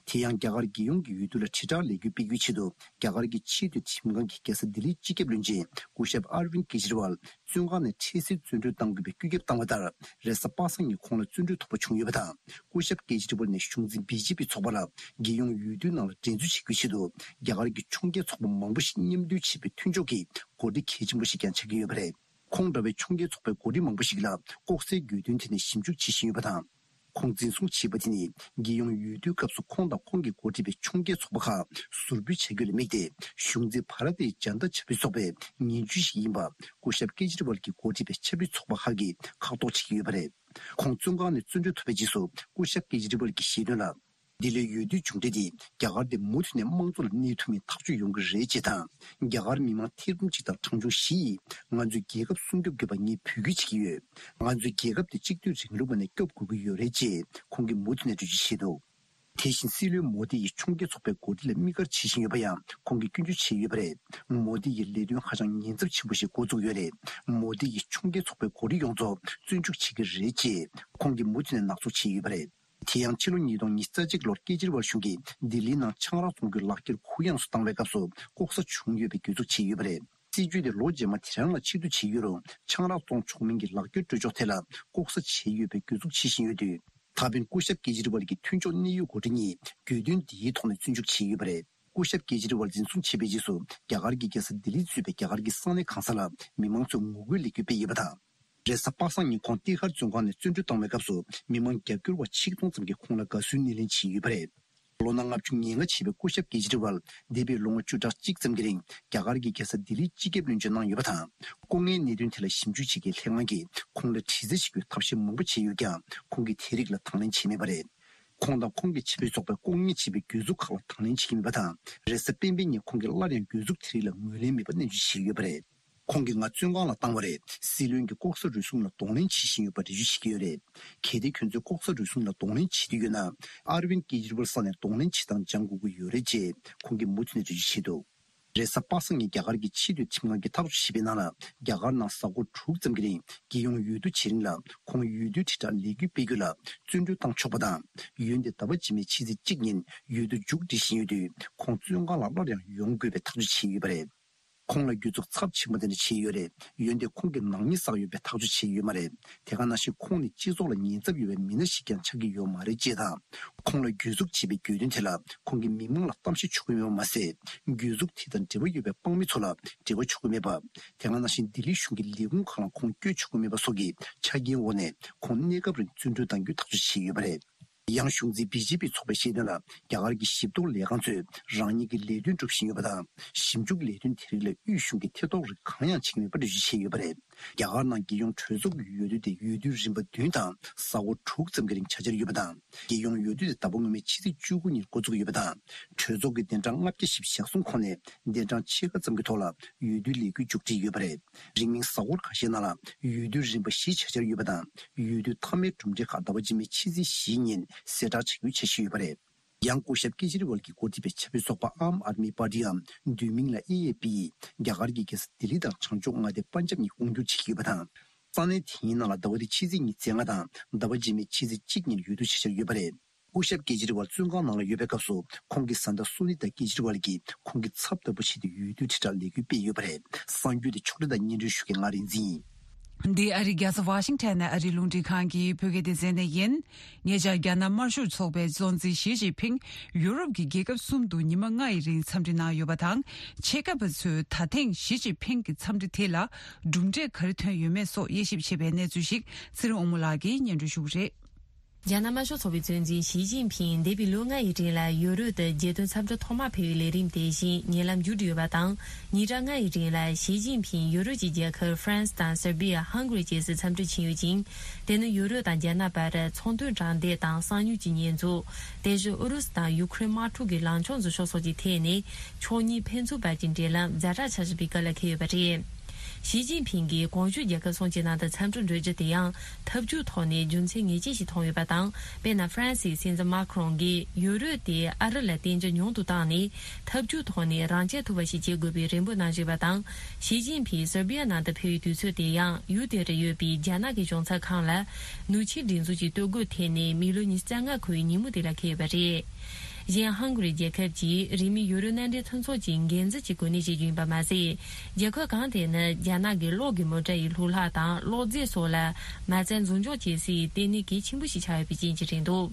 དེ་ཡང་རྒྱ་གར་རྒྱལ་ཡོངས་ཀྱི་འོས་བསྡུ་ལ་དྲིལ་བསྒྲགས་ལས་འགུལ་སྤེལ་རྒྱུའི་ཆེད་དུ། རྒྱ་གར་གྱི་ཆེས་མཐོའི་ཁྲིམས་ཁང་གིས་རྒྱལ་ས་ལྡི་ལིའི་སྤྱི་ཁྱབ་བློན་ཆེན་སྐུ་ཞབས་ཨར་ཝིན་ཀེ་ཇི་རི་ཝལ་བཙོན་ཁང་ནས་འཕྲལ་སེལ་བཙོན་གྲོལ་གཏང་དགོས་པའི་བཀོད་ཁྱབ་བཏང་བ་ལྟར། རེས་གཟའ་པ་སངས་ཉིན་ཁོང་ལ་བཙོན་གྲོལ་ཐོབ་པ་བྱུང་ཡོད་པ་དང་། སྐུ་ཞབས་ཀེ་ཇི་རི་ཝལ་ནས་གཞུང་འཛིན་བི་ཇེ་པི་ཚོགས་པ་ལ་རྒྱལ་ཡོངས་འོས་བསྡུའི་ནང་ལ་འགྲན་རྩོད་བྱེད་རྒྱུའི་ཆེད་དུ། རྒྱ་གར་གྱི་ཕྱོགས་འགལ་ཚོགས་པ་མང་པོ་ཞིག་མཉམ་འདུས་བྱས་པའི་མཐུན་ཕྱོགས་ཀྱི་འགོ་ཁྲིད་གལ་ཆེན་པོ་ཞིག་ཀྱང་ཆགས་ཀྱི་ཡོད་པ་རེད། ཁོང་འདྲ་བའི་ཕྱོགས་འགལ་ཚོགས་པའི་འགོ་ཁྲིད་མང་པོ་ཞིག་ལ་ལྐོག་ཟའི་དགོས་འདུན་དེ་ནས་ཞིབ་འཇུག་བྱེད་བཞིན་ཡོད་པ་དང་། ཁོང་འཛིན་བཟུང་བྱས་པ་དེ་ནི། རྒྱལ་ཡོངས་འོས་བསྡུའི་སྐབས་སུ་ཁོང་དང་ཁོང་གིས་འགོ་ཁྲིད་པའི་ཕྱོགས་འགལ་ཚོགས་པ་ཁག་ཟུར་འབུད་བྱ་རྒྱུ་ལ་དམིགས་ཏེ། གཞུང་འཛིན་བྷ་ར་ཏིའི་ཇན་ཏ་ཆབ་སྲིད་ཚོགས་པའི་ངན་ཇུས་ཤིག་ཡིན་པ། སྐུ་ཞབས་ཀེ་ཇི་རི་ཝལ་གྱིས་འགོ་ཁྲིད་པའི་ཆབ་སྲིད་ཚོགས་པ་ཁག་གིས་ཁག་ཐོག་བྱེད་ཀྱི་ཡོད་པ་རེད། ཁོང་བཙོན་ཁང་ནས་བཙོན་གྲོལ་ཐོབ་པའི་རྗེས་སུ། སྐུ་ཞབས་ཀེ་ཇི་རི་ཝལ་གྱིས་བཤད་དོན་ལ། འདི་ལོའི་འོས་བསྡུའི་མཇུག་འབྲས་དེ་རྒྱ་གར་དེ་མུ་མཐུད་ནས་དམངས་གཙོ་ལ་གནས་ཐུབ་མིན་ཐག་གཅོད་ཡོང་གི་རེད་ཅེས་དང་། རྒྱ་གར་མི་མང་ཐེར་འབུམ་གཅིག་དང་གྲངས་ཆུང་བཞི་ཡིས་ང་ཚོའི་རྒྱལ་ཁབ་སྲུང་སྐྱོབ་དགོས་པ་ངས་འབོད་སྐུལ་བྱེད་ཀྱི་ཡོད། ང་ཚོའི་རྒྱལ་ཁབ་དེ་གཅིག་སྡུད་རིང་ལུགས་པ་ནས་སྐྱོབ་དགོས་ཀྱི་ཡོད་རེད་ཅེས་ཁོང་གིས་མུ་མཐུད་ནས་འགྲེལ་བརྗོད་བྱས་འདུག་དེ་བཞིན་སྲིད་བློན་མོ་དི་ཡིས་ཕྱོགས་འགལ་ཚོགས་པའི་འགོ་ཁྲིད་ལ་དམིགས་བཀར་བྱེད་བཞིན་ཡོད་པ་ཡང་ཁོང་གིས་སྐྱོན་བརྗོད་བྱས་ཡོད་པ་རེད། མོ་དི་ཡི་ལས་དོན་ཧ་ཅང་ཉེན་ཚབས་ཆེན་པོ་ཞིག་འགོ་བཙུགས་ཡོད་རེད། མོ་དི་ཡིས་ཕྱོགས་འགལ་ཚོགས་པའི་འགོ་ཁྲིད་ཡོངས་རྫོགས་བཙོན་འཇུག་བྱེད་ཀྱི་རེད་ཅེས་ཁོང་གིས་མུ་མཐུད་ནས་ནག་འཛུགས་བྱས་ཡོད་པ་རེད། དེ་ཡང་ཕྱི་ལོ་ཉིས་སྟོང་ཉི་ཤུ་རྩ་གཅིག་ལོར་ཀེ་ཇི་རི་ཝལ་གཞུང་གིས་ལྡི་ལིའི་ནང་ཆང་རག་བཙོང་རྒྱུའི་ལག་འཁྱེར་གུ་ཡངས་སུ་བཏང་བའི་སྐབས་སུ་ལྐོག་ཟ་བྱུང་ཡོད་པའི་གྱོད་འཛུགས་བྱས་ཡོད་པ་རེད། སྲིད་བྱུས་དེ་ལོ་རྗེས་མ་དེ་རང་ལ་ཕྱིར་བསྡུ་བྱས་ཡོད་རུང་ཆང་རག་བཙོང་ཆོག་མིན་གྱི་ལག་འཁྱེར་སྤྲོད་ཕྱོགས་ཐད་ལ་ལྐོག་ཟ་བྱས་ཡོད་པའི་གྱོད་འཛུགས་བྱེད་བཞིན་ཡོད་དུས། ད་ཕན་སྐུ་ཞབས་ཀེ་ཇི་རི་ཝལ་གྱི་མཐུན་ཕྱོགས་གནད་ཡོད་འགོ་ཁྲིད་གཉིས་གྱོད་དོན་འདིའི་ཐོག་ནས་བཙོན་འཇུག་བྱས་ཡོད་པ་རེད། སྐུ་ཞབས་ཀེ་ཇི་རི་ཝལ་འཛིན་བཟུང་བྱས་པའི་རྗེས་སུ་རྒྱ་གར་གྱི་རྒྱལ་ས་ལྡི་ལི་གཙོས་པའི་རྒྱ་གར་གྱི་ས་གནས་གང་ས་ལ་མི་མང་ཚོས་ངོ་རྒོལ་ལས་འགུལ་སྤེལ་ཡོད་པ་དང་། རེས་གཟའ་པ་སངས་ཉིན་ཁོང་ཏི་ཧར་བཙོན་ཁང་ནས་བཙོན་གྲོལ་བཏང་བའི་སྐབས་སུ་མི་མང་རྒྱབ་སྐྱོར་བ་ཆིག་སྟོང་ཙམ་གྱིས་ཁོང་ལ་དགའ་བསུའི་སྣེ་ལེན་བྱས་ཡོད་པ་རེད། ལོ་ན་ལྔ་བཅུ་ང་ལྔ་བྱས་པའི་སྐུ་ཞབས་ཀེ་ཇི་རི་ཝལ་འདས་པའི་ལོ་ངོ་བཅུ་ཕྲག་གཅིག་ཙམ་གྱི་རིང་རྒྱ་གར་གྱི་རྒྱལ་ས་ལྡི་ལིའི་སྤྱི་ཁྱབ་བློན་ཆེན་གནང་ཡོད་པ་དང་། སྐུ་ངལ་གནད་དོན་དེ་ལ་ཞིབ་འཇུག་བྱེད་མཁན་ལྷན་ཁང་གིས་ཁོང་ལ་དྲི་རྩད་བྱེད་རྒྱུའི་ཐབས་ཤེས་མང་པོ་བྱས་ཡོད་ཀྱང་ཁོང་གིས་དེ་རིགས་ལ་དང་ལེན་བྱས་མེད་པ་རེད། ཁོང་དང་ཁོང་གི་བྱ་བའི་ཚོགས་པས་ལྐོག་ཉར་བྱས་པའི་གྱོད་འཛུགས་ཁག་ལ་དང་ལེན་བྱེད་ཀྱི་མེད་པ་དང་། རེས་གཟའ་སྤེན་པའི་ཉིན་ཁོང་གིས་སླར་ཡང་གྱོད་འཛུགས་དེ་རིགས་ལ་ངོས་ལེན་མེད་པ་ནན་བརྗོད་བྱས་ཡོད་པ་རེད། ཁོང་གིས་ང་བཙོན་ཁང་ལ་བཏང་བ་རེད། སྲིད་བློན་གྱིས་ལྐོག་ཟ་རུལ་སུངས་ལ་གདོང་ལེན་བྱེད་བཞིན་ཡོད་པ་འགྲེལ་བརྗོད་བྱེད་ཀྱི་ཡོད་རེད། གལ་ཏེ་ཁྱོད་ཚོས་ལྐོག་ཟ་རུལ་སུངས་ལ་གདོང་ལེན་བྱེད་འདོད་ཡོད་ན། ཨར་ཝིན་ཀེ་ཇི་རི་ཝལ་ས་ནས་གདོང་ལེན་བྱེད་སྟངས་སྦྱང་དགོས་ཀྱི་ཡོད་རེད་ཅེས་ཁོང་གིས་མུ་མཐུད་ནས་འགྲེལ་བརྗོད་བྱས་འདུག་རེས་གཟའ་པ་སངས་ཉིན་རྒྱ་གར་གྱི་ཆེས་མཐོའི་ཁྲིམས་ཁང་གིས་ཐག་གཅོད་བྱས་པའི་ནང་ལ། རྒྱ་གར་ནང་གཟའ་འཁོར་དྲུག་ཙམ་གྱི་རིང་རྒྱལ་ཡོངས་འོས་བསྡུ་བྱེད་རིང་ལ་ཁོང་འོས་བསྡུའི་དྲིལ་བསྒྲགས་ལས་འགུལ་སྤེལ་རྒྱུ་ལ་བཙོན་གྲོལ་བཏང་ཆོག་པ་དང་། འོན་ཏེ་ཟླ་བ་རྗེས་མའི་ཕྱི་ཚེས་གཅིག་ཉིན་འོས་བསྡུ་མཇུག་སྒྲིལ་བཞིན་ཡོད་དུས་ཁོང་བཙོན་ཁང་ལ་སླར་ཡང་ཡོང་དགོས་པའི་ཐག་གཅོད་བྱས་ཡོད་པ་རེད། ཁོང་ལ་གྱོད་འཛུགས་ཚབས་ཆེན་པོ་དེ་འདྲ་བྱས་ཡོད་རེད། འོན་ཏེ་ཁོང་གིས་ནག་ཉེས་བསགས་ཡོད་པའི་ཐག་གཅོད་བྱས་ཡོད་མ་རེད། དེ་ག་ནང་བཞིན་ཁོང་ནི་སྤྱི་ཚོགས་ལ་ཉེན་ཚབས་ཡོད་པའི་མི་སྣ་ཞིག་ཀྱང་ཆགས་ཀྱི་ཡོད་མ་རེད་ཅེས་དང་། ཁོང་ལ་གྱོད་འཛུགས་བྱས་པའི་གྱོད་དོན་དེ་ལ་ཁོང་གིས་མི་མང་ལ་གཏམ་བཤད་ཆོག་གི་མེད་པ་མ་ཟད། གྱོད་འཛུགས་དེ་དང་འབྲེལ་བ་ཡོད་པའི་དཔང་མི་ཚོ་ལ་འབྲེལ་བ་ཆོག་གི་མེད་པ། དེ་ག་ནང་བཞིན་ལྡི་ལི་གཞུང་གི་ལས་ཁུངས་ཁག་ལ་ཁོང་བསྐྱོད་ཆོག་གི་མེད་པ་སོགས་ཀྱི་ཆ་རྐྱེན་འོག་ནས་ཁོང་གནས་སྐབས་རིང་བཙོན་གྲོལ་གཏང་རྒྱུའི་ཐག་གཅོད་བྱས་ཡོད་པ་རེད། ཡང་གཞུང་འཛིན་བི་ཇེ་པི་ཚོགས་པས་བཤད་དོན་ལ། རྒྱ་གར་གྱི་ཞིབ་འཚོལ་ལས་ཁང་ཚོས་རང་ཉིད་ཀྱི་ལས་དོན་སྒྲུབ་བཞིན་ཡོད་པ་དང་། ཞིབ་འཇུག་ལས་དོན་དེ་རིགས་ལ་དབུས་གཞུང་གིས་ཐེ་གཏོགས་རིགས་གང་ཡང་བྱེད་ཀྱི་མེད་པ་འགྲེལ་བརྗོད་བྱས་ཡོད་པ་རེད། རྒྱ་གར་ནང་རྒྱལ་ཡོངས་གྲོས་ཚོགས་ཀྱི་འོས་བསྡུ་དེ་འོས་བསྡུའི་རིམ་པ་བདུན་དང་གཟའ་འཁོར་དྲུག་ཙམ་གྱི་རིང་བྱ་འཆར་ཡོད་པ་དང་། རྒྱལ་ཡོངས་འོས་བསྡུ་དེ་ཟླ་བ་སྔོན་མའི་ཕྱི་ཚེས་བཅུ་དགུ་ཉིན་འགོ་འཛུགས་ཡོད་པ་དང་། གྲོས་ཚོགས་ཀྱི་གདན་གྲངས་ལྔ་བརྒྱ་ཞེ་བཞི་ཞག་གསུམ་ཁོངས་ནས་གདན་གྲངས་ཕྱེད་ཀ་ཙམ་གྱི་ཐོག་ལ་འོས་བསྡུའི་ལས་འགུལ་མཇུག་སྒྲིལ་ཡོད་པ་རེད། རིང་མིན་གཟའ་འཁོར་ཁ་ཤས་ནང་ལ་འོས་བསྡུའི་རིམ་པ་བཞི་བྱ་འཆར་ཡོད་པ་དང་། འོས་བསྡུ་མཐའ་མའི་གྲུབ་འབྲས་ཁག་ཟླ་བ་རྗེས་མའི་ཕྱི་ཚེས་བཞིའི་ཉིན་གསལ་བསྒྲགས་བྱ་རྒྱུའི་འཆར་གཞི་ཡོད་པ་རེད། ཡང་སྐུ་ཞབས་ཀེ་ཇི་རི་ཝལ་གྱིས་འགོ་ཁྲིད་པའི་ཆབ་སྲིད་ཚོགས་པ་ཨམ་ཨར་མི་པར་ཏིའམ་བསྡུས་མིང་ལ་ཨེ་ཨེ་པི་ཡིས་རྒྱ་གར་གྱི་རྒྱལ་ས་ལྡི་ལི་དང་བྱང་ཕྱོགས་མངའ་སྡེ་པན་ཇབ་གཉིས་དབང་བསྒྱུར་བྱེད་ཀྱི་ཡོད་པ་དང་། ས་གནས་དེ་གཉིས་ནང་ལ་ཟླ་བ་འདིའི་ཕྱི་ཚེས་ཉི་ཤུ་རྩ་ལྔ་དང་ཟླ་བ་རྗེས་མའི་ཕྱི་ཚེས་གཅིག་ཉིན་འོས་བསྡུ་བྱ་འཆར་ཡོད་པ་རེད། སྐུ་ཞབས་ཀེ་ཇི་རི་ཝལ་བཙོན་ཁང་ནང་ལ་ཡོད་པའི་སྐབས་སུ་ཁོང་གི་བཟའ་ཟླ་སུ་ནི་ཏཱ་ཀེ་ཇི་རི་ཝལ་གྱིས་ཁོང་གི་ཚབ་ལྟ་བུ་བྱས་ཏེ་འོས་བསྡུའི་དྲིལ་བསྒྲགས་ལས་འགུལ་སྤེལ་ཡོད་པ་རེད། གསར་འགྱུར་དེ་ཕྱོགས་སྒྲིག་དང་སྙན་སྒྲོན་ཞུ་མཁན་ང་རིག་འཛིན་ཡིན། འདི་ཨ་རིའི་རྒྱལ་ས་ཝ་ཤིང་ཊོན་ནས་ཨ་རིའི་རླུང་འཕྲིན་ཁང་གི་བོད་སྐད་སྡེ་ཚན་ནས་ཡིན། ཉེ་ཆར་རྒྱ་ནག་དམར་ཤོག་ཚོགས་པའི་གཙོ་འཛིན་ཞི་ཅིན་ཕིང་ཡུ་རོབ་ཀྱི་རྒྱལ་ཁབ་གསུམ་དུ་ཉི་མ་ལྔ་ཡི་རིང་འཚམས་འདྲི་གནང་ཡོད་པ་དང་། ཆེད་མཁས་པ་ཚོས་ད་ཐེངས་ཞི་ཅིན་ཕིང་གི་འཚམས་འདྲི་དེ་ལ་གྲུབ་འབྲས་ག་རེ་ཐོན་ཡོད་མེད་སོགས་དབྱེ་ཞིབ་བྱེད་པའི་གནས་ཚུལ་ཞིག་ཚེ་རིང་དབང་མོ་ལགས་ཀྱིས་སྙན་སྒྲོན་ཞུ་གི་རེད། རྒྱ་ནག་དམར་ཤོག་ཚོགས་པའི་གཙོ་འཛིན་ཞི་ཅིན་ཕིང་འདས་པའི་ལོ་ལྔ་ཡི་རིང་ལ་ཡུ་རོབ་ཏུ་རྒྱལ་དོན་འཚམས་འདྲི་ཐོག་མ་ཕེབས་པའི་ལས་རིམ་དེ་བཞིན་ཉེ་ལམ་མཇུག་སྒྲིལ་ཡོད་པ་དང་། ཉིན་གྲངས་ལྔ་ཡི་རིང་ལ་ཞི་ཅིན་ཕིང་ཡུ་རོབ་ཀྱི་རྒྱལ་ཁབ་ཧྥ་རན་སི་དང་སར་བྷི་ཡ། ཧང་གྷ་རི་བཅས་སུ་འཚམས་འདྲི་ཕྱིན་ཡོད་ཅིང་། དེ་ནི་ཡུ་རོབ་དང་རྒྱ་ནག་བར་ཚོང་དོན་དྲང་བདེན་དང་གསང་མྱུལ་གྱི་ཉེས་འཛུགས། དེ་བཞིན་ཨུ་རུ་སུ་དང་ཡུ་ཁུ་རེན་དམག་འཁྲུག་གི་ལངས་ཕྱོགས་འཛིན་ཕྱོགས་སོགས་ཀྱི་ཐད་ནས་ཕྱོགས་གཉིས་ཕན་ཚུན་བར་གྱི་འབྲེལ་ལམ་ཛ་དྲག་ཆགས་བཞིན་པའི་སྐབས་ལ་འཁེལ་ཡོད་པ་རེད། ཞི་ཅིན་ཕིང་གིས་གོང་ཞུས་རྒྱལ་ཁབ་གསུམ་གྱི་ནང་དུ་འཚམས་འདྲི་འགྲོ་རྒྱུ་དེ་ཡང་ཐབས་ཇུས་ཐོག་ནས་རྒྱུ་མཚན་ངེས་ཅན་ཞིག་མཐོང་ཡོད་པ་དང་། དཔེར་ན་ཧྥ་རན་སིའི་སྲིད་འཛིན་མཱ་ཁི་རོང་གིས་ཡུ་རོབ་དེ་ཨ་རི་ལ་བརྟེན་རྒྱུ་ཉུང་དུ་བཏང་ནས་ཐབས་ཇུས་ཐོག་ནས་རང་གཅེས་ཐུབ་པ་ཞིག་བྱེད་དགོས་པའི་རེ་འབོད་གནང་བཞིན་པ་དང་། ཞི་ཅིན་ཕིང་སར་བྷི་ཡ་ནང་དུ་ཕེབས་པའི་དུས་ཚོད་དེ་ཡང་ཡུལ་དེར་ཡོད་པའི་རྒྱ་ནག་གི་གཞུང་ཚབ་ཁང་ལ་ནུས་ཆེའི་སྒྲིག་འཛུགས་ཀྱི་གཏོར་རྒོལ་ཐེབས་ནས་མི་ལོ་ཉི་ཤུ་རྩ་ལྔ་འཁོར་བའི་ཉིན་མོ་དེ་ལ་འཁེལ་ཡོད་པ་རེད། གཞན་ཧང་གྷ་རི་རྒྱལ་ཁབ་ཀྱིས་རིང་མིན་ཡུ་རོབ་མནའ་འབྲེལ་མཐུན་ཚོགས་ཀྱི་འགན་འཛིན་གྱི་གོ་གནས་བཞེས་རྒྱུ་ཡིན་པ་མ་ཟད། རྒྱལ་ཁབ་གང་དེ་ནི་རྒྱ་ནག་གི་གློག་གི་མོ་ཊ་ཡི་ལྷུ་ལག་དང་གློག་རྫས་སོགས་ལ་མ་རྩ་འཛུགས་འཇོག་བྱེད་སའི་ལྟེ་གནས་གལ་ཆེན་པོ་ཞིག་ཆགས་ཡོད་པའི་རྐྱེན་གྱིས་རེད་འདུག་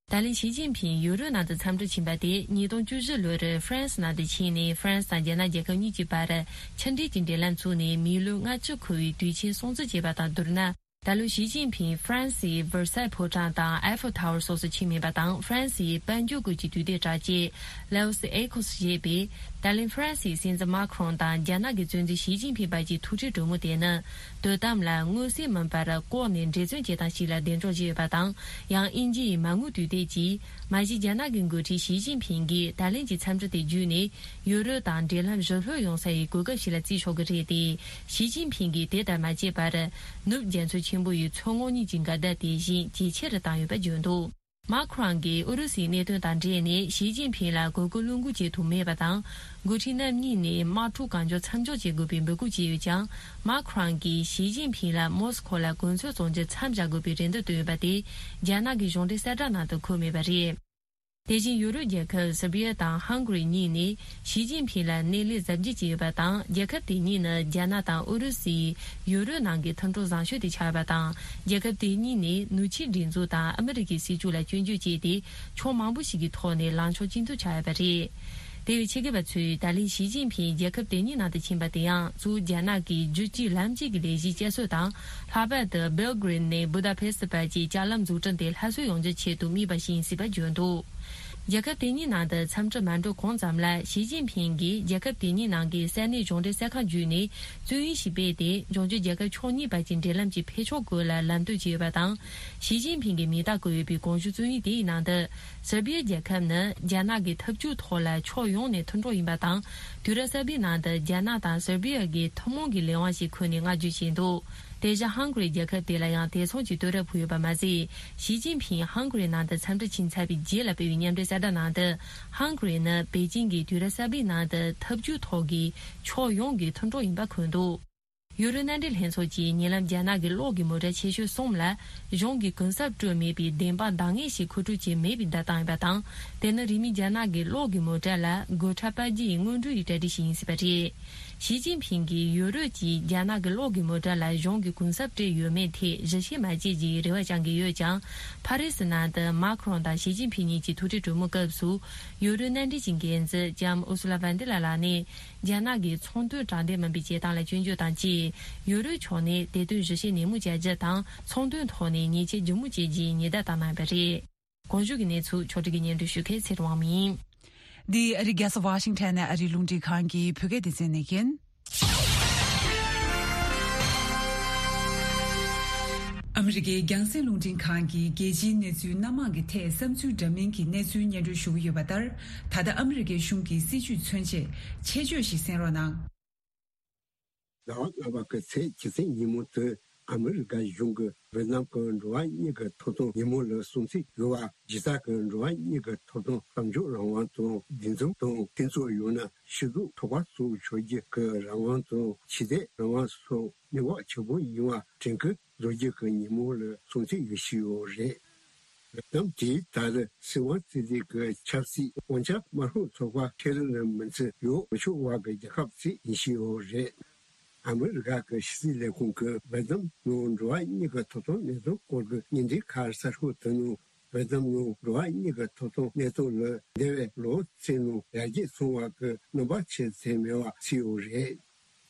ད་ལན་ཞི་ཅིན་ཕིང་ཡུ་རོབ་ནང་དུ་འཚམས་འདྲིར་ཕྱིན་པ་དེ་ཉིས་སྟོང་བཅུ་བཞི་ལོར་ཧྥ་རན་སི་ནང་དུ་ཕྱིན་ནས་ཧྥ་རན་སི་དང་རྒྱ་ནག་རྒྱལ་ཁབ་གཉིས་ཀྱི་བར་ཕྱི་འབྲེལ་གྱི་འབྲེལ་ལམ་བཙུགས་ནས་མི་ལོ་ལྔ་བཅུ་འཁོར་བའི་དུས་ཆེན་སྲུང་བརྩི་བྱས་པ་དང་བསྡུར་ན། ད་ལོ་ཞི་ཅིན་ཕིང་ཧྥ་རན་སིའི་ཝེར་སའི་ཕོ་བྲང་དང་ཨེ་ཧྥེལ་ཐ་ཝར་སོགས་སུ་ཕྱིན་མེད་པ་དང་། ཧྥ་རན་སིའི་དཔལ་འབྱོར་ཁུལ་གྱི་དུས་དེབ་དྲ་རྒྱས་ལའོ་སི་ཨེ་ཁོ་སི་ཞེས་པས། ད་ལན་ཧྥ་རན་སིའི་སྲིད་འཛིན་མཱ་ཁི་རོང་དང་རྒྱ་ནག་གི་གཙོ་འཛིན་ཞི་ཅིན་ཕིང་བར་གྱི་ཐུག་འཕྲད་གྲོས་མོལ་དེ་ནི། དོ་དམ་ལ་མངོན་གསལ་མིན་པར་ལྐོག་ནས་འབྲེལ་བརྩོན་བྱེད་སྟངས་ཤིག་ལ་གདེང་འཇོག་བྱས་ཡོད་པ་དང་། ཡང་དབྱིན་ཇི་ཡི་མ་དངུལ་དུས་དེབ་ཀྱིས། མ་གཞི་རྒྱ་ནག་གི་འགོ་ཁྲིད་ཞི་ཅིན་ཕིང་གིས་ད་ལན་གྱི་འཚམས་འདྲི་དེ་བརྒྱུད་ནས། ཡུ་རོབ་དང་འབྲེལ་ལམ་ཞི་ལྷོད་ཡོང་ས་ཡི་གོ་སྐབས་ཤིག་ལ་བརྩི་ཆོག་གི་རེད་དེ། ཞི་ཅིན་ཕིང་གིས་དེ་ལྟར་མ་བྱས་པར། ནུབ་རྒྱ་མཚོ་ཆེན་པོ་ཡི་མཚོ་ངོགས་གཉིས་ཀྱི་འགལ་ཟླ་དེ་བཞིན་ཇེ་ཆེ་རུ་བཏང་ཡོད་པ་བརྗོད་འདུག་མཱ་ཁྲོན་གྱིས་ཨུ་རུ་སུའི་གནད་དོན་དང་འབྲེལ་ནས་ཞི་ཅིན་ཕིང་ལ་གོ་སྐབས་བློས་འགུལ་བྱེད་ཐུབ་མེད་པ་དང་། འགོ་ཁྲིད་རྣམ་གཉིས་ནས་དམག་འཁྲུག་གང་མགྱོགས་མཚམས་འཇོག་བྱེད་དགོས་པའི་འབོད་སྐུལ་བྱས་ཡོད་ཀྱང་། མཱ་ཁྲོན་གྱིས་ཞི་ཅིན་ཕིང་ལ་མོ་སི་ཁོ་ལ་གོ་མཚོན་བཙོང་རྒྱུ་མཚམས་བཞག་དགོས་པའི་རེ་འདུན་བཏོན་ཡོད་པ་དེ་རྒྱ་ནག་གི་གཞུང་འབྲེལ་གསལ་བསྒྲགས་ནང་དུ་འཁོད་མེད་པ་རེད། དེ་བཞིན་ཡུ་རོབ་རྒྱལ་ཁབ་སེར་བྷི་ཡ་དང་ཧང་གྷི་རི་གཉིས་ནས་ཞི་ཅིན་ཕིང་ལ་སྣེ་ལེན་གཟབ་རྒྱས་བྱས་ཡོད་པ་དང་། རྒྱལ་ཁབ་དེ་གཉིས་ནི་རྒྱ་ནག་དང་ཨུ་རུ་སུའི་ཡུ་རོབ་ནང་གི་མཐུན་གྲོགས་བཟང་ཤོས་དེ་ཆགས་ཡོད་པ་དང་། རྒྱལ་ཁབ་དེ་གཉིས་ནས་ནུབ་ཕྱོགས་སྒྲིག་འཛུགས་དང་ཨ་མི་རི་ཀའི་སྲིད་ཇུས་ལ་སྐྱོན་བརྗོད་བྱས་ཏེ། ཕྱོགས་མང་པོ་ཞིག་གི་ཐོག་ནས་ལངས་ཕྱོགས་གཅིག་མཐུན་ཆགས་ཡོད་པ་རེད། དེ་བས་ཆེད་མཁས་པ་ཚོས་ད་ལན་ཞི་ཅིན་ཕིང་རྒྱལ་ཁབ་དེ་གཉིས་ནང་དུ་ཕྱིན་པ་དེ་ཡང་། གཙོ་བོ་རྒྱ་ནག་གི་རྒྱུད་གཅིག་ལམ་གཅིག་གི་ལས་གཞི་བསྐྱར་གསོ་དང་། ལྷག་པར་དུ་སྦེལ་གྷི་རེད་ནས་བུ་དཱ་ཕེ་སི་བར་གྱི་ལྕགས་ལམ་འཛུགས་སྐྲུན་དེ་སླར་གསོ་ཡོང་རྒྱུའི་ཆེད་དུ་དམིགས་པ་ཞིག་ཡིན་སྲིད་པ་བརྗོད་འདུག་རྒྱལ་ཁབ་དེ་གཉིས་ནང་དུ་འཚམས་འདྲི་མ་འགྲོ་གོང་ཙམ་ལ། ཞི་ཅིན་ཕིང་གིས་རྒྱལ་ཁབ་དེ་གཉིས་ནང་གི་ས་གནས་གཞུང་འབྲེལ་གསར་ཁང་བརྒྱུད་ནས་བཙོན་ཡིག་ཞིག་སྤེལ་ཏེ། འབྱུང་འགྱུར་རྒྱལ་ཁབ་ཕྱོགས་གཉིས་བར་གྱི་འབྲེལ་ལམ་གྱི་འཕེལ་ཕྱོགས་སྐོར་ལ་ལམ་སྟོན་བྱས་ཡོད་པ་དང་། ཞི་ཅིན་ཕིང་གིས་མིང་རྟགས་བཀོད་ཡོད་པའི་གོང་ཞུས་བཙོན་ཡིག་དེའི་ནང་དུ། སེར་བྷི་ཡ་རྒྱལ་ཁབ་ནི་རྒྱ་ནག་གི་འཐབ་ཇུས་ཐོག་ལ་ཕྱོགས་ཡོངས་ནས་མཐུན་གྲོགས་ཡིན་པ་དང་། དུས་རབས་གསར་པའི་ནང་དུ་རྒྱ་ནག་དང་སེར་བྷི་ཡ་གི་ཐུན་མོང་གི་ལས་དབང་ཞིག་འཁོད་ནས་བསྔགས་བརྗོད་བྱས་འདུག་དེ་བཞིན་ཧང་གྷི་རི་རྒྱལ་ཁབ་དེ་ལ་ཡང་དེ་མཚུངས་ཀྱི་བསྟོད་ར་ཕུལ་ཡོད་པ་མ་ཟད། ཞི་ཅིན་ཕིང་ཧང་གྷི་རིའི་ནང་དུ་འཚམས་འདྲི་ཕྱིན་ཚར་བའི་རྗེས་ལ་སྤེལ་བའི་མཉམ་འབྲེལ་གསལ་བསྒྲགས་ནང་དུ། ཧང་གྷི་རི་ནི་པེ་ཅིང་གིས་དུས་རབས་གསར་པའི་ནང་དུ་འཐབ་ཇུས་ཐོག་གི་ཕྱོགས་ཡོངས་ཀྱི་མཐུན་གྲོགས་ཡིན་པ་འཁོད་འདུག་ཡུ་རོབ་མནའ་འབྲེལ་ལྷན་ཚོགས་ཀྱིས་ཉེ་ལམ་རྒྱ་ནག་གི་གློག་གི་མོ་ཊ་ཆེ་ཤོས་གསུམ་ལ་གཞུང་གིས་གུན་གསབ་སྤྲོད་མེད་པའི་བདེན་དཔང་འདང་ངེས་ཤིག་མཁོ་སྤྲོད་བྱས་མེད་པའི་བརྡ་བཏང་ཡོད་པ་དང་། དེ་ནི་རིང་མིན་རྒྱ་ནག་གི་གློག་གི་མོ་ཊ་ལ་སྒོ་ཁྲལ་སྤར་རྒྱུ་ཡི་སྔོན་འགྲོ་ཡི་གྲ་སྒྲིག་ཞིག་ཡིན་སྲིད་པ་རེད། ཞི་ཅིན་ཕིང་གིས་ཡུ་རོབ་ཀྱིས་རྒྱ་ནག་གི་གློག་གི་མོ་ཊ་ལ་གཞུང་གིས་གུན་གསབ་སྤྲད་ཡོད་མེད་ཐད་ཞིབ་བཤེར་མ་བྱས་ཀྱི་རེ་བ་བཅང་གི་ཡོད་ཀྱང་། ཕ་རི་སི་ནང་དུ་མཱ་ཁྲོན་དང་ཞི་ཅིན་ཕིང་གཉིས་ཀྱི་ཐུག་འཕྲད་གྲོས་མོལ་སྐབས་སུ། ཡུ་རོབ་མནའ་འབྲེལ་གྱི་འགན་འཛིན་ལྕམ་ཨུར་སུ་ལ་ཝན་ཏི་ལ་ལགས་ནས། རྒྱ་ནག་གིས་ཚོང་དོན་དྲང་བདེན་མིན་པའི་བྱེད་སྟངས་ལ་སྐྱོན་བརྗོད་དང་བཅས། ཡུ་རོབ་ཕྱོགས་ནས་དེ་དོན་ཞིབ་བཤེར་ནན་མོ་བྱ་རྒྱུ་དང་། ཚོང་དོན་ཐོག་ནས་ཉེས་ཆད་ལྗིད་མོ་བཅད་རྒྱུའི་ཉེན་བརྡ་བཏང་གནང་བ་རེད། གོང་ཞུས་ཀྱི་གནས་ཚུལ་ཕྱོགས་སྒྲིག་གིས་སྙན་སྒྲོན་ཞུ་མཁན་ཚེ་རིང་དབང་མོ་ཡིན། འདི་ཨ་རིའི་རྒྱལ་ས་ཝ་ཤིང་ཊོན་ནས་ཨ་རིའི་རླུང་འཕྲིན་ཁང་གི་བོད་སྐད་སྡེ་ཚན་ནས་ཡིན། ཨ་མི་རི་ཀའི་རྒྱང་སྲིང་རླུང་འཕྲིན་ཁང་གིས་རྒྱལ་སྤྱིའི་གནས་ཚུལ་སྣ་མང་གི་ཐད་བསམ་ཚུལ་འདྲ་མིན་གྱི་གནས་ཚུལ་སྙན་སྒྲོན་ཞུ་གི་ཡོད་པ་ལྟར། ད་ལྟ་ཨ་མི་རི་ཀའི་གཞུང་གི་སྲིད་ཇུས་མཚོན་ཆེད་ཆེད་བརྗོད་ཞིག་གསན་རོགས་གནང་། ཟླ་བ་ལྔ་པ་གི་ཚེས་བཅུ་ཚེས་ཉིན་མོ་དེ་ཨ་མི་རི་ཀ་གཞུང་གིས་ཝེ་ཏི་ནམ་གྱི་འགྲོ་བ་མིའི་གི་ཐོབ་ཐང་ཉིན་མོ་ལ་སྲུང་བརྩི་ཡོད་པ། གཞི་རྩ་གི་འགྲོ་བ་མིའི་གི་ཐོབ་ཐང་། གཏམ་བརྗོད་རང་དབང་དང་། འདུ་འཛོམས་དང་། འཐུས་ཚོགས་ཡང་ན་སྤྱི་ཚོགས་ཚོགས་པ་སོགས་ཆགས་རྒྱུ་གི་རང་དབང་དང་། ཆོས་དད་རང་དབང་སོགས་གནས་བབ་ཆེན་པོ་ཡིན་པ་དྲན་སྐུལ་བཟོ་རྒྱུ་གི་ཉིན་མོ་ལ་སྲུང་བརྩི་ཡོད་བཞིན་ཡོད་རེད། ལམ་དེའི་ཐད་ལ་སྲིད་དབང་རྩོད་ལེན་གྱི་ཆབ་སྲིད་དབང་ཆ་མ་རག་ཚོགས་པ་ཁེ་རི་ལ་མི་ཚེ་ཡོད་མི་ཆོག་བ་གི་རྒྱལ་ཁབ་ཅིག་ཡིན་བཞིན་ཡོད་རེད། ཨ་མི་རི་ཀ་གི་ཕྱི་སྲིད་ལས་ཁུངས་ཀྱིས་ཝེ་ཏི་ནམ་ནང་འགྲོ་བ་མིའི་གི་ཐོབ་ཐང་གནས་སྟངས་སྐོར་གྱི་བརྙན་འཕྲིན་ཁ་གསར་ཤོག་དེ་ནང་ཝེ་ཏི་ནམ་ནང་འགྲོ་བ་མིའི་གི་ཐོབ་ཐང་གནས་སྟངས་ལ་འདས་པའི་ལོ་ཚན་ནང་ཡར་རྒྱས་སོང་བ་གི་རྣམ་པ་ཆེ་ཙམ་མེད་པ་ཞིག་ཡོད་རེད།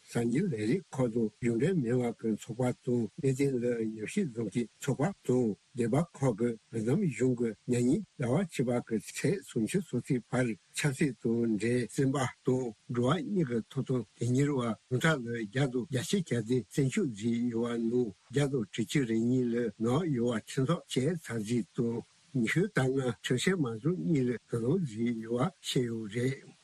གསར་འགྱུར་ལས་རིགས་ཁག་དང་གཞུང་འབྲེལ་མིན་པ་གི་ཚོགས་པ་དང་། གནད་དོན་ལ་ཉམས་ཞིབ་བཟོ་མཁན་ཚོགས་པ་དང་། སྡེ་པ་ཁག་གིས་ཝེ་ཏི་ནམ་གཞུང་གིས་ཉེ་ཉིན་ཟླ་བ་བཅུ་པ་གི་ཚེས་སུམ་ཅུ་སོ་གཅིག་བར་ཆབ་སྲིད་དང་འབྲེལ་བཙོན་པ་དང་འགྲོ་བ་མིའི་གི་ཐོབ་ཐང་དོན་གཉེར་བ་ཉུང་མཐའ་ལ་བརྒྱ་དང་བརྒྱད་ཅུ་གྱ་བདུན་བཙོན་འཇུག་བྱས་ཡོད་པ་ནང་བརྒྱ་དང་དྲུག་ཅུ་རེ་གཉིས་ལ་ནག་ཡོད་པ་ཁྲིམས་ཐག་བཅད་ཚར་རྗེས་དང་། ཉི་ཤུ་རྩ་ལྔ་ཁྲིམས་བཤེར་མ་བཟོ་གཉིས་ལ་དོ་དམ་བྱས་ཡོད་པ་བཤད་ཡོད་རེད།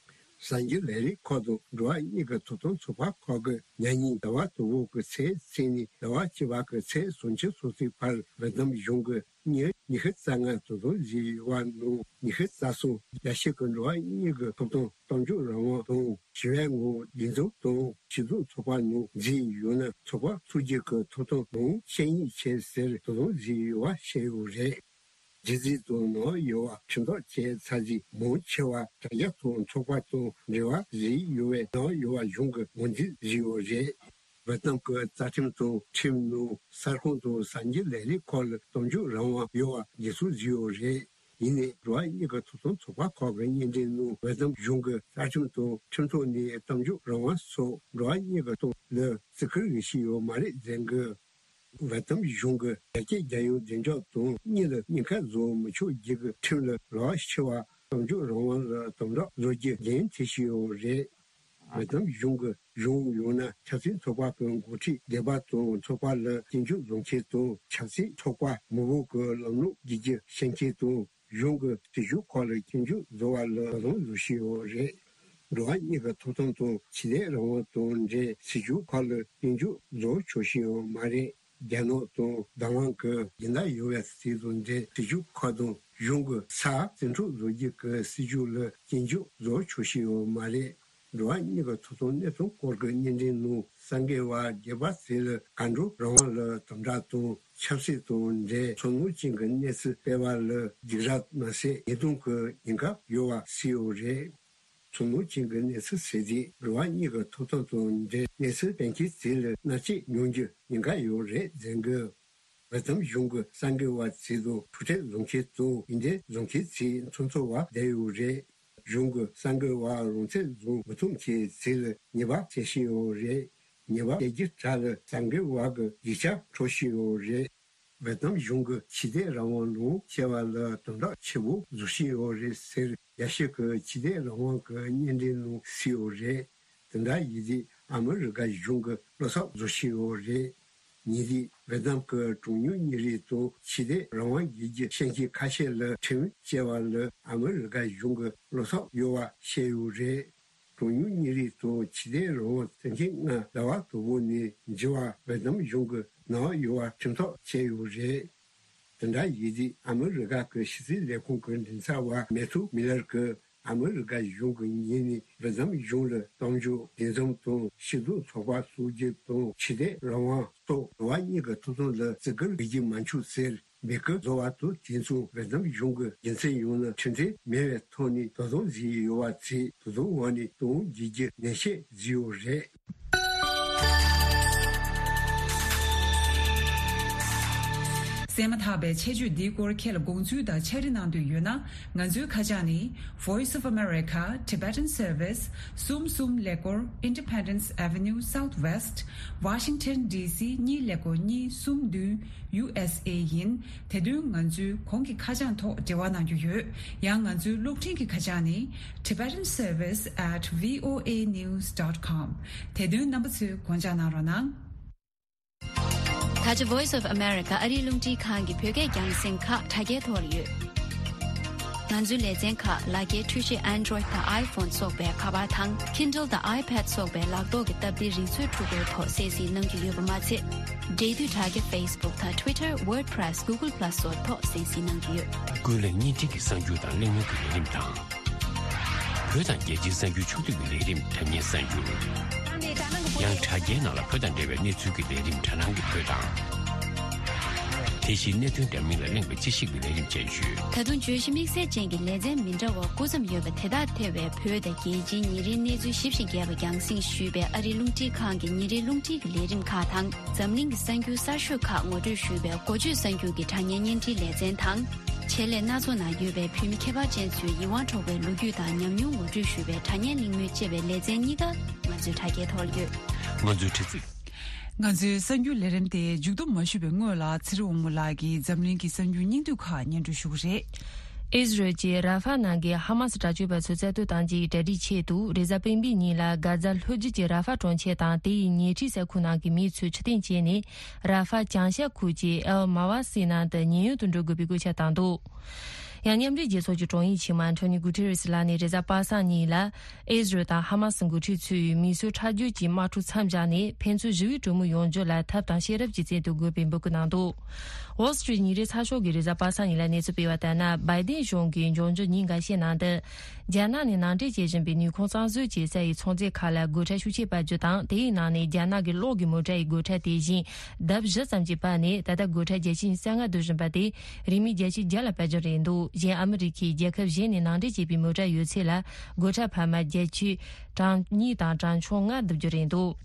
གསར་འགྱུར་ལས་རིགས་ཁག་དང་འགྲོ་བ་མིའི་གི་ཐོབ་ཐང་ཚོགས་པ་ཁག་གིས་ཉེ་ཉིན་ཟླ་བ་དང་པོ་གི་ཚེས་གཅིག་ནས་ཟླ་བ་བཅུ་པ་གི་ཚེས་སུམ་ཅུ་སོ་གཅིག་བར་ཝེ་ཏི་ནམ་གཞུང་གིས་མི་ཉི་ཤུ་རྩ་ལྔ་དོ་དམ་བྱས་ཡོད་པ་ནང་ཉི་ཤུ་རྩ་གསུམ་རྒྱ་ཆེ་གི་འགྲོ་བ་མིའི་གི་ཐོབ་ཐང་། གཏམ་བརྗོད་རང་དབང་དང་། ཞི་བའི་ངོ་བོ་འདུ་འཛོམས་དང་སྤྱི་ཚོགས་ཚོགས་པ་ནང་འཛུལ་ཡོད་ན་ཚོགས་པ་ཚུགས་རྒྱུ་གི་ཐོབ་ཐང་དང་བཤེར་དངོས་བྱེད་ཟེར་དོ་དམ་བྱས་ཡོད་པ་བཤད་ཡོད་རེད། སྒྱུ་རྩལ་དང་ནག་ཡོད་པ་ཁྲིམས་ཐག་བཅད་ཚར་རྗེས་མང་ཆེ་བ་དྲ་རྒྱ་དང་ཚོགས་པ་དང་འབྲེལ་བ་བྱས་ཡོད་པས་ནག་ཡོད་པ་གཞུང་གིས་ངོས་འཛིན་བྱས་ཡོད་རེད། ཝེ་ཏི་ནམ་གྱི་རྩ་ཁྲིམས་དང་ཁྲིམས་ནང་གསར་ཁང་དང་གསར་འགྱུར་ལས་རིགས་ཁག་ལ་གཏམ་བརྗོད་རང་དབང་ཡོད་པ་འགྲེལ་བཤད་བྱས་ཡོད་རེད། ཡིན་ནའི་འགྲོ་བ་མིའི་གི་ཐོབ་ཐང་ཚོགས་པ་ཁག་གི་སྙན་འགྲེལ་ནང་ཝེ་ཏི་ནམ་གཞུང་གི་རྩ་ཁྲིམས་དང་ཁྲིམས་ཐོག་ནས་གཏམ་བརྗོད་རང་དབང་སོགས་འགྲོ་བ་མིའི་གི་ཐོག་ལ་བརྩི་བཀུར་ཡོད་བཞིན་ཡོད་མ་རེད་ཟེར་གི། ཝེ་ཏི་ནམ་གཞུང་གིས་རྒྱ་སྐད་རྒྱལ་ཡོངས་བདེ་འཇགས་དང་གཉིས་ལ་ཉེན་ཁ་བཟོ་མི་ཆོག་རྒྱུ་གི་ཁྲིམས་ལ་ལག་ཆེ་བ་གཏམ་བརྗོད་རང་དབང་ལ་དམ་དྲག་བཟོ་རྒྱུ་འགན་འཁྲི་བཞིན་ཡོད་རེད། ཝེ་ཏི་ནམ་གཞུང་གིས་གཞུང་ཡང་ན་ཆབ་སྲིད་ཚོགས་པ་གི་འགོ་ཁྲིད་སྡེ་པ་དང་ཚོགས་པ་ལ་སྐྱོན་བརྗོད་བཟོ་མཁན་དང་ཆབ་སྲིད་ཚོགས་པ་མང་པོ་གི་ལམ་ལུགས་བརྗེ་རྒྱུ་བཤད་མཁན་དང་། གཞུང་གི་སྲིད་ཇུས་ཁག་ལ་སྐྱོན་བརྗོད་བཟོ་བ་ལ་དོ་དམ་བཟོ་བཞིན་ཡོད་རེད། འགྲོ་བ་མིའི་གི་ཐོབ་ཐང་དང་ཆོས་དད་རང་དབང་དང་འབྲེལ་སྲིད་ཇུས་ཁག་ལ་སྐྱོན་བརྗོད་བཟོ་ཆོག་བཞིན་ཡོད་མ་རེད། རྒྱ་ནག་དང་རྡ་རམ་གྱི་སྦྱིན་བདག་ཡོད་པའི་སྲིད་དང་འབྲེལ་སྲིད་ཇུས་ཁག་དང་ གཞུང་གི་ས་འཛིན་གྲོལ་བཟོ་རྒྱུ་གི་སྲིད་ཇུས་ལ་སྐྱོན་བརྗོད་བཟོ་ཆོག་ཤེས་ཡོད་མ་རེད། འགྲོ་བ་མིའི་ཐོབ་ཐང་གནས་སྟངས་སྐོར་གྱི་སྙན་འགྲེལ་ནང་གསར་འགོད་པ་སྒེར་པ་ཚོ་ལ་གར་འགྲོ་རང་དབང་ལ་དམ་དྲག་དང་ཆབ་སྲིད་དང་འབྲེལ་ཚོར་སྣང་ཅན་གྱི་གནས་ཚུལ་སྤེལ་བ་ལ་སྡིགས་ར་མ་ཟད་ཉེས་རྡུང་གི་ཉེན་ཁ་ཡོད་པ་གསལ་ཡོད་རེད། ཚོར་སྣང་ཅན་གྱི་གནས་ཚུལ་ཟེར་དུས་འགྲོ་བ་མིའི་ཐོབ་ཐང་དང་འབྲེལ་གནས་ཚུལ་སྤེལ་མཁན་ཚོ་ལ་མནར་གཅོད་མྱོང་རྒྱུ་ཉེན་ཁ་ཡོད་རེད་ཟེར་གི། ཝེ་ཏི་ནམ་གཞུང་གི་གསར་འགོད་པ་ཚོ་དང་ཐུག་འཕྲད་བཟོ་མཁན་དང་ཡིག་འབྲེལ་བཟོ་མཁན་ཚོ་མཚམས་འཚོལ་བ་བསྡད་ཡོད་རེད། གཞུང་གི་གསར་འགོད་པ་རང་ཚོད་བཟུང་མི་ཐུབ་མཁན་ཚོ་ལ་ཉེས་པ་བྱེད་བཞིན་ཡོད་རེད། ཉེས་པ་སྤྲད་རྒྱུ་དག་ལ་གསར་འགོད་པ་གི་ཡིག་ཆ་འཕྲོག་བཞིན་ཡོད་རེད། ཝེ་ཏི་ནམ་གཞུང་གི་ཆོས་དད་རང་དབང་ལ་སྐྱེལ་བ་ལ་དམ་དྲག་ཆེ་པོ་བཟོ་བཞིན་ཡོད་རེད་ཟེར། རྒྱལ་སྤྱི་གི་ཆོས་དད་རང་དབང་གི་སྙན་འགྲེལ་ནང་གསལ་ཡོད་རེད། དེ་འདྲ་ཡིན་དུས་ཨ་མི་རི་ཀ་གཞུང་གི་བློ་འཚབ་བཟོ་བཞིན་ཡོད་རེད། ཉེ་དུས་ཝེ་ཏི་ནམ་གྱི་གྲངས་ཉུང་མི་རིགས་དང་ཆོས་དད་རང་དབང་རྒྱལ་གྱི་ཤན་ཤིང་ཁ་ཤས་ལ་ཁྲིམས་བཅད་པ་ལ་ཨ་མི་རི་ཀ་གཞུང་གི་བློ་འཚབ་ཡོད་པ་བཤད་ཡོད་རེད། གྲངས་ཉུང་མི་རིགས་དང་ཆོས་དད་རང་དབང་བརྩམས་མཁན་ལྔ་ཟླ་བ་དང་པོ་ནས་འགྱུར་བ་ཝེ་ཏི་ནམ་གཞུང་གིས་གནང་ཡོད་པ་ཁྲིམས་ཐག་བཅད་ཡོད་རེད། དེ་འདྲ་ཡིན་དུས་ཨ་མི་རི་ཀ་གི་ཕྱི་སྲིད་ལས་ཁུངས་ཀྱི་མགྲིན་ཚབ་པ་མེ་ཐུ་མི་ལར་གྱིས་ཨ་མི་རི་ཀ་གཞུང་གི་ངོས་ནས་ཝེ་ཏི་ནམ་གཞུང་ལ་གཏམ་བརྗོད་འདུ་འཛོམས་དང་སྤྱི་ཚོགས་ཚོགས་པ་སྲུང་སྐྱོབ་དང་ཆོས་དད་རང་དབང་སོགས་འགྲོ་བ་མིའི་ཐོབ་ཐང་ལ་བརྩི་བཀུར་བྱེད་རྒྱུ་མ་འཆུག་ཟེར་འབོད་སྐུལ་བཟོ་བ་དང་དེ་མཚུངས་ཝེ་ཏི་ནམ་གཞུང་གིས་རྒྱུ་མཚན་ཡོད་ན་ཁྲིམས་མཐུན་མེད་པའི་ཐོག་ནས་དོ་དམ་བྱེད་ཀྱི་ཡོད་པ་ཚོས་དོ་དམ་འོག་ནས་གཏོང་རྒྱུའི་ནན་བཤད་བཟོས་ཡོད་རེད། གསན་མ་ཐག་པའི་ཆེད་བརྗོད་འདིའི་སྐོར་ཁྱེད་ལ་དགོངས་ཚུལ་དང་ཕྱག་བྲིས་གནང་འདོད་ཡོད་ན། ང་ཚོའི་ཁ་བྱང་ནི། Voice of America Tibetan Service གསུམ་གསུམ་ཀླད་ཀོར་Independence Avenue Southwest Washington D C གཉིས་ཀླད་ཀོར་གཉིས་གསུམ་བདུན། ཡུ་ཨེས་ཨེ་ཡིན། དེ་དོན་ང་ཚོའི་གོང་གི་ཁ་བྱང་ཐོག་འབྲེལ་བ་གནང་རྒྱུ་ཡོད། ཡང་ང་ཚོའི་གློག་འཕྲིན་གྱི་ཁ་བྱང་ནི། Tibetan Service at V O A news dot com དེ་དོན་རྣམ་པ་ཚོས་དགོངས་འཇགས་གནང་རོགས་གནང་། ད་ཆ་Voice of America ཨ་རིའི་རླུང་འཕྲིན་ཁང་གི་བོད་སྐད་རྒྱང་སྲིང་ཁག་དྲ་རྒྱའི་ཐོག་ལ་ཡོད། ང་ཚོའི་ལེ་ཚན་ཁག་ལག་འཁྱེར་འཕྲུལ་ཆས་Android དང་iPhone སོགས་པའི་ཁ་པར་དང་Kindle དང་iPad སོགས་པའི་ལག་ཐོག་གི་སྟབས་བདེའི་རིག་མཛོད་འཕྲུལ་འཁོར་ཐོག་གསན་གཟིགས་གནང་རྒྱུ་ཡོད་པ་མ་ཚད། འབྲེལ་མཐུད་དྲ་རྒྱ་Facebook དང་Twitter WordPress Google Plus སོགས་ཐོག་གསན་གཟིགས་གནང་རྒྱུ་ཡོད། ཀུན་གླེང་བརྙན་འཕྲིན་གྱི་གསར་འགྱུར་དང་གླེང་མོལ་གྱི་ལས་རིམ་དང་། བོད་དང་རྒྱལ་སྤྱིའི་གསར་འགྱུར་ཕྱོགས་བསྡུས་ཀྱི་ལས་རིམ་དྲ་བརྙན་གསར་འགྱུར། ཡང་དྲ་རྒྱའི་ནང་ལ་བོད་དང་འབྲེལ་བའི་གནས་ཚུལ་གྱི་ལས་རིམ་དྲ་སྣང་གི་བོད་དང་། དེ་བཞིན་གནད་དོན་འདྲ་མིན་ལ་གླེང་བའི་དཔྱད་ཞིབ་ཀྱི་ལས་རིམ་བཅས་ཡོད། ད་དུང་བརྗོད་གཞི་དམིགས་བསལ་ཅན་གྱི་ལེ་ཚན་མི་འདྲ་བ་སྐུ་མཚམས་ཡོད་པ་དེ་དག་ཐེ་བའི་བོད་དང་རྒྱལ་སྤྱིའི་ཉིན་རེའི་གནས་ཚུལ་ཞིབ་ཞིང་རྒྱས་པ་རྒྱང་སྲིང་ཞུས་པའི་ཨ་རིའི་རླུང་འཕྲིན་ཁང་གི་ཉིན་རེའི་རླུང་འཕྲིན་གྱི་ལས་རིམ་ཁག་དང་། འཛམ་གླིང་གི་གསར་འགྱུར་གསར་ཤོས་ཁག་ངོ་སྤྲོད་ཞུས་པའི་འགོ་བརྗོད་གསར་འགྱུར་གྱི་དྲ་བརྙན་བརྙན་འཕྲིན་ལེ་ཚན་དང་། ཆེད་ལས་སྣ་ཚོགས་ནང་ཡོད་པའི་བོད་མི་ཁྱད་པར་ཅན་ཚོའི་ཡིད་དབང་འཕྲོག་པའི་ལོ་རྒྱུས་དང་ཉམས་མྱོང་ངོ་སྤྲོད་ཞུས་པའི་དྲ་བརྙན་གླེང་མོལ་བཅས་པའི་ལེ་ཚན་གཉིས་ཀ་ང་ཚོའི་དྲ་རྒྱའི་ཐོག་ལ་ཡོད། ང་ཚོའི་དྲ་ཚིགས། ང་ཚོའི་གསར་འགྱུར་ལས་རིམ་དེ་མཇུག་བསྡོམས་མ་ཞུས་པའི་སྔོན་ལ་ཚེ་རིང་དབང་མོ་ལགས་ཀྱིས་འཛམ་གླིང་གི་གསར་འགྱུར་སྙིང་བསྡུས་ཁག་སྙན་སྒྲོན་ཞུ་གི་རེད། ཨིས་རལ་གྱིས་ར་ཧྥ་ནང་གི་ཧ་མ་སི་དྲག་སྤྱོད་པ་ཚོ་རྩ་གཏོར་བཏང་རྒྱུའི་གྲ་སྒྲིག་ཆེད་དུ་རེས་གཟའ་སྤེན་པའི་ཉིན་ལ་གྷ་ཛ་ལྷོ་རྒྱུད་ཀྱི་ར་ཧྥ་གྲོང་ཁྱེར་དང་དེ་ཡི་ཉེ་འཁྲིས་ས་ཁུལ་ནང་གི་མི་ཚོས་ཕྱིར་འཐེན་བྱས་ནས། ར་ཧྥ་བྱང་ཤར་ཁུལ་གྱི་ཨེལ་མ་ཝ་སི་ནང་དུ་ཉེན་གཡོལ་དུ་འགྲོ་དགོས་པའི་བཀོད་ཁྱབ་བཏང་འདུག་ཡང་མཉམ་འབྲེལ་རྒྱལ་ཚོགས་ཀྱི་དྲུང་ཡིག་ཆེན་མོ་ཨན་ཐོ་ནི་གུ་ཐེ་རེ་སི་ལགས་ནས་རེས་གཟའ་པ་སངས་ཉིན་ལ། ཨིས་རལ་དང་ཧ་མ་སི་འགོ་ཁྲིད་ཚོས་མི་གསོད་ཁྲག་སྦྱོར་གྱི་དམག་འཁྲུག་མཚམས་བཞག་ནས་ཕན་ཚུན་ཞི་བའི་གྲོས་མོལ་ཡོང་རྒྱུ་ལ་ཐབས་དང་ཤེས་རབ་ཀྱི་རྩལ་དུ་དགོས་པའི་འབོད་སྐུལ་གནང་འདུག Wall Street ཉིན་རེའི་ཚགས་ཤོག་གིས་རེས་གཟའ་པ་སངས་ཉིན་ལ་གནས་ཚུལ་སྤེལ་བ་ལྟར་ན། བའི་ཏིན་གཞུང་གིས་འབྱུང་འགྱུར་ཉིན་འགའ་ཤས་ནང་དུ། རྒྱ་ནག་ནས་ནང་འདྲེན་བྱེད་བཞིན་པའི་ནུས་ཁུངས་གཙང་བཟོ་བྱེད་ས་ཡི་ཚོང་རྫས་ཁག་ལ་སྒོ་ཁྲལ་ཤུགས་ཆེ་སྤར་རྒྱུ་དང་། དེའི་ནང་ནས་རྒྱ་ནག་གི་གློག་གི་མོ་ཊ་ཡི་སྒོ་ཁྲལ་དེ་བཞིན་ལྡབ་བཞི་ཙམ་གྱིས་སྤར་ནས་ད་ལྟ་སྒོ་ཁྲལ་བརྒྱ་ཆ་ཉི་ཤུ་རྩ་ལྔ་བསྡུ་བཞིན་པ་དེ་རིན་མེད་བརྒྱ་ཆ་བརྒྱ་ལ་སྤར་རྒྱུ་རེད་འདུག་གཞན་ཨ་མི་རི་ཁས་རྒྱལ་ཁབ་གཞན་ནས་ནང་འདྲེན་བྱས་པའི་མོ་ཊ་ཡོད་ཚད་ལ་སྒོ་ཁྲལ་འཕར་མ་བརྒྱ་ཆ་གྲངས་གཉིས་དང་གྲངས་ཆུང་ལྔ་བསྡུ་རྒྱུ་རེད་འདུག་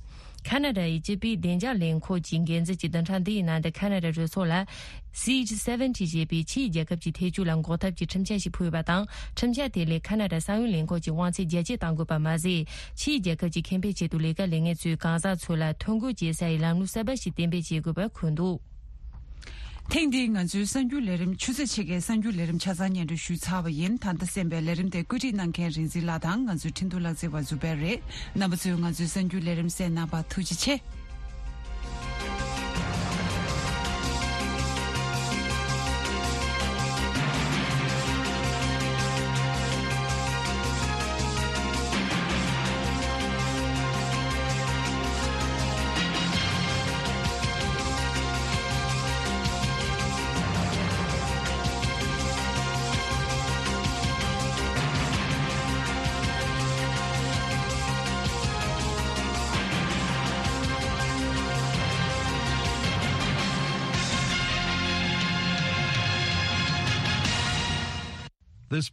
ཁ་ན་ཌ་ཡི་སྤྱི་པའི་བདེ་འཇགས་ལས་ཁུངས་ཀྱི་འགན་འཛིན་གྱིས་བདུན་ཕྲག་འདིའི་ནང་དུ་ཁ་ན་ཌ་གྲོས་ཚོགས་ལ། སི་ཨེཆ་སེ་ཝེན་ཊི་ཞེས་པའི་ཕྱིའི་རྒྱལ་ཁབ་ཀྱི་ཐེ་ཇུས་ལ་འགོག་ཐབས་ཀྱི་ཁྲིམས་འཆར་ཞིག་ཕུལ་བ་དང་། ཁྲིམས་འཆར་དེ་ལས་ཁ་ན་ཌ་ས་ཡོམ་ལས་ཁུངས་ཀྱི་དབང་ཚད་རྒྱ་སྐྱེད་གཏང་དགོས་པ་མ་ཟད། ཕྱིའི་རྒྱལ་ཁབ་ཀྱི་ཁེ་ཕན་ཆེད་དུ་ལས་ཀ་ལས་མཁན་ཚོའི་གང་ཟག་ཚོ་ལ་ཐོ་འགོད་བྱེད་སའི་ལམ་ལུགས་གསར་པ་ཞིག་གཏན་འབེབས་བྱེད་དགོས་པ་འཁོད་འདུག་ཐེངས་འདིའི་ང་ཚོའི་གསར་འགྱུར་ལས་རིམ་ཆུ་ཚོད་ཕྱེད་ཀའི་གསར་འགྱུར་ལས་རིམ་ཆ་ཚང་སྙན་སྒྲོན་ཞུས་ཚར་བ་ཡིན། ད་ལྟ་གསན་པའི་ལས་རིམ་དེ་བཀོད་སྒྲིག་གནང་མཁན་རིག་འཛིན་ལགས་དང་ང་ཚོའི་ཁྲིན་ཏུ་ལགས་བརྩེགས་པ་ཛུ་པེར་རེད། རྣམ་པ་ཚོས་ང་ཚོའི་གསར་འགྱུར་ལས་རིམ་གསན་གནང་བར་ཐུགས་རྗེ་ཆེ།